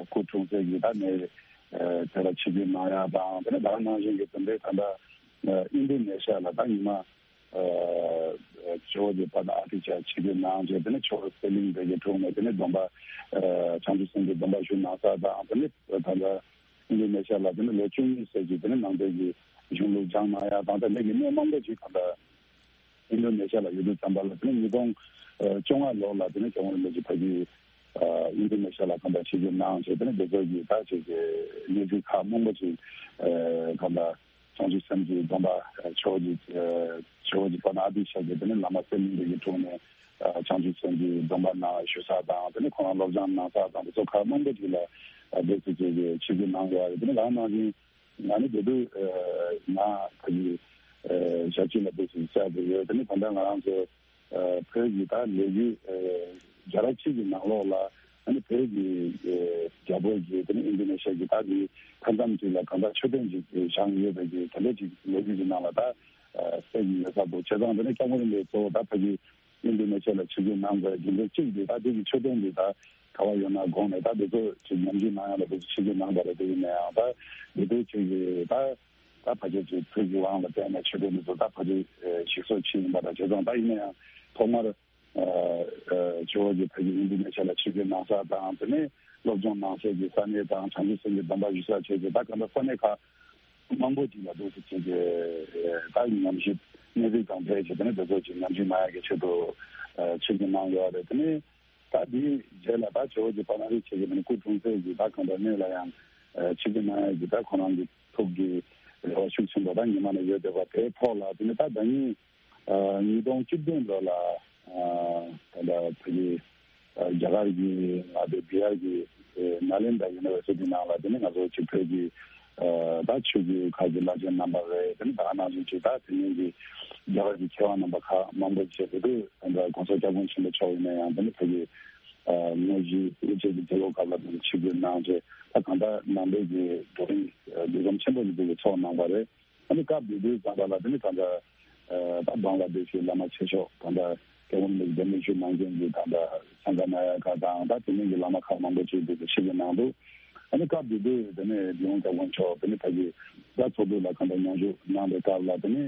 སྐུ་འཁྲུངས་ས་གི་ད་ནས་དེ་ལ་ཆིབས་བསྒྱུར་གནང་ཡ་དང་དེ་ནས་ད་ག་ནང་བཞིན་གྱི་དེ་འདྲའི་ད་ལྟ་ཨིན་དོ་ནེ་ཤ་ལ་ད་ཉི་མ་ཇོ་བོ་རྗེ་དཔལ་ལྡན་ཨ་ཏི་ཤ་ཆིབས་བསྒྱུར་གནང་རྗེས་དེ་ནས་ཇོ་བོ་གསེར་གླིང་དེ་གའི་དྲུང་ནས་དེ་ནས་སྡོམ་པ་བྱང་ཆུབ་སེམས་ཀྱི་སྡོམ་པ་ཞུ་གནང་ས་དང་དེ་ནས་ད་ལྟ་ཨིན་དོ་ནེ་ཤ་ལ་དེ་ནས་ལོ་བཅུ་གཉིས་ཙམ་གྱི་དེ་ནས་ནང་པའི་གི་གཞུང་ལུགས་སྦྱངས་གནང་ཡ་དང་ད་ནས་ཀྱི་གནས་མང་པོ་ཞིག་ད་ལྟ་ཨིན་དོ་ནེ་ཤ་ལ་ཡོད་དུས་ཙམ་པ་ལ་དེ་ནས་ཉིས་སྟོང་བཅོ་ལྔ་ལོ་ལ་དེ་ནས་ཇོ་བོ་རིན་པོ་ཆེ་ཕ་གི་ཨིན་དོ་ནེ་ཤ་ལ་གང་ལྟར་ཆིབས་བསྒྱུར་གནང་བྱས་དེ་ནས་དེ་ཚོ་གི་ད་ཅིག་གི་གནས་ཚུལ་ཁག་མང་པོ་ཅིག་གང་ལྟར་བྱང་ཆུབ་སེམས་ཀྱི་སྡོམ་པ་ཇོ་བོ་རྗེ་ཇོ་བོ་རྗེ་དཔལ་ལྡན་ཨ་ཏི་ཤ་གི་དེ་ནས་བླ་མ་གསེར་གླིང་དེ་གའི་དྲུང་ནས་བྱང་ཆུབ་སེམས་ཀྱི་སྡོམ་པ་གནང་ཞུ་ས་དང་དེ་ནས་ཁོང་རང་སློབ་སྦྱོང་གནང་ས་དང་དེ་ཚོ་ཁག་མང་པོ་ཅིག་ལ་དེ་ཚོ་ཅིག་གི་ཆིབས་བསྒྱུར་གནང་ཡོད་རེད། དེ་ནས་ད་ནང་བཞིན་ང་ནི་དེ་དུས་ང་ཕ་གི་ཞབས་ཕྱི་ལ་དེ་ཚོ་བཅར་དགོས་ཡོད། དེ་ནས་ད་ལྟ་ང་རང་ཚོ་བོད་ཀྱི་ད་ལས་འགུལ་རྒྱལ་རབས་ཆེ་གི་ནང་ལོགས་ལ་ཨ་ནི་བོད་ཀྱི་རྒྱལ་པོ་གི་དེ་ནི་ཨིན་དོ་ནེ་ཤ་གི་ད་གི་མཐའ་མཚམས་ཅིག་ལ་གང་ལྟར་མཆོད་རྟེན་ཅིག་བཞེངས་ཡོད་པའི་གི་དེ་འདྲ་ཅིག་ལོ་རྒྱུས་ཀྱི་ནང་ལ་ད་གསལ་གྱི་ཡོད་ས་འདུག་བྱས་ཙང་དེ་ནི་སྐྱབས་མགོན་རིན་པོ་ཆེ་གཙོ་བོ་ད་ཕ་གི་ཨིན་དོ་ནེ་ཤ་ལ་ཆིབས་བསྒྱུར་གནང་དགོས་རྒྱུ་མཚན་གཅིག་འདི་ད་དེ་གི་མཆོད་རྟེན་འདི་ད་ག་བ་ཡོད་ན་དགོངས་ནས་ད་དེ་ཚོ་ཅིག་ཉམས་ཞིབ་གནང་ཡ་ལ་དེ་ཚོ་ཆིབས་བསྒྱུར་གནང་པ་རེད། དེ་ཡིན་ན་ཡང་ད་དེ་དུས་ཅིག་གི་ད། ད་ཕལ་ཆེར་ཅིག་བོད་ཀྱི་དབང་ལ་བརྟེན་ནས་ཆོས་དོན་འདི་ཚོ་ད་ཕལ་ཆེར་ཞིག་གསོ་ཕྱིན་ཡིན་པ་དང་བྱས་ཙང་། ད་ཡིན་ན་ཡང་ཐོག་མར་ཇོ་བོ་རྗེ་ཕ་གི་ཨིན་དོ་ནེ་ཤ་ལ་ཆིབས་བསྒྱུར་གནང་ས་དང་། དེ་ནས་སློབ་སྦྱོང་གནང་སའི་གི་ས་གནས་དང་། བྱང་ཆུབ་སེམས་ཀྱི་སྡོམ་པ་ཞུ་ས་བྱས་ཏེ། ད་ག་འདྲ་ས་གནས་ཁག་མང་པོ་ཅིག་ལ་འདུག་སེ་བྱས་ཏེ་ད་ཉམས་ཞིབ་གནས་ཚུལ་དང་འབྲེལ་བྱས་ཏེ་ནས་དེ་ཚོ་ཅིག་ཉམས་ཞིབ་གནང་ཡ་གི་ཆེད་དུ་ཆིབས་བསྒྱུར་གནང་ཡོད་རེད། དེ་ནས། ད་དེའི་རྗེས་ལ་ད་ཇོ་བོ་རྗེ་དཔལ་ལྡན་ཨ་ཏི་ཤ་གི་སྐུ་འཁྲུངས་སའི་གི་ད་གང་ལྟར་གནས་ལ་ཡང་ཆིབས་བསྒྱུར་གནང་ཡ་གི་ད་ཁོ་རང་གི་ཐུགས་ཀྱི་རེ་བ་ཤུགས་ཆེན་པོ་ད་ཉི་མ་ནས་ཡོད་བསྡད་པ་དེའི་ཐོག་ལ། དེ་ནས་ད་ཟླ་ཉིན་ཉིས་སྟོང་བཅུ་བདུན་ལོ་ལ་ད་ལྟ་ཕ་གི་རྒྱ་གར་གྱི་མངའ་སྡེ་བི་ཧར་གྱི་ནཱ་ལེན་དྲ་ཡུ་ནི་ཝར་སི་ཊི་ནང་ལ། དེ་ནས་ང་ཚོ་ཅིག་བོད་ཀྱི་ད་ཆོས་བརྒྱུད་ཁག་གི་བླ་ཆེན་རྣམ་པ་རེད། དེ་ནས་ད་ག་ནང་བཞིན་ཅིག་ད་དེ་སྔོན་གྱི་རྒྱ་གར་གྱི་མཁས་དབང་རྣམ་པ་ཁག་མང་པོ་བཅས་དེ་དུས་ད་ལྟ་༸གོང་ས་༸སྐྱབས་མགོན་ཆེན་པོ་མཆོག་ཡིན་ན་ཡང་། དེ་ནས་ཕ་གི་དངོས་གཞི་དབུ་འབྱེད་ཀྱི་དུས་ལོ་སྐབས་ལ་དེ་ནས་ཆིབས་བསྒྱུར་གནང་རྗེས། ད་གང་ལྟར་ནང་པའི་གི་བགྲོ་གླེང་ལས་འཛོམས་ཆེན་པོ་ཞིག་དེ་གི་ཚོགས་གནང་བ་རེད། ཨ་ནི་སྐབས་དེ་དུས་ཙམ་པ་ལ་དེ་ནི་ད་ལྟ་ད་བང་ལ་དེ་ཤི་བླ་མ་ཆེ་མཆོག་ད་ལྟ་སྐྱབས་མགོན་རིན་པོ་ཆེ་གདན་འདྲེན་ཞུ་གནང་མཁན་གྱི་ད་ལྟ་སངྒ་ནཱ་ཡ་ཀ་དང་། ད་དེ་མིན་གྱི་བླ་མ་ཁག་མང་པོ་ཅིག་དེ་ཆིབས་བསྒྱུར་གནང་འདུག་ཨ་ནི་སྐབས་དེ་དུས་དེ་ནས་རྒྱལ་ཡོངས་སྐྱབས་མགོན་མཆོག་དེ་ནི་ཕ་གི་ད་ཚོགས་འདུ་ལ་གང་ལྟར་མཉམ་ཞུགས་གནང་པའི་སྐབས་ལ། དེ་ནི་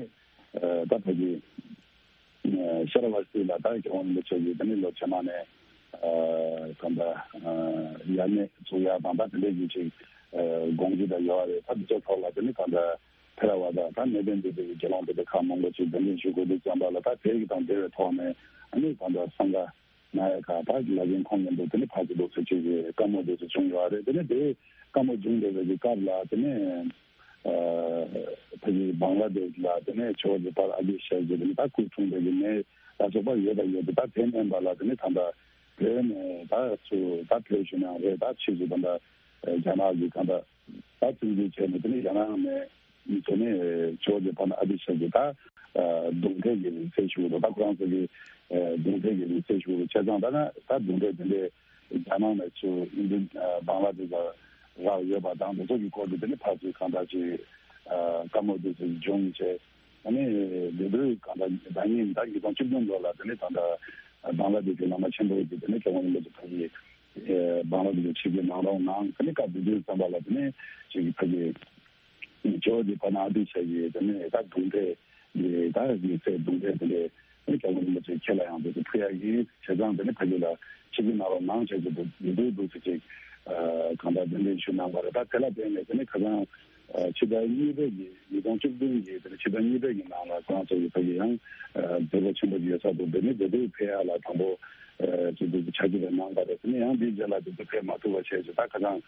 ད་ཕ་གི་ཤ་ར་བ་སི་ལ་ད་སྐྱབས་མགོན་རིན་པོ་ཆེ་གིས་དེ་ནི་ལོ་རྗེས་མ་ནས་གང་ལྟར་ཡར་གནས་བཙུགས་ཡ་དང་། ད་དེ་འདྲའི་གི་ཅིག་དགོངས་གཞི་ད་ཡོད་རེད། ད་དེ་ཚོ་ཐོག་ལ་དེ་ནི་གང་ལྟར། ཐེ་ར་ཝ་ད་ད་གནས་བརྟན་སྡེ་པའི་དགེ་སློང་སྡེ་པ་ཁག་མང་པོ་ཅིག་གདན་འདྲེན་ཞུ་དགོས་དུས་ཙམ་པ་ལ། ད་དེ་གི་དང་འབྲེལ་བའི་ཐོག་ནས་ཨ་ནི་ད་ལྟ་སངྒ་ནཱ་ཡ་ཀ་ད་ལ་རྒན་ཁོང་མཉམ་དུ་དེ་ནི་ཕར་ཚུར་འདུག་སེ་ཅིག་གི་བཀའ་མོལ་འདུག་སེ་བྱུང་ཡོད་རེད། དེ་ནི་དེ་བཀའ་མོལ་བྱུང་བསྡད་པའི་གི་སྐབས་ལ་དེ་ནི་ ཕ་གི་བང་ལ་དེ་ལ་དེ་ནས་ཇོ་བོ་རྗེ་ཕར་ཨ་ཏི་ཤ་ཟེར་དེ་ནས་ད་སྐུ་འཁྲུངས་པའི་གི་གནས་ལ་སོགས་པ་ཡོད་པ་ཡོད་དེ། ད་དེ་མིན་པ་ལ་དེ་ནས་ད་ལྟ་བོད་ནས་ད་ཚུར་ད་བོད་ཞུ་ནའང་རེད། ད་ཕྱིས་སུ་ད་ལྟ་རྒྱ་ནག་གི་གང་ལྟར་ད་བཙན་འཛུལ་བྱས་ནས་དེ་ནས་རྒྱ་ནག་ནས་དེ་ནས་ཇོ་བོ་རྗེ་ཕར་ཨ་ཏི་ཤ་གི་ད་གདུང་འདྲེ་གི་རིང་བསྲེལ་ཞུ་དང་། ད་ཁོ་རང་ཚོ་གི་གདུང་འདྲེ་གི་རིང་བསྲེལ་ཞུ་བྱས་ཙང་ད་ན་ད་གདུང་འདྲེ་དེ་འདྲས། རྒྱ་ནག་ནས་ཚུར་ཨིན་ཌོ་བང་ལ་དེ་ལ་རག་ཡོད་པ་དང་དེ་ཚོ་གི་སྐོར་དུ་དེ་ནི་ཕར་ཚུར་གང་འདྲ་ཅིག་བཀའ་མོལ་དེ་ཚོ་བྱུང་བྱས། ཨ་ནི་དེ་དུས་གང་འདྲ་ཟླ་ཉིན་ཟླ་ཉིས་སྟོང་བཅུ་བདུན་ལོ་ལ་དེ་ནི་ད་ལྟ་བང་ལ་དེ་ཚོའི་བླ་མ་ཆེན་པོ་དེ་དེ་ནི་སྐྱབས་མགོན་རིན་པོ་ཆེ་ཕ་གི་བང་ལ་དེ་ཚོ་ཆིབས་བསྒྱུར་གནང་རོགས་གནང་། དེ་ནི་སྐབས་དེ་དུས་ཙམ་པ་ལ་དེ་ནི་ཅིག་ཕ་གི་ཇོ་བོ་རྗེ་ཕ་ན་ཨ་ཏི་ཤ་ཡི་དེ་ནས་ད་གདུང་འདྲེ་ཡི་ད་ཡིག་ཚད་གདུང་འདྲེ་དེ་འདྲས་ནི་སྐྱབས་མགོན་རིན་པོ་ཆེ་ཁྱེད་ལ་ཡང་དེ་ཚོ་ཕུལ་ཡག་ཡིན། བྱས་ཙང་དེ་ནི་ཕ་གི་ལ་ཆིབས་བསྒྱུར་གནང་རོགས་གནང་བྱས་ཀྱི་འདུག་འདུག་འདུག་ཟེར་ཅིག་གང་ལྟར་གདན་འདྲེན་ཞུས་གནང་བ་རེད། ད་དེ་ལ་བརྟེན་ནས་དེ་ནི་ཁ་སང་ཕྱི་ཟླ་གཉིས་པའི་གི་ཉིས་སྟོང་བཅུ་བདུན་གི་དེ་ནི་ཕྱི་ཟླ་གཉིས་པའི་གི་ནང་ལ་ཁོ་རང་ཚོ་གི་ཕ་གི་ཡང་མཛད་སྒོ་ཆེན་པོ་ཞིག་ཡོད་ས་འདུག་དེ་ནི་དེ་དུས་ཕེབས་ཡག་ལ་དང་པོ་ཅིག་འདུག་ཕྱག་ཕྱི་དེ་གནང་བ་རེད། དེ་ནི་ཡང་འདིའི་རྗེས་ལ་དེ་ཚོ་ཕེབས་མ་ཐུབ་པ་བྱས་ཅིག་ད་ཁ་སང་།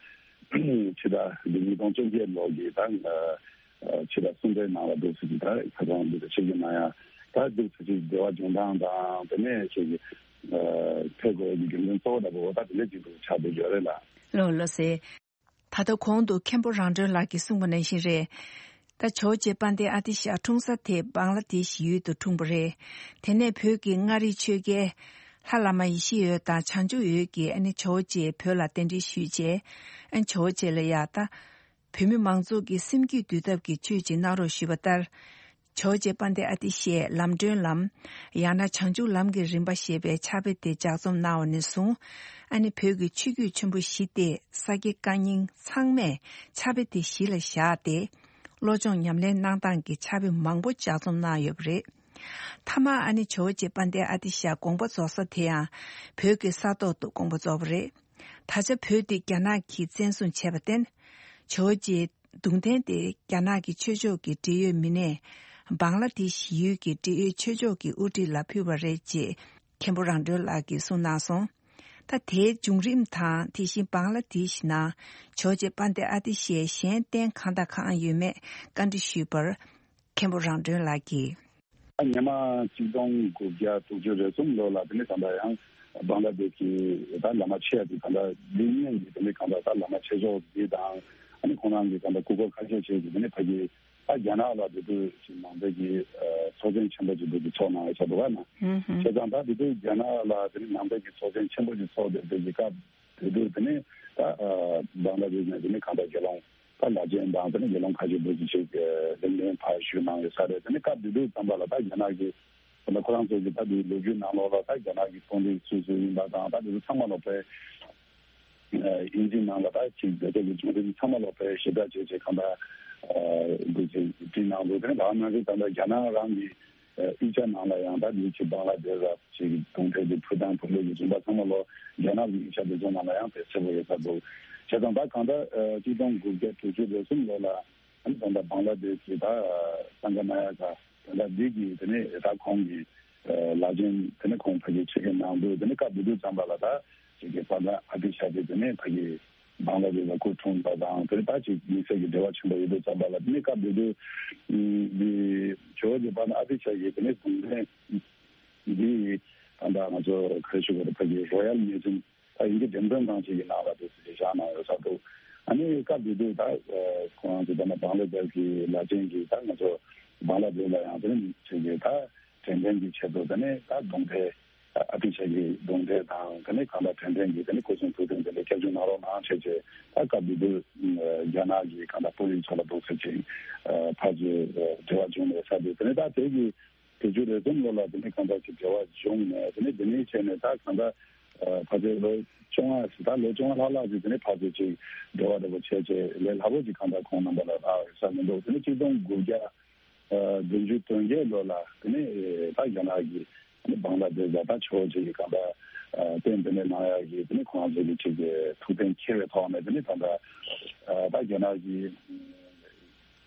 ཕྱི་ཟླ་འདི་ཉིས་སྟོང་བཅོ་བརྒྱད་ལོ་གི་ད་ཕྱི་ཟླ་གསུམ་པའི་ནང་ལ་འདུག་ཟེར་གྱི། ད་ཁ་སང་འདི་ཚོ་ཆིབས་བསྒྱུར་གནང་ཡ་ད་འདུག་ཟེར་གྱི་འབྲེལ་བ་འབྱུང་སྟངས་དང་དེ་ནས་ཆེད་ཀྱི་ཐད་དགོས་ཀྱི་རྒྱུ་མཚན་གཙོ་བོ་འདྲ་པོ་ད་དེ་འདྲ་ཅིག་འདུག་ཆགས་བསྡད་ཡོད་རེད་ལ། ལགས་ལགས་སེ། ད་ལྟ་གོང་དུ་མཁན་པོ་རང་གྲོལ་ལགས་ཀྱིས་གསུངས་པ་ནང་བཞིན་རེད། ད་ཇོ་བོ་རྗེ་དཔལ་ལྡན་ཨ་ཏི་ཤ་འཁྲུངས་ས་དེ་བང་ལ་དེ་ཤི་ཡུལ་དུ་འཁྲུངས་པ་རེད། དེ་ནས་བོད་ཀྱི་མངའ་རིས་ཆོས་རྒྱལ་ལྷ་བླ་མ་ཡེ་ཤེས་འོད་དང་བྱང་ཆུབ་འོད་ཀྱིས་ཨ་ནི་ཇོ་བོ་རྗེ་བོད་ལ་གདན་འདྲེན་ཞུས་རྗེས། ཨ་ནི་ཇོ་བོ་རྗེ་ལ་ཡ་ད་བོད་མི་མང་ཚོགས་ཀྱི་སེམས་རྒྱུད་འདུལ་ཐབས་ཀྱི་ཆོས་ཅིག་གནང་རོགས་ཞུས་པ་ལྟར། ཇོ་བོ་རྗེ་དཔལ་ལྡན་ཨ་ཏི་ཤས་ལམ་སྒྲོན་ལམ། ཡང་ན་བྱང་ཆུབ་ལམ་གྱི་རིམ་པ་ཞེས་པའི་ཕྱག་དཔེ་དེ་ལྗགས་རྩོམ་གནང་བ་ནས་བཟུང་། ཨ་ནི་བོད་ཀྱི་ཆོས་བརྒྱུད་ཆེན་པོ་བཞི་སྟེ་ས་སྐྱ་བཀའ་རྙིང་ཚང་མས་ཕྱག་དཔེ་དེ་གཞི་ལ་བཞག་སྟེ། བློ་སྦྱོང་ཉམས་ལེན་གནང་སྟངས་ཀྱི་ཕྱག་དཔེ་མང་པོ་ལྗགས་རྩོམ་གནང་ཡོད་པ་རེད། མཐའ་མ་ཨ་ནི་ཇོ་བོ་རྗེ་དཔལ་ལྡན་ཨ་ཏི་ཤ་དགོངས་པ་རྫོགས་ས་དེ་ཡང་བོད་ཀྱི་ས་ཐོག་ཏུ་དགོངས་པ་རྫོགས་པ་རེད། ད་ཆ་བོད་འདི་རྒྱ་ནག་གིས་བཙན་བཟུང་བྱས་པར་བརྟེན། ཇོ་བོ་རྗེའི་གདུང་རྟེན་དེ་རྒྱ་ནག་གི་ཆོས་ཕྱོགས་ཀྱི་འབྲེལ་ཡོད་མི་སྣས་བང་ལ་དེ་ཤི་ཡུལ་གྱི་འབྲེལ་ཡོད་ཆོས་ཕྱོགས་ཀྱི་དབུ་ཁྲིད་ལ་ཕུལ་བ་རེད་ཅེས་མཁན་པོ་རང་གྲོལ་ལགས་ཀྱིས་གསུངས་གནང་སོང་། ད་དེའི་བྱུང་རིམ་དང་དེ་བཞིན་བང་ལ་དེ་ཤི་ནང་ཇོ་བོ་རྗེ་དཔལ་ལྡན་ཨ་ཏི་ཤའི་གཞན་རྟེན་གང་དང་གང་ཡོད་མེད་བཀའ་འདྲི་ཞུས་པར། མཁན་པོ་རང་གྲོལ་ལགས་ཀྱིས། ཉི་མ་གཅིག་སྟོང་དགུ་བརྒྱ་དྲུག་ཅུ་རེ་གསུམ་ལོ་ལ་དེ་ནས་ད་ལྟ་ཡང་བང་ལ་དེ་ཤི་ད་བླ་མ་ཆེ་དེ་ད་ལྟ་འདི་ཉིད་ཀྱི་དེ་ནས་གང་ལྟར་ད་བླ་མ་ཆེ་ཤོས་འདི་དང་ཨ་ནི་ཁོང་རང་གི་གང་ལྟར་སྐུ་འཁོར་ཁ་ཤས་ཤིག་གིས་དེ་ནས་ཕ་གི་ད་རྒྱ་ནག་ལ་དེ་དུས་ཀྱི་ནང་པའི་གི་ཚོགས་ཆེན་ཆེན་པོ་ཅིག་འདུག་གི་ཚོགས་གནང་ཡོད་ས་འདུག་ག་ན། བྱས་ཙང་ད་དེ་དུས་རྒྱ་ནག་ལ་དེ་ནས་ནང་པའི་གི་ཚོགས་ཆེན་ཆེན་པོ་ཅིག་ཚོགས་བསྡད་པའི་གི་སྐབས་དེ་དུས་དེ་ནས་ད་བང་ལ་དེ་ནས་དེ་ནས་གང་ལྟར་དགེ་སློང་ད་ལ་ཅན་དང་དེ་ནས་དགེ་སློང་ཁ་ཤས་འདུག་གི་ཅིག་ལེགས་སྨོན་ཕར་ཞུས་གནང་ཡོད་ས་རེད། དེ་ནས་སྐབས་དེ་དུས་ཙམ་པ་ལ་ད་རྒྱ་ནག་གི་ད་ལྟ་ཁོ་རང་ཚོ་གི་ད་དེའི་ལོ་རྒྱུས་ནང་ལོགས་ལ་ད་རྒྱ་ནག་གི་དཔོན་རིགས་སུ་སུ་ཡིན་པ་དང་ད་དེ་ཚོ་ཚང་མ་ལོག་པའི་ཨིན་ཇི་ནང་ལ་ད་ཅིག་བོད་སྐད་ཀྱི་བྱུང་རིམ་ཚང་མ་ལོག་པའི་ཞིབ་ཕྲ་བྱས་བྱས་གང་ལྟར་འདུག་ཅིག་བྲིས་གནང་འདུག་དེ་ནས་ད་ནང་བཞིན་ད་ལྟ་རྒྱ་ནག་རང་གི་དབུས་ཆ་ནང་ལ་ཡང་ད་དེའི་ཅིག་བང་ལ་དེ་ར་ཅིག་གདུང་འདྲེ་གི་ཕུ་དང་ཕུ་ལེ་གི་རིམ་པ་ཚང་མ་ལོག་རྒྱ་ནག་གི་དབུས་ཆ་དེ་ཚོ་ནང་ལ་ཡང་དེ་གསལ་པོ་ཡོད་ས་འདུག་བྱས་ཙང་ད་གང་ལྟར་གཅིག་སྟོང་དགུ་བརྒྱ་དྲུག་ཅུ་རེ་གསུམ་ལོ་ལ་ཨ་ནི་ད་ལྟ་བང་ལ་དེ་ཤི་ད་སངྒ་ན་ཡ་ག་ད་ལྟ་འདི་གི་དེ་ནས་ད་ཁོང་གི་ལ་ཅན་དེ་ནས་ཁོང་ཕ་གི་ཆེད་མཁན་གནང་འདུག་དེ་ནས་སྐབས་དེ་དུས་ཙམ་པ་ལ་ད་ཅིག་གི་པ་ད་ཨ་ཏི་ཤ་དེ་དེ་ནས་ཕ་གི་བང་ལ་དེ་ལ་སྐུ་འཁྲུངས་པ་དང་དེ་ནས་ད་ཅིག་དམིགས་བསལ་གྱི་འབྲེལ་བ་ཆེན་པོ་ཡོད་དུས་ཙམ་པ་ལ་དེ་ནས་སྐབས་དེ་དུས་འདི་ཇོ་བོ་རྗེ་པ་ད་ཨ་ཏི་ཤ་གི་དེ་ནས་གདུང་རྟེན་འདི་ད་ལྟ་ང་ཚོ་ག་རེ་ཞུ་དགོས་རེད། ཕ་གི་རོ་ཡལ་མིའུ་ཛིམ་ད་ཡིན་གྱི་འགྲེམས་སྟོན་ཁང་ཅིག་གི་ནང་ལ་དེ་ཚོ་ཅིག་བཞག་གནང་ཡོད་ས་འདུག་ཨ་ནི་སྐབས་དེ་དུས་ད་ཁོང་ཚོ་ད་ནི་བང་ལ་དེ་ཤི་གི་ལ་ཅན་གྱི་ད་ང་ཚོ་བང་ལ་དེ་ཤི་ལ་ཡང་དེ་ནི་ཅིག་གི་ད་དྲན་རྟེན་གྱི་ཆེད་དུ་དེ་ནི་ད་གདུང་འདྲེ་ཨ་ཏི་ཤ་གི་གདུང་འདྲེ་དང་དེ་ནི་གང་ལ་དྲན་རྟེན་གྱི་དེ་ནི་སྐུ་གསུང་ཐུགས་རྟེན་དེ་འདྲ་བསྐྱར་བཅོས་གནང་རོགས་གནང་བྱས་བྱས། ད་སྐབས་དེ་དུས་རྒྱ་ནག་གི་གང་ལ་དཔོན་རིགས་ཚོ་ལ་འདུག་ཟེར་ཅིག་ཕར་ཚུར་འབྲེལ་བ་བྱུང་ཡོད་ས་འདུག་དེ་ནི་ད་དེ་གི་དྲུག་ཅུ་རེ་གསུམ་ལོ་ལ་དེ་ནས་གང་ལྟར་ཅིག་འབྲེལ་བ་བྱུང་ནས་དེ་ནས་དེ་ནས་བྱས་ནས་ད་གང་ལྟར་ཕལ་ཆེར་ལོ་བཅོ་ལྔ་ཞིག་ད་ལོ་བཅོ་ལྔ་ལྷག་ལྷག་ཅིག་དེ་ནས་ཕལ་ཆེར་ཅིག་འབྲེལ་བ་འདྲ་པོ་བྱས་བྱས་ལས་སླ་པོ་ཅིག་གང་ལྟར་ཁོང་རྣམ་པ་ལ་རག་ཡོད་ས་མི་འདུག་དེ་ནས་གཅིག་སྟོང་དགུ་བརྒྱ་བདུན་ཅུ་དོན་བརྒྱད་ལོ་ལ་དེ་ནས་ད་རྒྱ་ནག་གི་བང་ལ་དེ་ཤི་ད་ཆོས་ཅིག་གི་གང་ལྟར་རྟེན་དེ་ནས་གནང་ཡག་གི་དེ་ནས་ཁོང་ཚོ་གི་ཅིག་ཐུགས་གཏན་འཁེལ་བའི་ཐོག་ནས་དེ་ནས་ད་ལྟ་ད་རྒྱ་ནག་གི་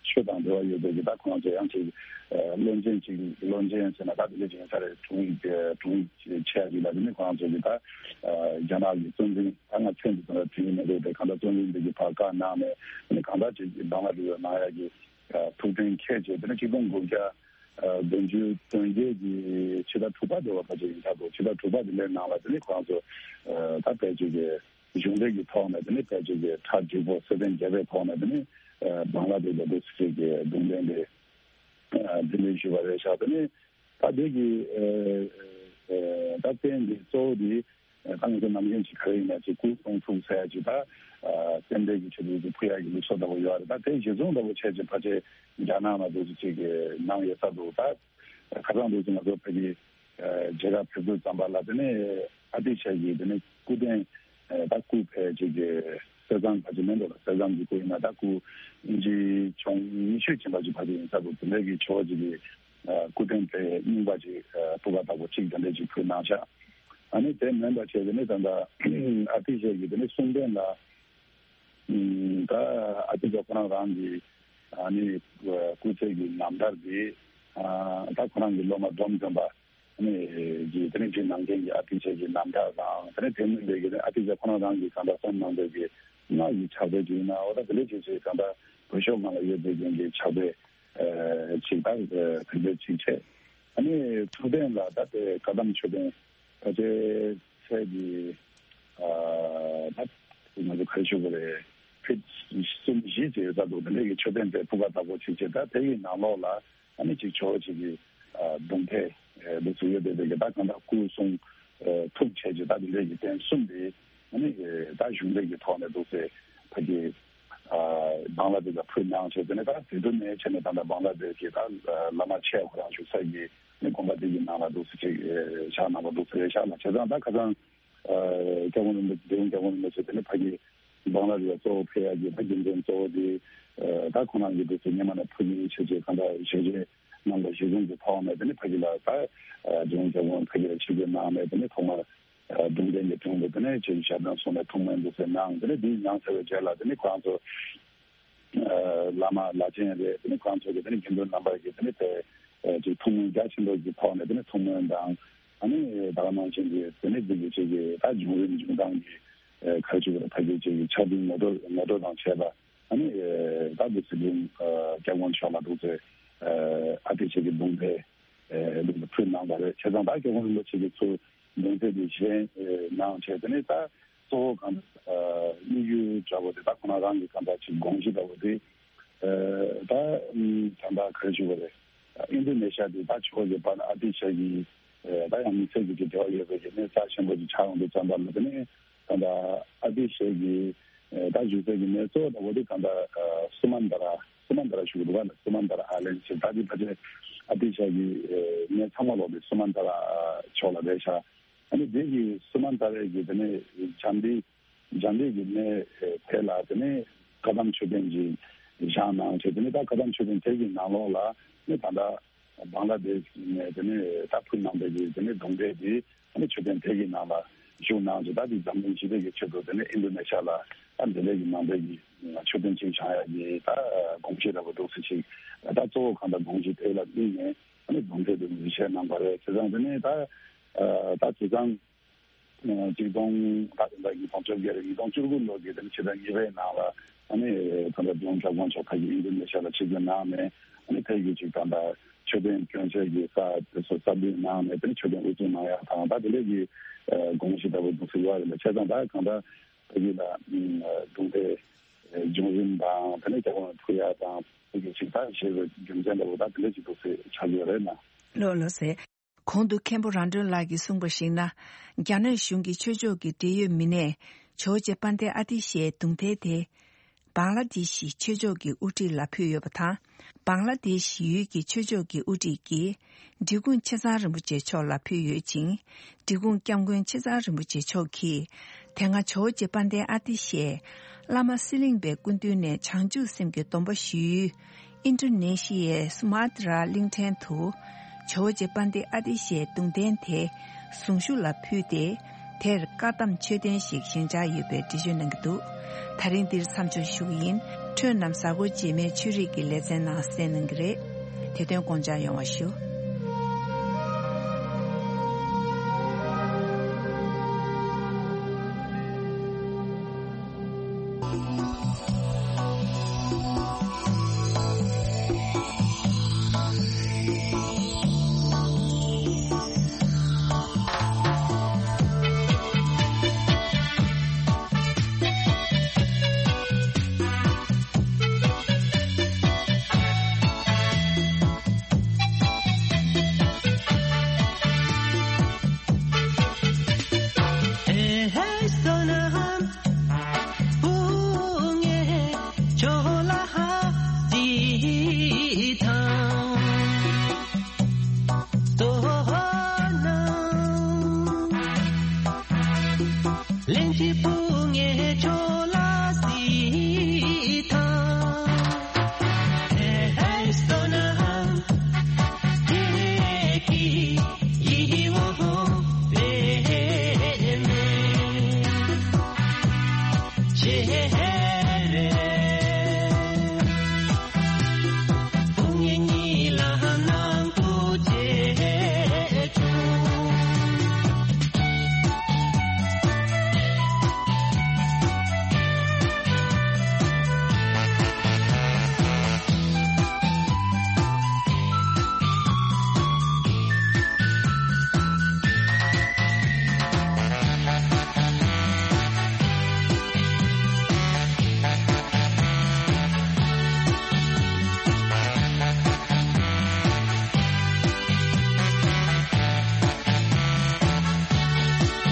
ཆོས་དང་འབྲེལ་བ་ཡོད་པའི་གི་ད་ཁོང་ཚོ་ཡང་ཅིག་ བློན་ཆེན་ཅིག་བློན་ཆེན་ཟེར་ན་ད་དེ་འདྲ་ཅིག་ཡིན་ས་རེད། དྲུང་ཡིག་དྲུང་ཡིག་ཆེ་ཡ་ཅིག་ལ་དེ་ནི་ཁོ་རང་ཚོ་གི་ད་རྒྱ་ནག་གི་གཙོ་འཛིན་ད་ང་མཚན་དེ་ཚོ་ལ་དྲན་གྱི་མི་འདུག་དེ་གང་ལྟར་གཙོ་འཛིན་འདི་གི་བར་བཀའ་གནང་ནས་དེ་ནི་གང་ལྟར་ཅིག་བང་ལ་རི་བོ་ནང་ཡ་གི་ཐུགས་གཏན་འཁེལ་བྱས་དེ་ནི་ཆིག་སྟོང་དགུ་བརྒྱ་བདུན་ཅུ་དོན་བརྒྱད་ཀྱི་ཕྱི་ཟླ་དྲུག་པ་དེ་བ་ཕལ་ཆེར་ཡིན་ཆགས་འདུག་ཕྱི་ཟླ་དྲུག་པ་དེ་ལའི་ནང་ལ་དེ་ནི་ཁོ་རང་ཚོ་ད་ཕལ་ཆེར་གྱི་གཞུང་འབྲེལ་གྱི་ཐོག་ནས་དེ་ནི་ཕལ་ཆེར་གྱི་གྲ་འགྲིག་པོ་སྲིད་དོན་རྒྱབ་པའི་ཐོག་ནས་དེ་ནི་བང་ལ་དེ་ལ་འདུག་སྲིད་ཀྱི་གདོང་ལེན་དེ་འཛིན་ལས་ཞུས་པ་རེད་ཤག་དེ་ནི་ད་དེ་གི་ད་རྟེན་འདི་གཙོ་བོ་འདི་ད་ང་ཚོ་ནམ་རྒྱུན་གྱི་ག་རེ་ཡིན་ན་ཅིག་སྐུ་གསུང་ཐུགས་ཟེར་ཡ་ཅིག་ད་རྟེན་འབྲེལ་གྱི་ཆེད་དུ་ཕུལ་ཡ་གི་ལུགས་སྲོལ་ལྟ་བུ་ཡོད་རེད། ད་དེ་གཞི་བཟུང་ལྟ་བུ་བྱས་ཅིག་ཕལ་ཆེར་རྒྱ་ནག་ན་འདུག་ཅིག་གི་ནང་ཡོད་ས་འདུག་ད་ཁ་སང་འདུག་ཅིག་ང་ཚོ་ཕ་གི་མཇལ་ཁ་ཕེབས་དུས་ཙམ་པ་ལ་དེ་ནས་ཨ་ཏི་ཤ་གི་དེ་ནས་སྐུ་རྟེན་ད་སྐུ་ཕལ་ཆེར་གྱི་གསེར་ཟངས་ཕལ་ཆེར་མིན་འགྲོ་ལ་གསེར་ཟངས་ཀྱི་སྐུ་ཡིན་ན་ད་སྐུ་ཨིན་ཇི་ཆུང་ཉི་ཤུ་ཕྱིན་པ་ཅིག་ཕལ་ཆེར་ཡིན་ས་འདུག་དེ་འདྲ་གི་ཆེ་བ་ཅིག་གི་སྐུ་རྟེན་དེ་རྙིང་པ་ཅིག་སྤུ་ག་དག་པོ་གཅིག་དེ་འདྲ་ཅིག་ཕུལ་གནང་ཤག་ཨ་ནི་དེ་མིན་པ་བྱས་དེ་ནས་ད་ལྟ་ཨ་ཏི་ཤ་གི་དེ་ནས་གསུང་རྟེན་ལ་ད་ཨ་ཏི་ཤ་ཁོ་རང་རང་གི་ཨ་ནི་སྐུ་ཚེ་གི་རྣམ་ཐར་དེ་ད་ཁོ་རང་གི་སློབ་མ་འབྲོམ་སྟོན་པ། ནི་གི་དེ་ནི་བྲིས་གནང་མཁན་གྱི་ཨ་ཏི་ཤ་གི་རྣམ་ཐར་དང་དེ་ནི་དེ་མིན་པའི་གི་ཨ་ཏི་ཤ་ཁོ་རང་རང་གི་གང་ལྟར་གསུང་གནང་པའི་གི་སྔགས་ཀྱི་ཕྱག་དཔེ་ཅིག་ཡིན་ན་འོ་ད་དེ་འདྲ་ཅིག་ཅིག་གང་ལྟར་བོད་ཤོག་ནང་ལ་ཡོད་པའི་རྐྱེན་གྱི་ཕྱག་དཔེ་ཅིག་དང་དེ་འདྲ་ཅིག་བྱས། ཨ་ནི་ཐུགས་རྟེན་ལ་ད་ལྟའི་བཀའ་གདམས་མཆོད་རྟེན་ད་ལྟའི་ཚད་ཀྱི་ད་ང་ཚོ་ག་རེ་ཞུ་དགོས་རེད། ཕིཊ་གསུམ་བཞི་ཅིག་ཡོད་ས་འདུག་དེ་འདྲ་གི་མཆོད་རྟེན་དེ་ཕུག་པ་དག་པོ་ཅིག་བྱས་ད་དེ་ཡི་ནང་ལོགས་ལ། ཨ་ནི་ཅིག་ཇོ་བོ་ཅིག་གི་གདུང་ཐལ་འདུག་སེ་ཡོད་དེ་དེ་གི་ད་གང་ལྟར་སྐུ་གསུང་ཐུགས་བྱས་ཀྱི་ད་དེ་འདྲའི་གི་རྟེན་གསུམ་དེ་ཨ་ནི་ད་གཞུང་ལས་ཀྱི་ཐོག་ནས་འདུག་སེ་ཕ་གི་བང་ལ་དེ་ལ་ཕུལ་གནང་བྱས་དེ་ནས་ད་དེ་དུ་ནས་བྱས་ནས་ད་ལྟ་བང་ལ་དེ་གི་ད་བླ་མ་ཆེ་ཁོ་རང་བཞུགས་ས་གི་ནི་དགོན་པ་དེ་གི་ནང་ལ་འདུག་སེ་ཅིག་བཞག་གནང་བ་འདུག་སེ་རེད་ཤག་ལ་བྱས་ཙང་ད་ཁ་སང་། སྐྱབས་མགོན་རིན་པོ་ཆེ་འདི་རུ་སྐྱབས་མགོན་རིན་པོ་ཆེ་དེ་ནི་ཕ་གི་བང་ལ་རི་བ་གཙོ་བོ་ཕེབས་ཡ་གི་ད་རྒྱུ་མཚན་གཙོ་བོ་དེ་ད་ཁོ་རང་གི་འདུག་སེ་སྔོན་མ་ནས་ཕ་གི་ཆེ་ཆེ་གང་ལྟར་ཞལ་བཞེས་གནང་པ་གཞི་བཟུང་གི་ཐོག་ནས་དེ་ནི་ཕ་གི་ལ་ད་རྒྱུན་སྐྱབས་མགོན་ཕ་གི་ལ་ཆིབས་བསྒྱུར་གནང་ནས་དེ་ནི་ཐོག་མར་གདུང་རྟེན་གྱི་དྲུང་དུ་དེ་ནི་ཆེ་ཆུང་ཞབས་བརྟན་གསུངས་ནས་ཐུགས་སྨོན་འདུག་སེ་གནང་དེ་ནི་འདི་གནང་ཚར་བའི་རྗེས་ལ་དེ་ནི་ཁོ་རང་ཚོ། བླ་མ་བླ་ཆེན་རེད། དེ་ནི་ཁོང་ཚོ་གི་དེ་ནི་དགེ་འདུན་རྣམ་པ་གི་དེ་ནི་དེ་ཅིག་ཐུགས་སྨོན་རྒྱ་ཆེན་པོ་གི་ཐོག་ནས་དེ་ནི་ཐུགས་སྨོན་དང་ཨ་ནི་ད་ག་ནང་བཞིན་གྱི་དེ་ནི་འདི་གི་ཅིག་གི་ད་བྱུང་རིམ་བྱུང་སྟངས་ཀྱི་ག་རེ་ཞུ་དགོས་རེད། ཕ་གི་ཅིག་གི་ཆ་འདི་ངོ་སྤྲོད་ངོ་སྤྲོད་དང་བྱས་པ་ཨ་ནི་ད་འདི་སི་ལིང་སྐྱབས་མགོན་མཆོག་ལ་འདུག་སེ་ཨ་ཏི་ཤ་གི་གདུང་ཐལ་འདུག་སེ་ཕུལ་གནང་བ་རེད། བྱས་ཙང་ད་སྐྱབས་མགོན་རིན་པོ་ཆེ་གི་ཚུར་གདུང་ཐལ་འདི་བཞེས་གནང་བྱས་དེ་ནི་ད། གཙོ་བོ་གང་ལྟར་དམིགས་ཡུལ་འདྲ་བོ་དེ་ད་ཁོ་ན་རང་གི་གང་ལྟར་ཅིག་དགོངས་གཞི་འདྲ་བོ་དེ་ད་ད་ལྟ་ག་རེ་ཞུ་དགོས་རེད། ཨིན་ཌོ་ནེ་ཤ་དེ་ད་ཆོས་ཀྱི་བར་ཨ་ཏི་ཤ་གི་ད་ཡང་མི་ཚེ་གི་ཅིག་འབྲེལ་བ་ཡོད་པའི་གི་གནས་རྩ་ཆེན་པོ་ཅིག་ཆགས་ཡོང་དུས་ཙམ་པ་ལ་དེ་ནས་ད་ལྟ་ཨ་ཏི་ཤ་གི་ད་བཞུགས་སའི་གི་གནས་གཙོ་བོ་འདྲ་བོ་དེ་གང་ལྟར་སུ་མན་ད་ར་སུ་མན་ད་ར་ཞུ་གི་འདུག་ག་ལ་སུ་མན་ད་ར་ཨའི་ལན་ཞེས་ད་དེ་ཕལ་ཆེར་ཨ་ཏི་ཤ་གི་གནས་ཚང་མ་ལོག་དེ་སུ་མན་ད་ར་ཕྱོགས་ལ་རེད་ཤག་ཨ་ནི་དེ་གི་སུ་མན་ད་རའི་གི་དེ་ནས་འཇམ་དཔལ་འཇམ་དཔལ་གྱི་གནས་དེ་ལ་དེ་ནས་བཀའ་གདམས་མཆོད་རྟེན་གྱི་བཞེངས་གནང་བྱས་དེ་ནས་ད་བཀའ་གདམས་མཆོད་རྟེན་དེ་གི་ནང་ལོགས་ལ་ནི་ད་ལྟ་བང་ལ་དེ་ནས་དེ་ནས་ད་ཕུལ་གནང་པའི་གི་དེ་ནས་གདུང་འདྲེ་དེ་ཨ་ནི་མཆོད་རྟེན་དེ་གི་ནང་ལ་བཞུགས་གནང་བྱས་ད་དེ་འཛམ་གླིང་སྤྱི་དེ་གི་ཆེད་དུ་དེ་ནས་ཨིན་ཌོ་ནེ་ཤ་ལ་ད་འདི་ལས་ཀྱི་ནང་པའི་གི་མཆོད་རྟེན་ཅིག་བཞེངས་ཡ་གི་ད་དགོངས་གཞི་འདྲ་བོ་འདུག་སེ་ཅིག་ད་གཙོ་བོ་གང་ལྟར་དགོངས་གཞི་དེ་ལ་དམིགས་ནས་ཨ་ནི་གདུང་འདྲེ་དེ་ནས་བཞེངས་གནང་པ་རེད། བྱས་ཙང་དེ་ནས་ད་ད་བྱས་ཙང་། ཆིག་སྟོང་ད་ལྟ་ཉིས་སྟོང་བཅོ་བརྒྱད་རེད། ཉིས་སྟོང་བཅུ་དགུ་ལོ་གི་དེ་ནི་ཕྱི་ཟླ་གཉིས་པའི་ནང་ལ་ཨ་ནི་ད་ལྟ་ལྗོངས་ཁྱབ་དབང་ཕྱོགས་ཁག་གི་ཨིན་ཌོ་ནེ་ཤ་ལ་ཆིབས་བསྒྱུར་གནང་ནས་ཨ་ནི་ཕ་གི་ཅིག་ད་ལྟ་མཆོད་རྟེན་སྐྱོན་ཆ་གི་ས་དེ་ཚོ་གསར་སྡུད་གནང་ནས་དེ་ནི་མཆོད་རྟེན་དབུ་འཛུགས་གནང་ཡག་དང་ད་དེ་འདྲ་གི་དགོངས་གཞི་ལྟ་བུ་འདུག་སེ་ཡོད་རེད་ལ། བྱས་ཙང་ད་གང་ལྟར་ཕ་གི་ལ་གདུང་འདྲེ་འབྱུང་རིམ་དང་དེ་ནས་རྒྱ་གར་ཕུལ་ཡག་དང་ཕ་གི་ཅིག་ད་ཞེས་པའི་རྒྱུ་མཚན་ལྟ་བུ་ད་དེ་འདྲ་ཅིག་འདུག་སེ་ཆགས་ཡོད་རེད་ན། ལགས་ལགས་སེ། གོང་དུ་མཁན་པོ་རང་གྲོན་ལགས་ཀྱིས་གསུངས་པར་གཞིགས་ན། རྒྱ་ནག་གཞུང་གིས་ཆོས་ཕྱོགས་ཀྱི་འབྲེལ་ཡོད་མི་སྣས་ཇོ་བོ་རྗེ་དཔལ་ལྡན་ཨ་ཏི་ཤའི་གདུང་ཐལ་དེ། བང་ལ་དེ་ཤི་ཆོས་ཕྱོགས་ཀྱི་དབུ་ཁྲིད་ལ་ཕུལ་ཡོད་པ་དང་། བང་ལ་དེ་ཤི་ཡུལ་གྱི་ཆོས་ཕྱོགས་ཀྱི་དབུ་ཁྲིད་ཀྱིས། འབྲི་གུང་ཆེ་ཚང་རིན་པོ་ཆེ་མཆོག་ལ་ཕུལ་ཡོད་ཅིང་། འབྲི་གུང་སྐྱབས་མགོན་ཆེ་ཚང་རིན་པོ་ཆེ་མཆོག་གིས། དེ་སྔ་ཇོ་བོ་རྗེ་དཔལ་ལྡན་ཨ་ཏི་ཤས། བླ་མ་གསེར་གླིང་པའི་སྐུ་མདུན་ནས་བྱང་ཆུབ་སེམས་ཀྱི་སྡོམ་པ་ཞུས་ཡུལ། ཨིན་ཌོ་ནེ་ཤི་ཡའི་སུ་མ་ཏྲ་གླིང་ཕྲན་དུ། ཇོ་བོ་རྗེ་དཔལ་ལྡན་ཨ་ཏི་ཤའི་གདུང་རྟེན་དེ་གཟུངས་གཞུག་ལ་ཕུལ་ཏེ། དེར་བཀའ་གདམས་མཆོད་རྟེན་ཞིག་བཞེངས་འཆར་ཡོད་པའི་འགྲེལ་བརྗོད་གནང་གི་འདུག་ད་རིང་འདིར་མཚམས་འཇོག་ཞུ་གི་ཡིན། ཁྱེད་རྣམས་གཟའ་འཁོར་རྗེས་མའི་ཆོས་རིག་གི་ལེ་ཚན་ནང་གསན་གནང་གི་རེད། དེ་དོན་དགོངས་འཇགས་ཡོང་བ་ཞུ།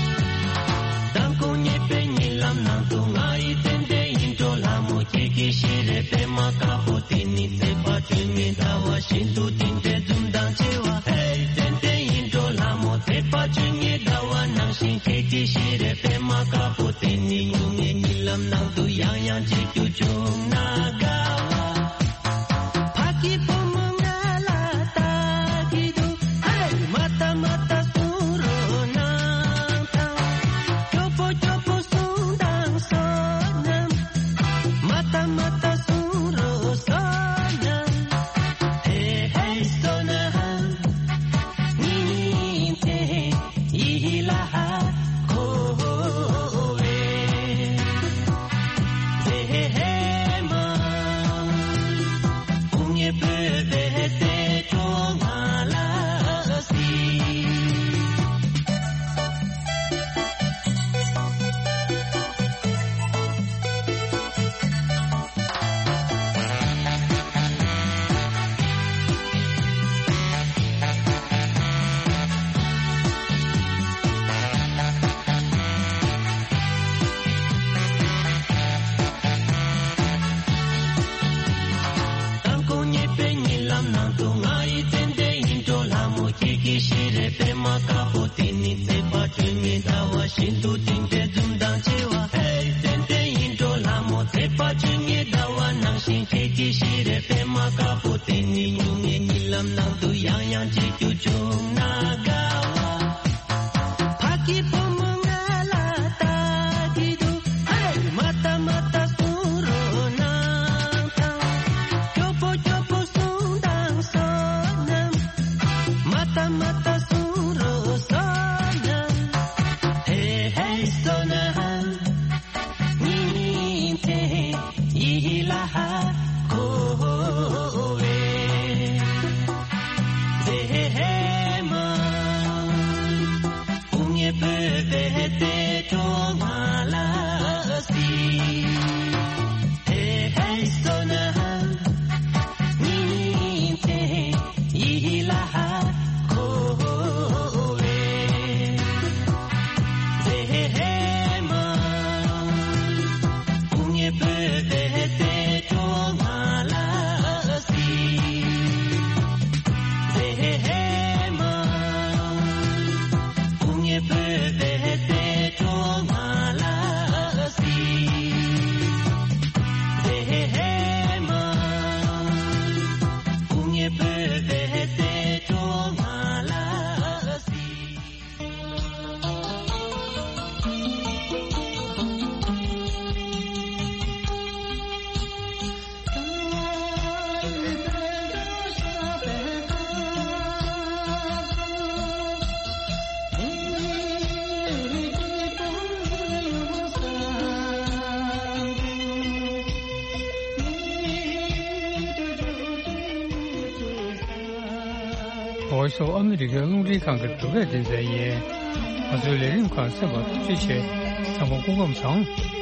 མདང་དགོང་ཉེས་པའི་ཉིན་ལམ་ནང་དུ་ང་ཡི་ཏན་ཏན་ཡིད་འཕྲོག་ལྷ་མོ་ཁྱེད་ཀྱི་ཤེས་རེ་པད་མ་དཀར་པོ་དེ་ནི་བརྩེགས་པ་སྤྲིན་མེད་ཟླ་བ་བཞིན་དུ་དེ་འདྲའི་འཛུམ་མདངས་ཆེ་བ། ཧེ་ཏན་ཏན་ཡིད་འཕྲོག་ལྷ་མོ་བརྩེགས་པ་སྤྲིན་མེད་ཟླ་བ་ནང་བཞིན་ཁྱེད་ཀྱི་ཤེས་རེ་པད་མ་དཀར་པོ་དེ་ནི་སྨྱུང་གནས་ཉིན་ལམ་ནང་དུ་ཡང་ཡང་མཇལ་རྒྱུ་བྱུང་ན་དགའ་བ། ཕ་གི་བུ་མོ་ང་ལ་ལྟ་གི་འདུག་ཧེ། མ་ལྟ་མ་ལྟ་གསུང་རོགས་གནང་དང་། སྐྱོ་པོ་སྐྱོ་པོ་གསུང་དང་བསོད་ནམས། མ་ལྟ་མ་ལྟ་གསུང་རོགས་བསོད་ནམས། ཧེ་ཧེ་བསོད་ནམས། ཉིན་མཚན་ཡིད་ལ་འཁོར་བའི་མཛེས་མ། དཔུང་གཉེན་བོད་པའི་བདེ་སྐྱོང་ང་ལ་གཟིགས། མདང་དགོང་ཉེས་པའི་ཉིན་ལམ་ནང་དུ་ང་ཡི་ཏན་ཏན་ཡིད་འཕྲོག་ལྷ་མོ་ཁྱེད་ཀྱི་ཤེས་རེ་པད་མ་དཀར་པོ་དེ་ནི་བརྩེགས་པ་སྤྲིན་མེད་ཟླ་བ་བཞིན་དུ་དེ་འདྲའི་འཛུམ་མདངས་ཆེ་བ། ཧེ་ཏན་ཏན་ཡིད་འཕྲོག་ལྷ་མོ་བརྩེགས་པ་སྤྲིན་མེད་ཟླ་བ་ནང་བཞིན་ཁྱེད་ཀྱི་ཤེས་རེ་པད་མ་དཀར་པོ་དེ་ནི་སྨྱུང་གནས་ཉིན་ལམ་ནང་དུ་ཡང་ཡང་མཇལ་རྒྱུ་བྱུང་ན་དགའ་བ། ཕ་གི་བུ་མོ་ང་ལ་ལྟ་གི་འདུག་ཧེ། མ་ལྟ་མ་ལྟ་གསུང་རོགས་གནང་དང་། སྐྱོ་པོ་སྐྱོ་པོ་གསུང་དང་བསོད་ནམས། མ་ལྟ་མ་ལྟ་གསུང་རོགས་བསོད་ནམས། ཧེ་ཧེ་བསོད་ནམས། ཉིན་མཚན་ཡིད་ལ་འཁོར་བའི་མཛེས་མ། Voice of America རླུང་འཕྲིན་ཁང་གི་བོད་སྐད་སྡེ་ཚན་ཡིན། ང་ཚོའི་ལས་རིམ་ཁག་གསན་པར་ཐུགས་རྗེ་ཆེ། ཚང་མ་སྐུ་ཁམས་བཟང་།